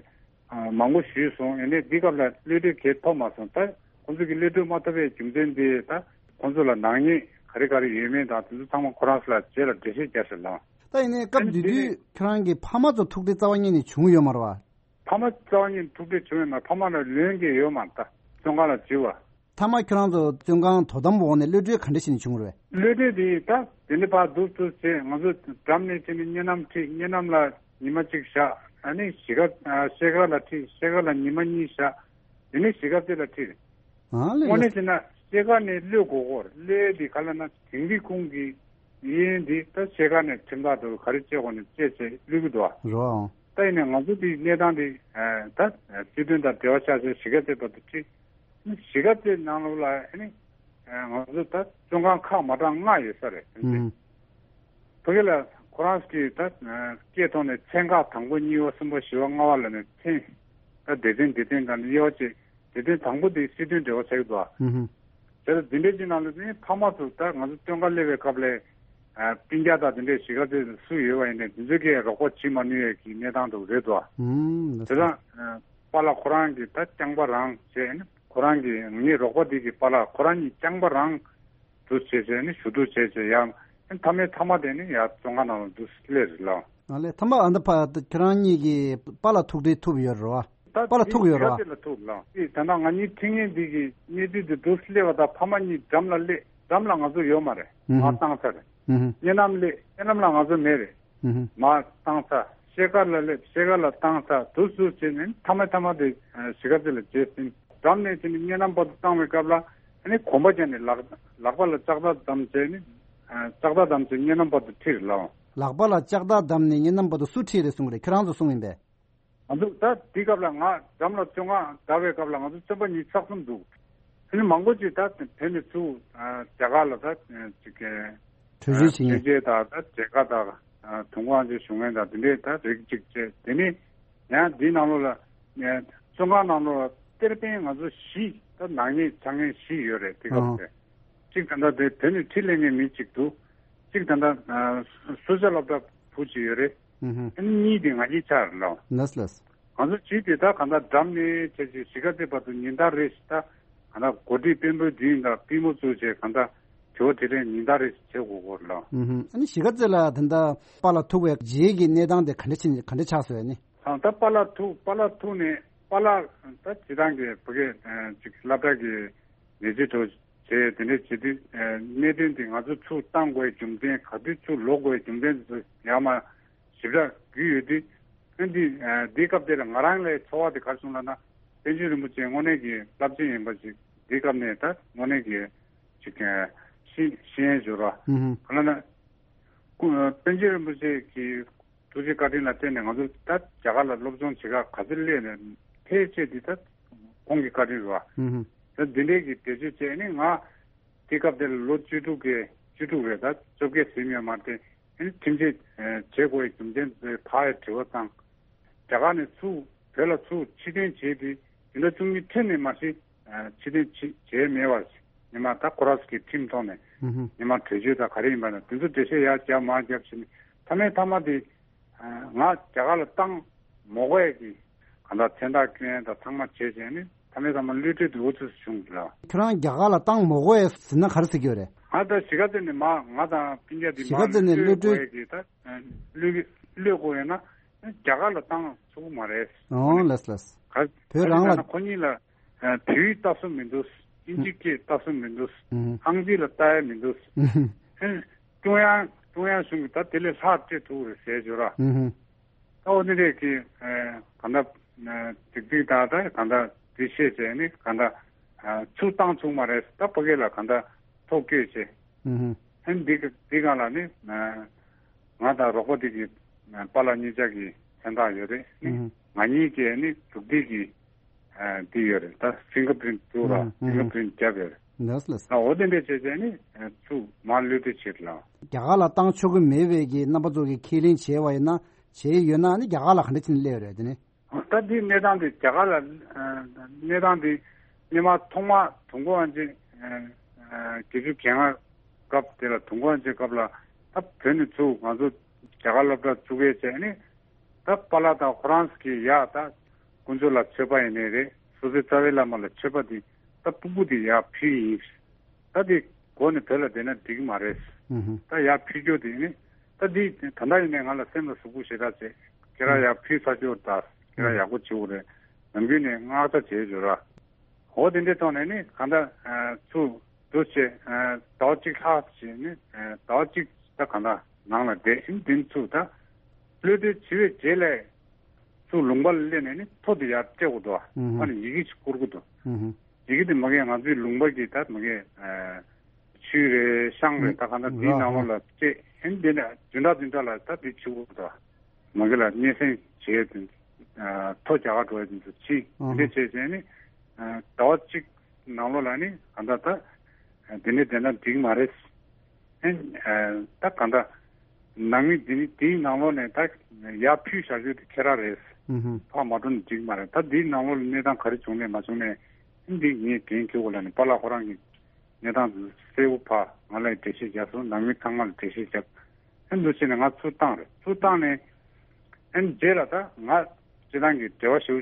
ཨ་མང་པོ་ཞུས་སོང་། ཡིན་ནའི་འདི་སྐབས་ལ་གློད་གྲོལ་གང་ཐོབ་མ་སོང་། ད་ཁོང་ཚོས་ཀྱིས་གློད་གྲོལ་མ་ཐོབ་པའི་རྒྱུ་མཚན་དེ་ད་ཁོང་ཚོ་ལ་ནག་ཉེས་ག་རེ་ག་རེ་ཡོད་མེད་དང་དེ་ཚོ་ཚང་མ་ཁོ་རང་ཚོ་ལ་རྗེས་ལ་འགྲེལ་བཤད་རྒྱག་ཟེར་ལ། ད་ཡིན་ནའི་སྐབས་དེ་དུས་ཁྱོད་རང་གི་ཕ་མ་ཚོ་ཐུག་འཕྲད་རྩ་བ་ཉིད་ནས་བྱུང་ཡོད་མ་རེད་བ། ཕ་མ་རྩ་བ་ཉིད་ཐུག་འཕྲད་བྱུང་ཡོད་མ་རེད། ཕ་མ་ལ་ལན་གང་ཡང་ཡོད་མ་རེད། ད་བཙོན་ཁང་ལ་འཛུལ་བ། མཐའ་མ་ཁྱོད་རང་ཚོ་བཙོན་ཁང་དོ་དམ་འོག་ནས་གློད་གྲོལ་ག་འདྲ་ཞིག་ནས་བྱུང་རེད། གློད་གྲོལ་དེ་ད་དེ་ནས་ཕར་འདུག་ཚུལ་བྱས་ང་ཚོ་འགྲམ་ནས་བྱས་ནས་གཉའ་ནམ་ཁྲིད། གཉའ་ནམ་ལ་ཉི་མ་གཅིག་བཞག་ཨ་ནི་གཞིས་ཀ་ཨ་ཤེལ་དཀར་ལ་ཁྲིད། ཤེལ་དཀར་ལ་ཉི་མ་གཉིས་བཞག་དེ་ནས་གཞིས་ཀ་རྩེ་ལ་ཁྲིད། ཨ་ལེ་དངོས་གནས་ལེ། བྱས་ན་ཤེལ་དཀར་ནས་གློད་དགོས་ཀྱི་ཡོད་རེད། གློད་དེ་ག་ལབ་ན་དིང་རི་ཁུང་གི་གཡས་གཡོན་དེ་ད་ཤེལ་དཀར་ནས་ཁྲིམས་ཐག་འདྲ་བོ་ག་རེ་བཅད་དགོས་ནས་བཅད་བྱས་གློད་ཀྱི་འདུག་ཨ། རོ། ད་ཡིན་ནའི་ང་ཚོ་དེའི་གནས་སྟངས་དེ་ད་སྲིད་དོན་དང་འབྲེལ་བ་ཆགས་བྱས་གཞིས་ཀ་རྩེ་བར་དུ་ཁྲིད། གཞིས་ཀ་རྩེ་ནང་ལོགས་ལ་ཨ་ནི་ང་ཚོ་ད་བཙོན་ཁང་ཁག་མ་གྲངས་ལྔ་ཡོད་ས་རེད། ཨུམ། ཕ་གི་ལ་ཁོ་རང་གིས་ད་སྐད་ཐོག་ནས་ཚན་ཁག་དང་པོ་གཉིས་པ་གསུམ་པ་བཞི་པ་ལྔ་པ་ལ་ནས་ཚན་ད་སྡེ་ཚན་སྡེ་ཚན་དང་དབྱེ་བ་བྱས། སྡེ་ཚན་དང་པོ་དེ་སྲིད་དོན་འབྲེལ་བ་ཆགས་ཀྱི་འདུག་ཨ། ཨུམ། བྱས་ཙང་འདི་འདྲའི་ཅིག་ནང་ལ་ནི་ཕ་མ་ཚོ་ད་ང་ཚོ་བཙོན་ཁང་སླེབས་པའི་སྐབས་ལ་སྤུན་ཀྱག་དང་དེ་འདྲའི་གཞིས་ཀ་རྩེ་སུ་ཡོད་པ་ཡིན་ནའི་དེ་ཚོ་གིས་རོགས་པ་བྱེད་མ་ནུས་ཡས་ཀྱི་གནས་སྟངས་འདྲ་བོ་རེད་འདུག་ཨ། ཨུམ། བྱས་ཙང་པཱ་ལགས་ཁོ་རང་གིས་ད་རྐྱང་པ་རང་བྱས་ནས་ཁོ་རང་གིས་ངའི་རོགས་པ་དེ་གིས་པཱ་ལགས་ཁོ་རང་གཉིས་རྐྱང་པ་རང་དུ་བྱས་བྱས་ནས་ཞུ་གཏུག་བྱས་བྱས་ཡང་མཐའ་མའི་མཐའ་མ་དེ་ནི་ཡར་བཙོན་ཁང་ནང་ལ་འདུག་སླེབས་རེད་ལགས། ཨ་ལས་མཐའ་མ་ཨ་ད་ཕ་ཁྱེད་རང་གཉིས་ཀྱིས་པཱ་ལགས་ཐུག་འཕྲད་ཐུབ་ཡོད་རེད་བ། ད་པཱ་ལགས་ཐུག་ཡོད་རེད་བ། དེ་ལ་ཐུག་ལགས། དེ་ད་ལྟ་ང་གཉིས་ཁྲིད་མཁན་འདི་གི་གནས་ཚུལ་འདི་འདུག་སླེབས་པ་དང་ཕ་མ་གཉིས་འགྲམ་ལ་སླེབས། འགྲམ་ལ་ང་ཚོ་ཡོད་མ་རེད། ཨུ་ཧུ། མར་བཏང་ཚར་རེད། ཨུ་ཧུ། གཉའ་ནམ་སླེབས། གཉའ་ནམ་ལ་ང་ཚོ་མེད་རེད། ཨུ་ཧུ། མར་བཏང་ཚར། ཤེལ་དཀར་ལ་སླེབས། ཤེལ་དཀར་ལ་བཏང་ཚར། འདུག་སེ་བྱས་ནས་མཐའ་མ་མཐའ་མ་དེ་གཞིས་ཀ་རྩེ་ལ་བྱས་ཟིན། འགྲམ་ནས་བྱས་ནས་གཉའ་ནམ་བར་དུ་བཏང་བའི་སྐབས་ལ་ཨ་ནི་གོམ་པ་བརྒྱབ་ནས་ལག་ལག་པ་ལ་ལྕགས་ཐག་བསྡམས་བྱས་ནས་ལྕགས་ཐག་བསྡམས་བྱས་གཉའ་ནམ་བར་དུ་ཁྲིད་རེད་ལགས། ལག་པ་ལ་ལྕགས་ཐག་བསྡམས་ནས་གཉའ་ནམ་བར་དུ་སུ་ཁྲིད་རེད་གསུངས་རེད། ཁྱེད་རང་ཚོ་གསུངས་ཡིན་པས། ང་ཚོ་ད་དེའི་སྐབས་ལ་ང་འགྲམ་ལ་བཙོན་ཁང་བསྡད་པའི་སྐབས་ལ་ང་ཚོ་བཙོན་པ་ཉིས་བརྒྱ་ལྷག་ཙམ་འདུག་ཨ་ནི་མང་པོ་ཅིག་ད་བོད་ནས་ཚུར་རྒྱ་གར་ལ་ད་ཅིག་གྲོས་གཞི་བྱེད་མཁན། ཆོས་མཇལ་དང་ད་མཇལ་ཁ་དང་དུས་འཁོར་དབང་ཆེན་ཞུ་མཁན་དང་དེ་འདྲས་ད་རིགས་གཅིག་བྱས། དེ་ནས་ཡང་འདིའི་ནང་ལོགས་ལ་བཙོན་ཁང་ནང་ལོགས་ལ་གཏེར་སྟོན་ང་ཚོ་བཞི་ད་ནག་ཉེས་ཆགས་མཁན་བཞི་ཡོད་རེད། དེ་སྐབས་དེ་གཅིག་ད་ལྟ་དེ་བོད་ནས་ཁྲིད་སླེབས་མཁན་མི་གཅིག་འདུག་གཅིག་ད་ལྟ་སུ་ཇཱ་སློབ་གྲྭ་བུ་གཅིག་ཡོད་རེད། ཨ་ནི་གཉིས་དེ་ང་གཉིས་ཆགས་རེད་ལགས། ལགས་ལགས། ང་ཚོ་བྱིས་དེ་ད་གང་ལྟར་འགྲམ་ནས་བྱས་བྱས་གཞིས་ཀ་རྩེ་བར་དུ་ཉིན་ལྟར་རེ་བཞིན་ད་གང་ལྟར་གོ་སྒྲིག་དཔོན་པོའི་མདུན་དང་པུས་མོ་བཙུགས་བྱས་གང་ལྟར་དྲི་བ་དྲིས་ལན་ཉིན་ལྟར་རེ་བཞིན་བྱེད་དགོས་སྐོར་ལ། ཨུ་ཧུམ། ཨ་ནི་གཞིས་ཀ་རྩེ་ལ་ད་ལྟ་པཱ་ལགས་ཐུག་པའི་རྗེས་ཀྱི་གནས་སྟངས་དེ་ག་འདྲ་ཕྱིན་ག་འདྲ་ཆགས་སོང་ཨ་ནི། ད་ད་པཱ་ལགས་ཐུག་པཱ་ལགས་ཐུག་ནས་པཱ་ལགས་ད་སྤྱིར་བཏང་གི་བོད་སྐད་ཅིག་སློབ་གྲྭ་གི་ལས་བྱེད་འདྲ་བོ་བྱས་དེ་འདྲ་བྱེད་དུས་གནད་དོན་དེ་ང་ཚོ་ཚུར་བཏང་དགོས་རྒྱུ་མཚན་ག་དུས་ཚུར་ལོག་དགོས་རྒྱུ་མཚན་དེ་ཚོ་ཡར་མར་ཞིབ་ཕྲ་བརྒྱུད་ཡོད་དུས། ཨ་འདི་ཨ་འདིའི་སྐབས་དེ་ལ་ང་རང་ལ་ཚོར་བ་དེ་ག་རེ་བྱུང་ལབ་ན། པཎ་ཆེན་རིན་པོ་ཆེ་དངོས་གནས་ཀྱི་རླབས་ཆེན་ཡིན་པ་ཞིག་འདིའི་སྐབས་ནས་ད་དངོས་གནས་ཀྱི་ཅིག་ཨ་ཤེས་ཤེས་ཡོན་འབྱོར་བ། ཨུ་ཧུམ། ག་ལབ་ན། སྐུ་ཨ་པཎ་ཆེན་རིན་པོ་ཆེ་གི་ཐུགས་རྗེ་བཀའ་དྲིན་ལ་བརྟེན་ནས་ང་ཚོ་ད་རྒྱ་གར་ལ་སློབ་སྦྱོང་བྱེད་ག་ག་ཚོད་སླེབས་ནས་ཕལ་ཆེར་འདི་ད་ཁོང་གི་བཀའ་དྲིན་རེད་བ། ཨུ་ཧུམ། ད་འདི་འདྲའི་གི་བེད་སྤྱོད་བྱས་ནས་ང་དེའི་སྐབས་དེ་ལ་ལོ་བཅུ་དྲུག་གི་ བཅུ་དྲུག་རེད། ད་བཅོ་བརྒྱད་ཟིན་ཡོད་མ་རེད་དེ། ཨ་ནི་ཁྲིམས་ཆད་བྱེད་དགོས་ཡའི་རྒྱུ་མཚན་དེ་ཕར་ཡ་དྲི་བ་བཏང་། རྒྱ་གར་ནས་ཚུར་བོད་ལ་ཚུར་ཕྱིར་འཐེན་བྱས་ཏེ་བདུན་ཕྲག་བཅུ་གཉིས་ཁྲི་ནས་མ་གཞི་ཕྱིར་འཐེན་བྱས་མེད་པར་ཉི་མ་ད་ཁོ་རང་ཚོ་གི་ཁྲིམས་ཐོག་ནས་ཉི་མ་གྲོས་ཆོད་དང་ག་རེ་ཡིན་པ་ན་དེ་ཚོ་འགྲེལ་བཤད་ཡར་རྒྱབ་མར་རྒྱབ་བྱས་ནས་མཐའ་མའི་མཐའ་མ་དེ། ང་རྒྱ་གར་ལ་བཏང་མ་དགོས་ཀྱི་གང་ལྟར་མཚན་རྟགས་བསྐྱོན་ཡ་དང་ཚང་མ་བྱས་བྱས་ནས་མཐའ་མའི་མཐའ་མ་གློད་གྲོལ་དུ་འུ་ཚོས་བྱུང་ལ། ཁྱོད་རང་རྒྱ་གར་ལ་བཏང་མ་དགོས་ཟེར་ན་ག་རེ་ཟེར་གྱི་ཡོད་རེད། ང་ད་གཞིས་ཀ་རྩེ་ནས་མ་ང་དང་སྤུན་ཀྱག་འདི་གཞིས་ཀ་མ་རྩེ་ནས་གློད་གློད་གྲོལ། དགོས་ཀྱི་ད་གློད་གློད་དགོས་ཡོད་ན་རྒྱ་གར་ལ་བཏང་ཆོག་གི་མ་རེད། ཨོ་ལགས་ལགས། ག་བོད་རང་ལ། ཁོ་གཉིས་ལ་བོད་ཡིག་ལྟ་སྲོལ་མི་འདུག་དབྱིན་ཇི་སྐད་ལྟ་སྲོལ་མི་འདུག་ཨང་རྩིས་ལ་ལྟ་ཡ་མི་འདུག་ཨ་ཀྲུང་དབྱང་ཀྲུང་དབྱང་གཞུང་གིས་ད་དེ་ལས་ལྷག་སྤྲད་ཐུབ་རེད་ཟེར་བརྗོད་ར། ད་འོ་དེ་འདྲས་ཀྱི་གང་ལྟར་ཏིག་ཏིག་ད་ད་གང་ལྟར་འདི་བཤད་བྱས་ནི་གང་ལྟར་ཚུར་བཏང་ཚུགས་མ་རེད། ད་ཕ་གི་ལ་གང་ལྟར་ཐོ་བཀོད་བྱས། ཨ་ནི་འདི་ག་འདི་སྒང་ལ་ནི་ང་དང་རོགས་པ་འདི་གི་པཱ་ལགས་གཉིས་ཆ་གི་མཚན་རྟགས་ཡོད་རེད། ནི་ང་གཉིས་ཀྱི་ནི་འབྲུག་སྡེ་གི་འདི་ཡོད་རེད། ད་ཕིང་གར་པི་རིན་ཊི་འདུག་ར། ཨ་ཕིང་གར་པི་རིན་ཊི་བརྒྱབ་ཡོད་རེད། ལགས་ལགས། ད་འོ་དེ་འདྲས་བྱས་བྱས་ནི་ཚུར་མར་གློད་གྲོལ་བྱེད་ལ། རྒྱ་གར་ལ་བཏང་ཆོག་གི་མེད་པའི་གི་རྣམ་པ་ཚོ་གི་ཁས་ལེན་བྱས་པ་ཡིན་ན་བྱས་ཡོད་ན་ནི་རྒྱ་གར་ལ་ག་འདྲ་བྱས་ནས་སླེབས་ཡོད་རེད་དེ་ནི། ད་འདི་གནས་སྟངས་འདི་རྒྱ་གར་ལ་གནས་སྟངས་འདི་སྔོན་མ་ཐོག་མ་དུས་འཁོར་དབང་ཆེན་བརྒྱད་ཅུ་གྱ་ལྔ་སྐབས་དེ་ལ་དུས་འཁོར་དབང་ཆེན་སྐབས་ལ་ད་བོད་ནས་ཚུར་ང་ཚོ་རྒྱ་གར་སློབ་གྲྭ་བཙུགས་ཡས་བྱས་ནི་ད་པཱ་ལགས་དང་ཁོ་རང་ཚོ་གི་ཡ་ད་དཀོན་མཆོག་ལ་མཆོད་པ་ཡིན་ནའི་རེད། སོ་སོའི་རྩ་བའི་བླ་མ་ལ་མཆོད་པ་འདི་ད་ཕྲུ་གུ་འདི་ཡར་ཕུལ་ཡིན། ད་འདི་གོ་ནས་བོད་ལ་བསྡད་ན་འགྲིག་གི་མ་རེད། ཨུ་ཧུ། ད་ཡར་ཕུལ་རྒྱུ་དེ་ནི་ད་འདི་ད་ལྟ་ཡིན་ནའི་ང་ལ་སེམས་ལ་ཟུག་པོ་ཞེ་དྲག་བྱས། ཁྱེད་རང་ཡར་ཕུལ་ཚར་རྒྱུ་ད་ཁྱེད་རང་ཡག་པོ་བྱེད་དགོས་རེད། ནམ་རྒྱུན་ནས་མངགས་ཐབས་བྱེད་བརྗོད་ར། འོ་དེ་འདྲའི་ཐོག་ནས་ནི་གང་ལྟར་ཚུར་འདུ་བྱས་ཟླ་བ་གཅིག་ལྷག་བྱས་ནི་ཟླ་བ་གཅིག་ད་གང་ལྟར་ནང་ལ་བསྡད་ཨིན་དེ་ཚུར་ད་གློད་གྲོལ་བྱས་པའི་རྗེས་ལ་ཚུར་ལུང་པ་ལ་སླེབས་ནས་ནི་ཐོ་དེ་ཡར་སྤྲད་དགོས་འདུག་ཨ་ནི་ཡི་གེ་ཞིག་བསྐུར་དགོས་འདུག་ཡི་གེ་དེ་མ་གིར་ང་ཚོའི་ལུང་པ་གི་ད་མ་གིར་ཆུས་རེད་ཤང་རེད་ད་གང་ལྟར་འདིའི་ནང་ལོགས་ལ་སྤྲད་ཨེ་འདི་ནས་བདུན་ཕྲག་བདུན་ཕྲག་ལ་ད་འདི་བྱེད་དགོས་ད། མ་གི་ལ་སྙན་སེང་བྱས་ཏེ་ཐོ་རྒྱག་ག་འགྲོ་ཡ་དེ་ཚོ་ཕྱིན་འདི་འདྲས་བྱས་བྱས་ནི་ཟླ་བ་གཅིག་ནང་ལོགས་ལ་ནི་གང་ལྟར་ད་འདི་ནས་བསྡད་ན་འགྲིག་མ་རེད། ཨེ་ད་གང་ལྟར་ནང་མི་འདི་ནི་དེའི་ནང་ལོགས་ནས་ད་ཡར་ཕུལ་བཞག་རྒྱུ་དེ་ཁྱེད་རང་རེད། ཕར་མ་འགྲོ་ན་འགྲིག་མ་རེད། ད་འདིའི་ནང་ལོགས་ལ་གནས་སྟངས་ག་རེ་བྱུང་ནས་མ་བྱུང་ནས་ཨེ་འདི་ངས་འགན་འཁྱེར་དགོས་ལབ་ནས་པཱ་ལགས་ཁོ་རང་གི་གནས་སྟངས་དེ་གསལ་པོ་ཕར་ང་ལ་འགྲེལ་བཤད་རྒྱག་སོང་། ནང་མི་ཚང་མ་ལ་འགྲེལ་བཤད་རྒྱབ། ཨེ་འདུག་བྱས་ནས་ང་ཚུར་བཏང་རེད། ཚུར་བཏང་ནས་ཨེ་རྗེས་ལ་ད་ང་སྤྱི་བཏང་གི་འབྲེལ་བ་ཞེ་པོ་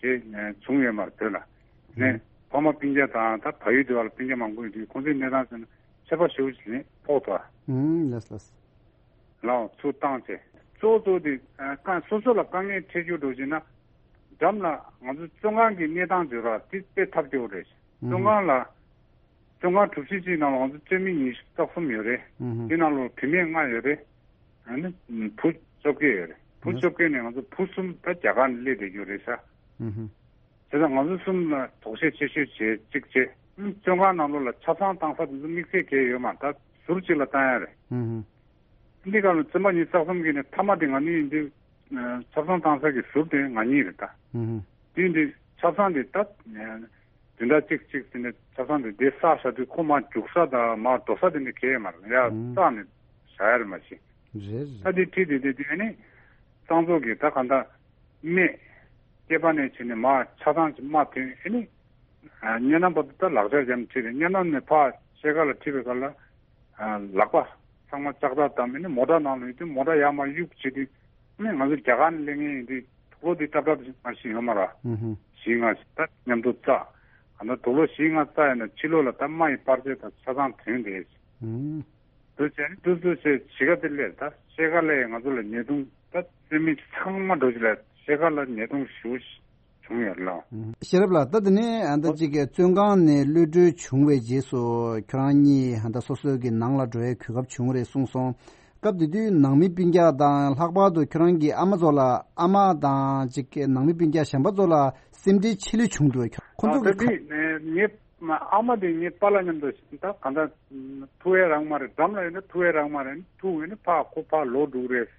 ཅིག་བྱུང་ཡོད་མ་རེད་བོད་ལ། ནས་ཕ་མ་སྤུན་ཀྱག་དང་ད་བལ་ཡུལ་དེ་བ་ལ་སྤུན་ཀྱག་མང་པོ་ཡོད་དུས་ཁོང་ཚོའི་གནས་སྟངས་ཟེར་ན་ཁྱད་པར་ཞེ་པོ་ཅིག་ནས་ཕོག་ཐུབ་པ། ཨུམ་ལགས་ལགས། ལའོ་ཚུར་བཏང་བྱས་གཙོ་བོ་གཙོ་བོ་དེ་ཨ་ཀ་སོ་སོ་ལ་དཀའ་ངལ་འཕྲད་རྒྱུ་འགྲོ་བྱས་ན་འགྲམ་ལ་ང་ཚོ་བཙོན་ཁང་གི་གནས་སྟངས་བརྗོད་ར་དེ་དཔེ་ཐབས་སྐྱོ་བོ་རེད། བཙོན་ཁང་ལ་བཙོན་ཁང་གྲུ་བཞི་གཅིག་ནང་ལ་ང་ཚོ་བཙོན་མི་ཉི་ཤུ་རྩ་གསུམ་ཡོད་རེད། ཨུ་ཧུ། དེ་ནང་ལ་བུད་མེད་ལྔ་ཡོད་རེད། ཨ་ནི་བུ་བཅོ་བརྒྱད་ཡོད་རེད། བུ་ཨུ་བཅོ་བརྒྱད་ནས་ང་ཚོ་བུ་གསུམ་ད་རྒྱ་གར་ནས་སླེབས་བསྡད་རྒྱུ་རེད་ཤག་ཨུ་ཧུ། བྱས་ཙང་ང་ཚོ་གསུམ་ལ་དོགས་གཞི་ཆེ་ཤོས་བྱས་གཅིག་བྱས། ཨ་ནི་བཙོན་ཁང་ནང་ལོགས་ལ་ཆབ་གསང་བཏང་ས་དེ་ཚོ་དམིགས་བསལ་གང་ཡང་ཡོད་མ་རེད། ད་ཟུར་གཅིག་ལ་བཏང་ཡ་རེད། ཨུ་ཧུ། འདི་ག་ལ་བཙོན་པ་ཉི་ཤུ་རྩ་གསུམ་གྱི་ནས་མཐའ་མ་དེ་ང་གཉིས་ཡིན་དུས་ཆབ་གསང་བཏང་ས་གི་ཟུར་དེ་ང་གཉིས་རེད་ད། ཨུ་ཧུ། དེ་འདི་ཆབ་གསང་དེ་ད་བདུན་ཕྲག་གཅིག་གཅིག་དེ་ནས་ཆབ་གསང་དེ་དེ་བསགས་བཞག་དུས་ཁོ་མར་རྒྱུག་ས་དང་མར་འགྲོ་ས་དེ་འདྲ་གང་ཡང་མ་རེད། ཡ་ཨུ་ཧུ། བསགས་ནས་བཞག་ཡ་རེད་མ་གཞི། རེད་རེད། ད་དེ་ཁྲིད་དེ་དེ་དེ་ནི་གཙང་བཙོག་གི་ད་ག་འདྲ་སྨད་སྐེད་པ་ནས་བྱས་ནས་མར་ཆབ་གསང་ཅིག་མར་ཐོན་ཨེ་ནི། ཨ་སྙེ་ནམ་བར་དུ་ད་ལག་ཆ་འཇམ་ཁྲིད་རེད། སྙེ་ནམ་ནས་ཕར་ཤེལ་དཀར་ལ་ཁྲིད་པའི་སྐབས་ལ་ཨ་ལག་པ་ཚང་མ་ལྕགས་ཐག་བསྡམས་ནས་མོ་ཊ་ནང་ལ་ཡོད་དུས་མོ་ཊ་ཡར་མར་གཡུག་བྱེད་དུས་ནི་ང་ཚོ་རྒྱ་གར་ནས་སླེབས་མཁན་ཡིན་དུས་དུག་ལོག་འདི་ཏབ་ཏབ་མ་ཞིག་ཡོད་མ་རེད། ཨུ་ཧུ། བཞི་ལྔ་ཞིག་ད་མཉམ་དུ་བཙགས། ཨ་ན་དུག་ལོག་བཞི་ལྔ་བཙགས་ཡིན་ན་ཕྱི་ལོགས་ལ་ད་རྨ་ཡི་པར་ཆས་དང་ཆ་ཚང་ཐོན་བསྡད། ཨུ། དུ་བྱས་ནས་དུ་དུ་བྱས་གཞིས་ཀ་དེ་སླེབས་ད་ཤེལ་དཀར་ལ་ཡང་ང་ཚོ་ལ་ཉེས་རྡུང་ད་བཙོན་མི་ཚང་མ་འགྲོ་གཞི་ལ་ཤེལ་དཀར་ལ་ཉེས་རྡུང་ཞེ་པོ་བྱུང་ཡོད་ལ། ཤེས་རབ་ལགས། ད་དེ་ནས་ཨ་ད་ཅིག་བཙོན་ཁང་ནས་གློད་གྲོལ་བྱུང་བའི་རྗེས་སུ་ཁྱོད་རང་གཉིས་ཨ་ད་སོ་སོའི་གི་ནང་ལ་འགྲོ་བའི་གོ་སྐབས་བྱུང་རེད་གསུངས་སོང་། སྐབས་དེ་དུས་ནང་མི་སྤུན་ཀྱག་དང་ལྷག་པར་དུ་ཁྱོད་རང་གི་ཨ་མ་ཚོ་ལ་ཨ་མ་དང་ཅིག་ནང་མི་སྤུན་ཀྱག་གཞན་པ་ཚོ་ལ་སེམས་ཁྲལ་ཆེ་ལོས་བྱུང་འདུག་ཁོ་ཨ་ཚོ་ད་གི་དེ་ངའི་ཨ་མ་དེ་ངའི་པཱ་ལགས་མཉམ་དུ་ད་གང་ལྟར་ཐུག་ཡས་རག་མ་རེད། འགྲམ་ལ་ཡོད་ན་ཐུག་ཡས་རག་མ་རེད། ཐུག་ཡོད་ན་ཕར་ཁོ་ཕར་ལོག་འགྲོ་གི་རེད།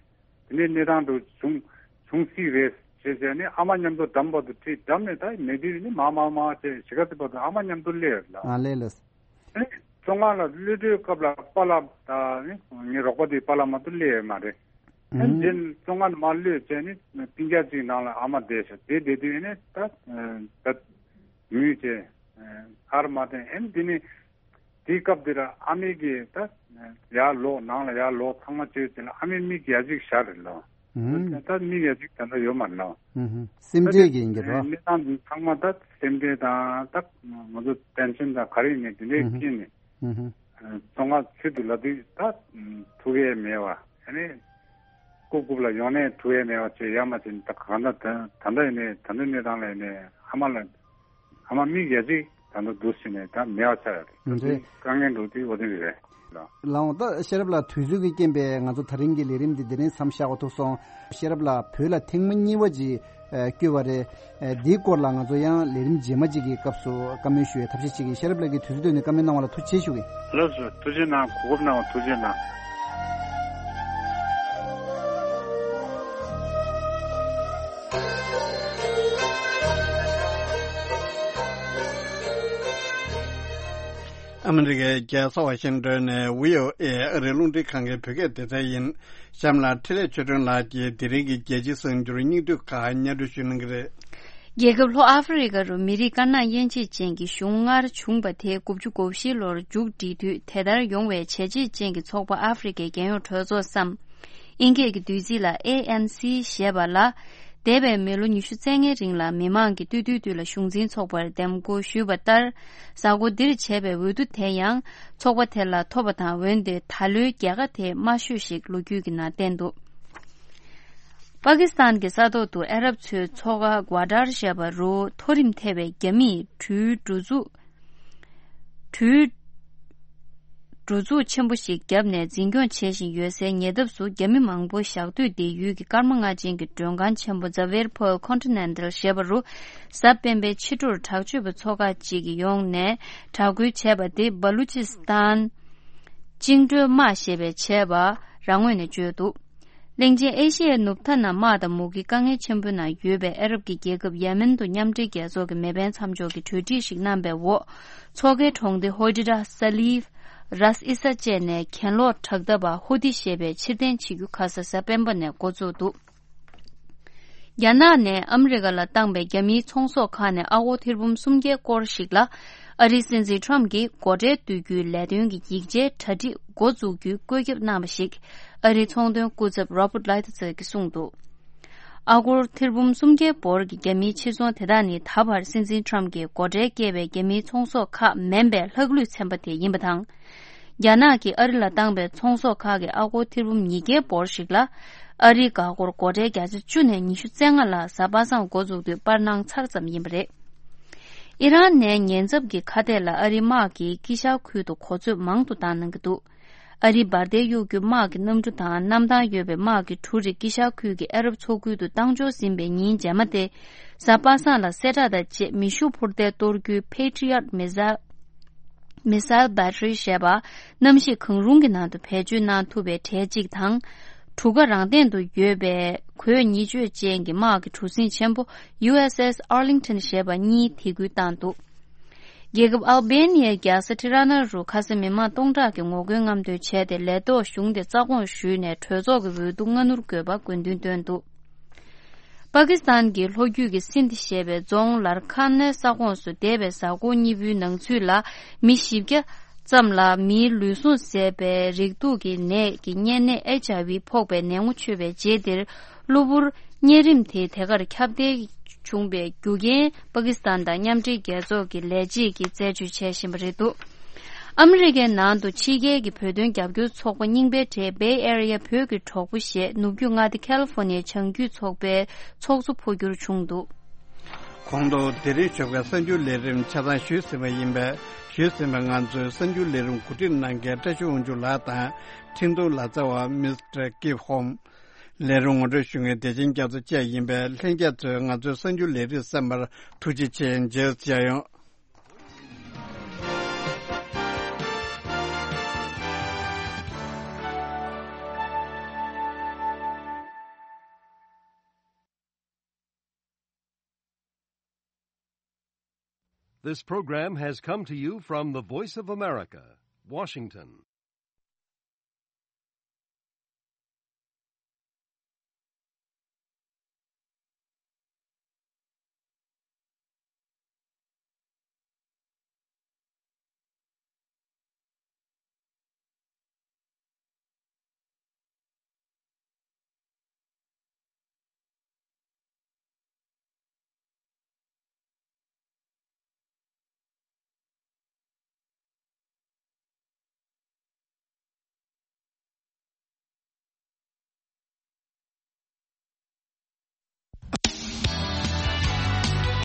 དེ་ནས་གནས་སྟངས་དེ་བྱུང་བྱུང་སྲིད་རེད་ཞེས་བྱས་ནས་ཨ་མ་མཉམ་དུ་འགྲམ་བར་དུ་ཁྲིད། འགྲམ་ནས་ད་མེད་དུས་ནི་མ་མ་མ་ཅེས་གཞིས་ཀ་དེ་བར་དུ་ཨ་མ་མཉམ་དུ་སླེབས་ཡོད་ལ། ཨ་ལས་ལས། ཨེ་ བཙོན་ཁང་ལ་གློད་གྲོལ་སྐབས་ལ་པཱ་ལགས་ད་ནི་ངའི་རོགས་པ་དེ་པཱ་ལགས་མ་གཏོགས་སླེབས་ཡོད་མ་རེད། ཨ་ནི་ཨུ་དེ་བཙོན་ཁང་ནས་མར་གློད་བྱས་ནས་སྤུན་ཀྱག་ཅིག་ནང་ལ་ཨ་མ་བསྡད་ཤག་དེ་བསྡད་དུས་ཨ་ནི་ད་ད་ངུས་བྱས་ཨར་མ་བཏོན། ཨ་ནི་དེ་ནི་དེའི་སྐབས་དེར་ཨ་མའི་གིས་ད་ཡར་ལོག་ནང་ལ་ཡར་ལོག་ཚང་མ་བྱས་བྱས་ལ་ཨ་མའི་མིག་ཡ་གཅིག་ཞར་རེད་ལོ། ཨུ་ད་མིག་ཡ་གཅིག་ད་ལྟ་ཡོད་མ་རེད་ལོ། ཨུ་སེམས་ཁྲལ་གྱི་ཡིན་གྱི་རོ། གནས་སྟངས་འདི་ཚང་མ་ད་སེམས་ཁྲལ་དང་ད་ང་ཚོ་ཏེན་ཤན་དང་ག་རེ་ཡིན་ནའི་དེ་འདྲའི་སྐྱེས་ནས་ཨུ་ཨུ་བཙོན་ཁང་ཚུད་དུ་ལབ་དུས་ད་ཐུག་ཡས་མེད་པ་ཨ་ནི་རྐུབ་རྐུབ་ལ་ཡོང་ནས་ཐུག་ཡས་མེད་པ་བྱས་ཡ་མ་བྱས་ནས་ད་གང་ལྟར་ད་ད་ལྟ་ཡིན་ནའི་ད་ལྟ་གནས་སྟངས་ལ་ཡིན་ནའི་ཨ་མ་ལ་ཨ་མ་མིག་ཡ་གཅིག་ད་ལྟ་འདུག་ཟེར་ནས་ད་མེད་པ་ཆགས་ཡོད་རེད། ད་དེ་དཀའ་ངལ་འགྲོ་དུས་འོ་དེ་རེད། ལགས་འོང་། ད་ཤེས་རབ་ལགས་དུས་ཚོད་ཀྱི་རྐྱེན་པས་ང་ཚོ་ད་རིང་གི་ལས་རིམ་འདི་འདི་རིང་མཚམས་བཞག་པ་ཐུག་སོང་། ཤེས་རབ་ལགས་བོད་ལ་ཐེངས་མ་གཉིས་པ་ཅིག་ཨ་བསྐྱོད་པ་རེད། ཨ་འདིའི་སྐོར་ལ་ང་ཚོ་ཡང་ལས་རིམ་རྗེས་མ་ཅིག་གི་སྐབས་སུ་བཀའ་མོལ་ཞུ་བའི་ཐབས་ཤེས་བྱེད་ཀྱི། ཤེས་རབ་ལགས་ཀྱིས་དུས་ཚོད་བཏོན་ནས་བཀའ་མོལ་གནང་བ་ལ་ཐུགས་རྗེ་ཆེ་ཞུ་གི། ལགས་སོ། ཐུགས་རྗེ་གནང་། གོ་སྐབས་གནང་བ་ཐུགས་རྗེ་གནང་། ཨ་མི་རི་ཀའི་རྒྱལ་ས་ཝ་ཤིང་ཏོན་ནས་བྷི་ཨོ་ཨེ་ཨ་རིའི་རླུང་འཕྲིན་ཁང་གི་བོད་སྐད་སྡེ་ཚན་ཡིན། གཤམ་ལ་འཕྲིན་ལས་ཆོས་སྒྲོན་ལགས་ཀྱིས་དེ་རིང་གི་རྒྱལ་སྤྱིའི་གསར་འགྱུར་སྙིང་བསྡུས་ཁག་སྙན་སྒྲོན་ཞུ་གནང་གི་རེད། རྒྱལ་ཁབ་ལྷོ་ཨ་ཧྥེ་རི་ཀ་རུ་མི་རིགས་དཀར་ནག་དབྱེ་འབྱེད་ཅན་གྱི་གཞུང་སྔར་བྱུང་བ་དེ་དགུ་བཅུ་གོ་བཞི་ལོར་མཇུག་བསྒྲིལ་དུས་དེ་ལྟར་ཡོང་བའི་བྱས་རྗེས་ཅན་གྱི་ཚོགས་པ་ཨ་ཧྥེ་རི་ཀའི་རྒྱལ་ཡོངས་གྲོས་ཚོགས་སམ། ཨིན་སྐད་ཀྱི་བསྡུས་ཚིག་ལ་ཨེ་ཨེན་སི་ཞེས་པ་ལ། འདས་པའི་མི་ལོ་ཉི་ཤུ་རྩ་ལྔའི་རིང་ལ་མི་མང་གིས་སྟོད་ཐུང་ཐུང་ལ་གཞུང་འཛིན་ཚོགས་པར་འདེམས་བསྐོ་ཞུས་པ་ལྟར། གཟའ་འཁོར་འདིར་བྱས་པའི་འོས་བསྡུ་དེ་ཡང་ཚོགས་པ་དེ་ལ་ཐོབ་པ་དང་། འོན་ཏེ་ད་ལོའི་རྒྱལ་ཁ་དེ་དམའ་ཤོས་ཤིག་ལོ་རྒྱུས་ཀྱི་ནང་བསྟན་འདུག། པ་ཀི་སི་ཐན་གྱི་ས་ཐོག་ཏུ་ཨ་རབ་ཚོའི་མཚོ་ཁ་གྷ་ཌར་ཞེས་པ་རུ་མཐོ་རིམ་ཐེ་བའི་རྒྱ་མིས་གྲུའི་འགྲོ་འཛུགས། གྲུའི་འགྲོ་འཛུགས་ཆེན་པོ་ཞིག་བརྒྱབ་ནས་འཛིན་སྐྱོང་བྱེད་བཞིན་ཡོད་སའི་ཉེ་འདབས་སུ་རྒྱ་མི་མང་པོ་ཞག་སྡོད་བསྡད་ཡུལ་གྱི་སྐར་མ་ལྔ་ཅན་གྱི་མགྲོན་ཁང་ཆེན་པོ་Xavier Pearl Continental ཞེས་པ་རུ་གཟའ་སྤེན་པའི་ཕྱི་དྲོར་དྲག་སྤྱོད་པ་ཚོ་ཁག་ཅིག་གིས་ཡོང་ནས་དྲག་རྒོལ་བྱས་པ་དེ་སྦ་ལུ་ཅི་སི་ཐན་བཅིངས་འགྲོལ་དམག་ཞེས་པས་བྱས་པ་རང་ངོས་ནས་བརྗོད་འདུག། གླིང་ཆེན་ཨེ་ཤི་ཡའི་ནུབ་མཐའ་ན་དམག་དང་མུ་གེའི་དཀའ་ངལ་ཆེན་པོའི་ནང་ཡོད་པའི་ཨ་རབ་ཀྱི་རྒྱལ་ཁབ་ཡེ་མེན་དུ་མཉམ་འབྲེལ་རྒྱལ་ཚོགས་ཀྱི་མེ་འཕེན་མཚམས་འཇོག་གི་གྲོས་འགྲིག་ཞིག་གནང་པའི་འོག་མཚོ་ཁའི་གྲོང་སྡེ་ཧོ་ཌི་ར་ས་ལིབ། རཱས་ཨི་ས་བཅས་ནས་གྱེན་ལོག་དྲག་འཐབ་པ་ཧོ་ཏི་ཞེས་པས་ཕྱིར་འཐེན་བྱེད་རྒྱུ་ཁ་ས་གཟའ་སྤེན་པ་ནས་འགོ་བཙུགས་འདུག། རྒྱ་ནག་ནས་ཨ་མི་རི་ཀ་ལ་བཏང་པའི་རྒྱ་མིའི་ཚོང་ཟོག་ཁག་ནས་ཨ་སྒོར་ཐེར་འབུམ་སུམ་བརྒྱའི་སྐོར་ཞིག་ལ་ཨ་རིའི་སྲིད་འཛིན་ཊམ་གྱིས་སྒོ་ཁྲལ་གཏོད་རྒྱུའི་ལས་དོན་གྱི་ཡིག་ཆའི་གྲ་སྒྲིག་འགོ་འཛུགས་རྒྱུའི་བཀོད་ཁྱབ་གནང་བ་ཞིག་ཨ་རིའི་ཚོང་དོན་སྐུ་ཚབ་Robert Lighthizer གྱིས་གསུངས་འདུག། ཨ་སྒོར་ཐེར་འབུམ་སུམ་བརྒྱའི་འབོར་གྱི་རྒྱ་མིའི་ཕྱིར་ཚོང་དེ་དག་ནི་ད་བར་སྲིད་འཛིན་ཊམ་གྱིས་སྒོ་ཁྲལ་བཀལ་བའི་རྒྱ་མིའི་ཚོང་ཟོག་ཁག་མིན་པའི་ལྷག་ལུས་ཚན་པ་དེ་ཡིན་པ་དང་། རྒྱ་ནག་གིས་ཨ་རི་ལ་བཏང་པའི་ཚོང་ཟོག་ཁག་གི་ཨ་སྒོར་ཐེར་འབུམ་ཉིས་བརྒྱའི་འབོར་ཞིག་ལ། ཨ་རིའི་འགག་སྒོར་སྒོ་ཁྲལ་བརྒྱ་ཆ་བཅུ་ནས་ཉི་ཤུ་རྩ་ལྔ་ལ་གཟའ་པ་སངས་འགོ་འཛུགས་དུས་སྤར་གནང་ཚར་ཙམ་ཡིན་པ་རེད། ཨི་རན་ནས་ཉེན་ཚབས་ཀྱི་ཁ་གཏད་ལ་ཨ་རིའི་དམག་གིས་དཀྱིལ་ཤར་ཁུལ་དུ་གོ་ཚོད་མང་དུ་བཏང་གནང་གི་འདུག། ཨ་རིའི་འབར་མདེལ་གཡུག་རྒྱུ་དམག་གི་གནམ་གྲུ་དང་གནམ་ཐང་ཡོད་པའི་དམག་གི་གྲུ་རེ་དཀྱིལ་ཤར་ཁུལ་གྱི་ཨ་རབ་མཚོ་ཁུལ་དུ་བཏང་འབྱོར་ཟིན་པའི་ཉིན་རྗེས་མ་སྟེ། གཟའ་པ་སངས་ལ་གསལ་བསྒྲགས་དང་བཅས་མེ་ཤུགས་འཕུར་མདེལ་གཏོར་རྒྱུའི་Patriot missile missile battery ཞེས་པ་གནམ་གཤིས་གང་རུང་གི་ནང་དུ་བེད་སྤྱོད་གནང་ཐུབ་པའི་གྲས་གཅིག་དང་། གྲུ་ཁ་རང་སྟེང་དུ་ཡོད་པའི་གོས་ཉིད་སྤྱོད་ཅན་གྱི་དམག་གི་གྲུ་གཟིངས་ཆེན་པོ་ཡུ་ཨེས་ཨེས་Arlington ཞེས་པ་གཉིས་དེད་སྐུལ་བཏང་འདུག། རྒྱལ་ཁབ་ཨལ་བེ་ནི་ཡའི་རྒྱལ་ས་ཊི་ར་ན་རུ་ཁ་སང་མི་མང་སྟོང་ཕྲག་གིས་ངོ་རྒོལ་རྔམ་སྟོན་བྱས་ཏེ། ལས་ཐོག་གཞུང་དེ་རྩ་དགོངས་ཞུས་ནས་གྲོས་ཚོགས་ཀྱི་འོས་བསྡུ་སྔ་སྣུར་དགོས་པ་དགོས་འདུན་བཏོན་འདུག། པ་ཀི་སི་ཐན་གྱི་ལྷོ་རྒྱུད་ཀྱི་སིན་དྷི་ཞེས་པའི་རྫོང་ལར་ཁན་ནི་ས་ཁོངས་སུ་འདས་པའི་གཟའ་འཁོར་གཉིས་པོའི་ནང་ཚུད་ལ་མི་བཞི་བརྒྱ་ཙམ་ལ་མིའི་ལུས་ཟུངས་ཟད་པའི་རེག་དུག་གི་ནད་ཀྱི་གཉན་ནད་ཨེཆ་ཨའི་ཝི་ཕོག་པའི་ནད་ངོ་ཆོད་པའི་རྗེས་དེར། གློ་བུར་གཉན་རིམས་དེ་དེ་གར་ཁྱབ་གདལ་བྱུང་བའི་རྒྱུ་རྐྱེན་པ་ཀི་སི་ཐན་དང་མཉམ་འབྲེལ་རྒྱལ་ཚོགས་ཀྱི་ལས་བྱེད་ཀྱིས་རྩད་གཅོད་བྱེད་བཞིན་པ་རེད་འདུག། ཨ་མི་རི་ཀའི་ནང་དུ་ཕྱི་རྒྱལ་གྱི་བོད་དོན་རྒྱབ་སྐྱོར་ཚོགས་པ་རྙིང་པའི་གྲས་Bay Area བོད་ཀྱི་གྲོགས་པོ་ཞེས་ནུབ་རྒྱུད་མངའ་སྡེ་ཁ་ལི་ཧྥོ་ནི་ཡའི་བྱང་རྒྱུད་ཚོགས་པའི་ཚོགས་གཙོ་འཕོ་འགྱུར་བྱུང་འདུག། གོང་དུ་དེ་རིང་ཆོས་ཁ་གསར་འགྱུར་ལས་རིམ་ཆ་ཚང་ཞུས་ཟིན་པ་ཡིན་པས། ཞུས་ཟིན་པ་ང་ཚོའི་གསར་འགྱུར་ལས་རིམ་གོ་སྒྲིག་གནང་མཁན་བཀྲ་ཤིས་དབང་ཕྱུག་ལགས་དང་། འཕྲིན་གཏོང་ལག་རྩལ་བ་Mister Kip Holm། ལས་རིམ་ངོ་སྤྲོད་ཞུ་མཁན་བདེ་ཆེན་རྒྱ་མཚོ་བཅས་ཡིན་པས། ལྷན་རྒྱས་ཚོས་ང་ཚོའི་གསར་འགྱུར་ལས་རིམ་གསན་པར་ཐུགས་རྗེ་ཆེ། མཇལ་ཡོང་། This program has come to you from the Voice of America, Washington.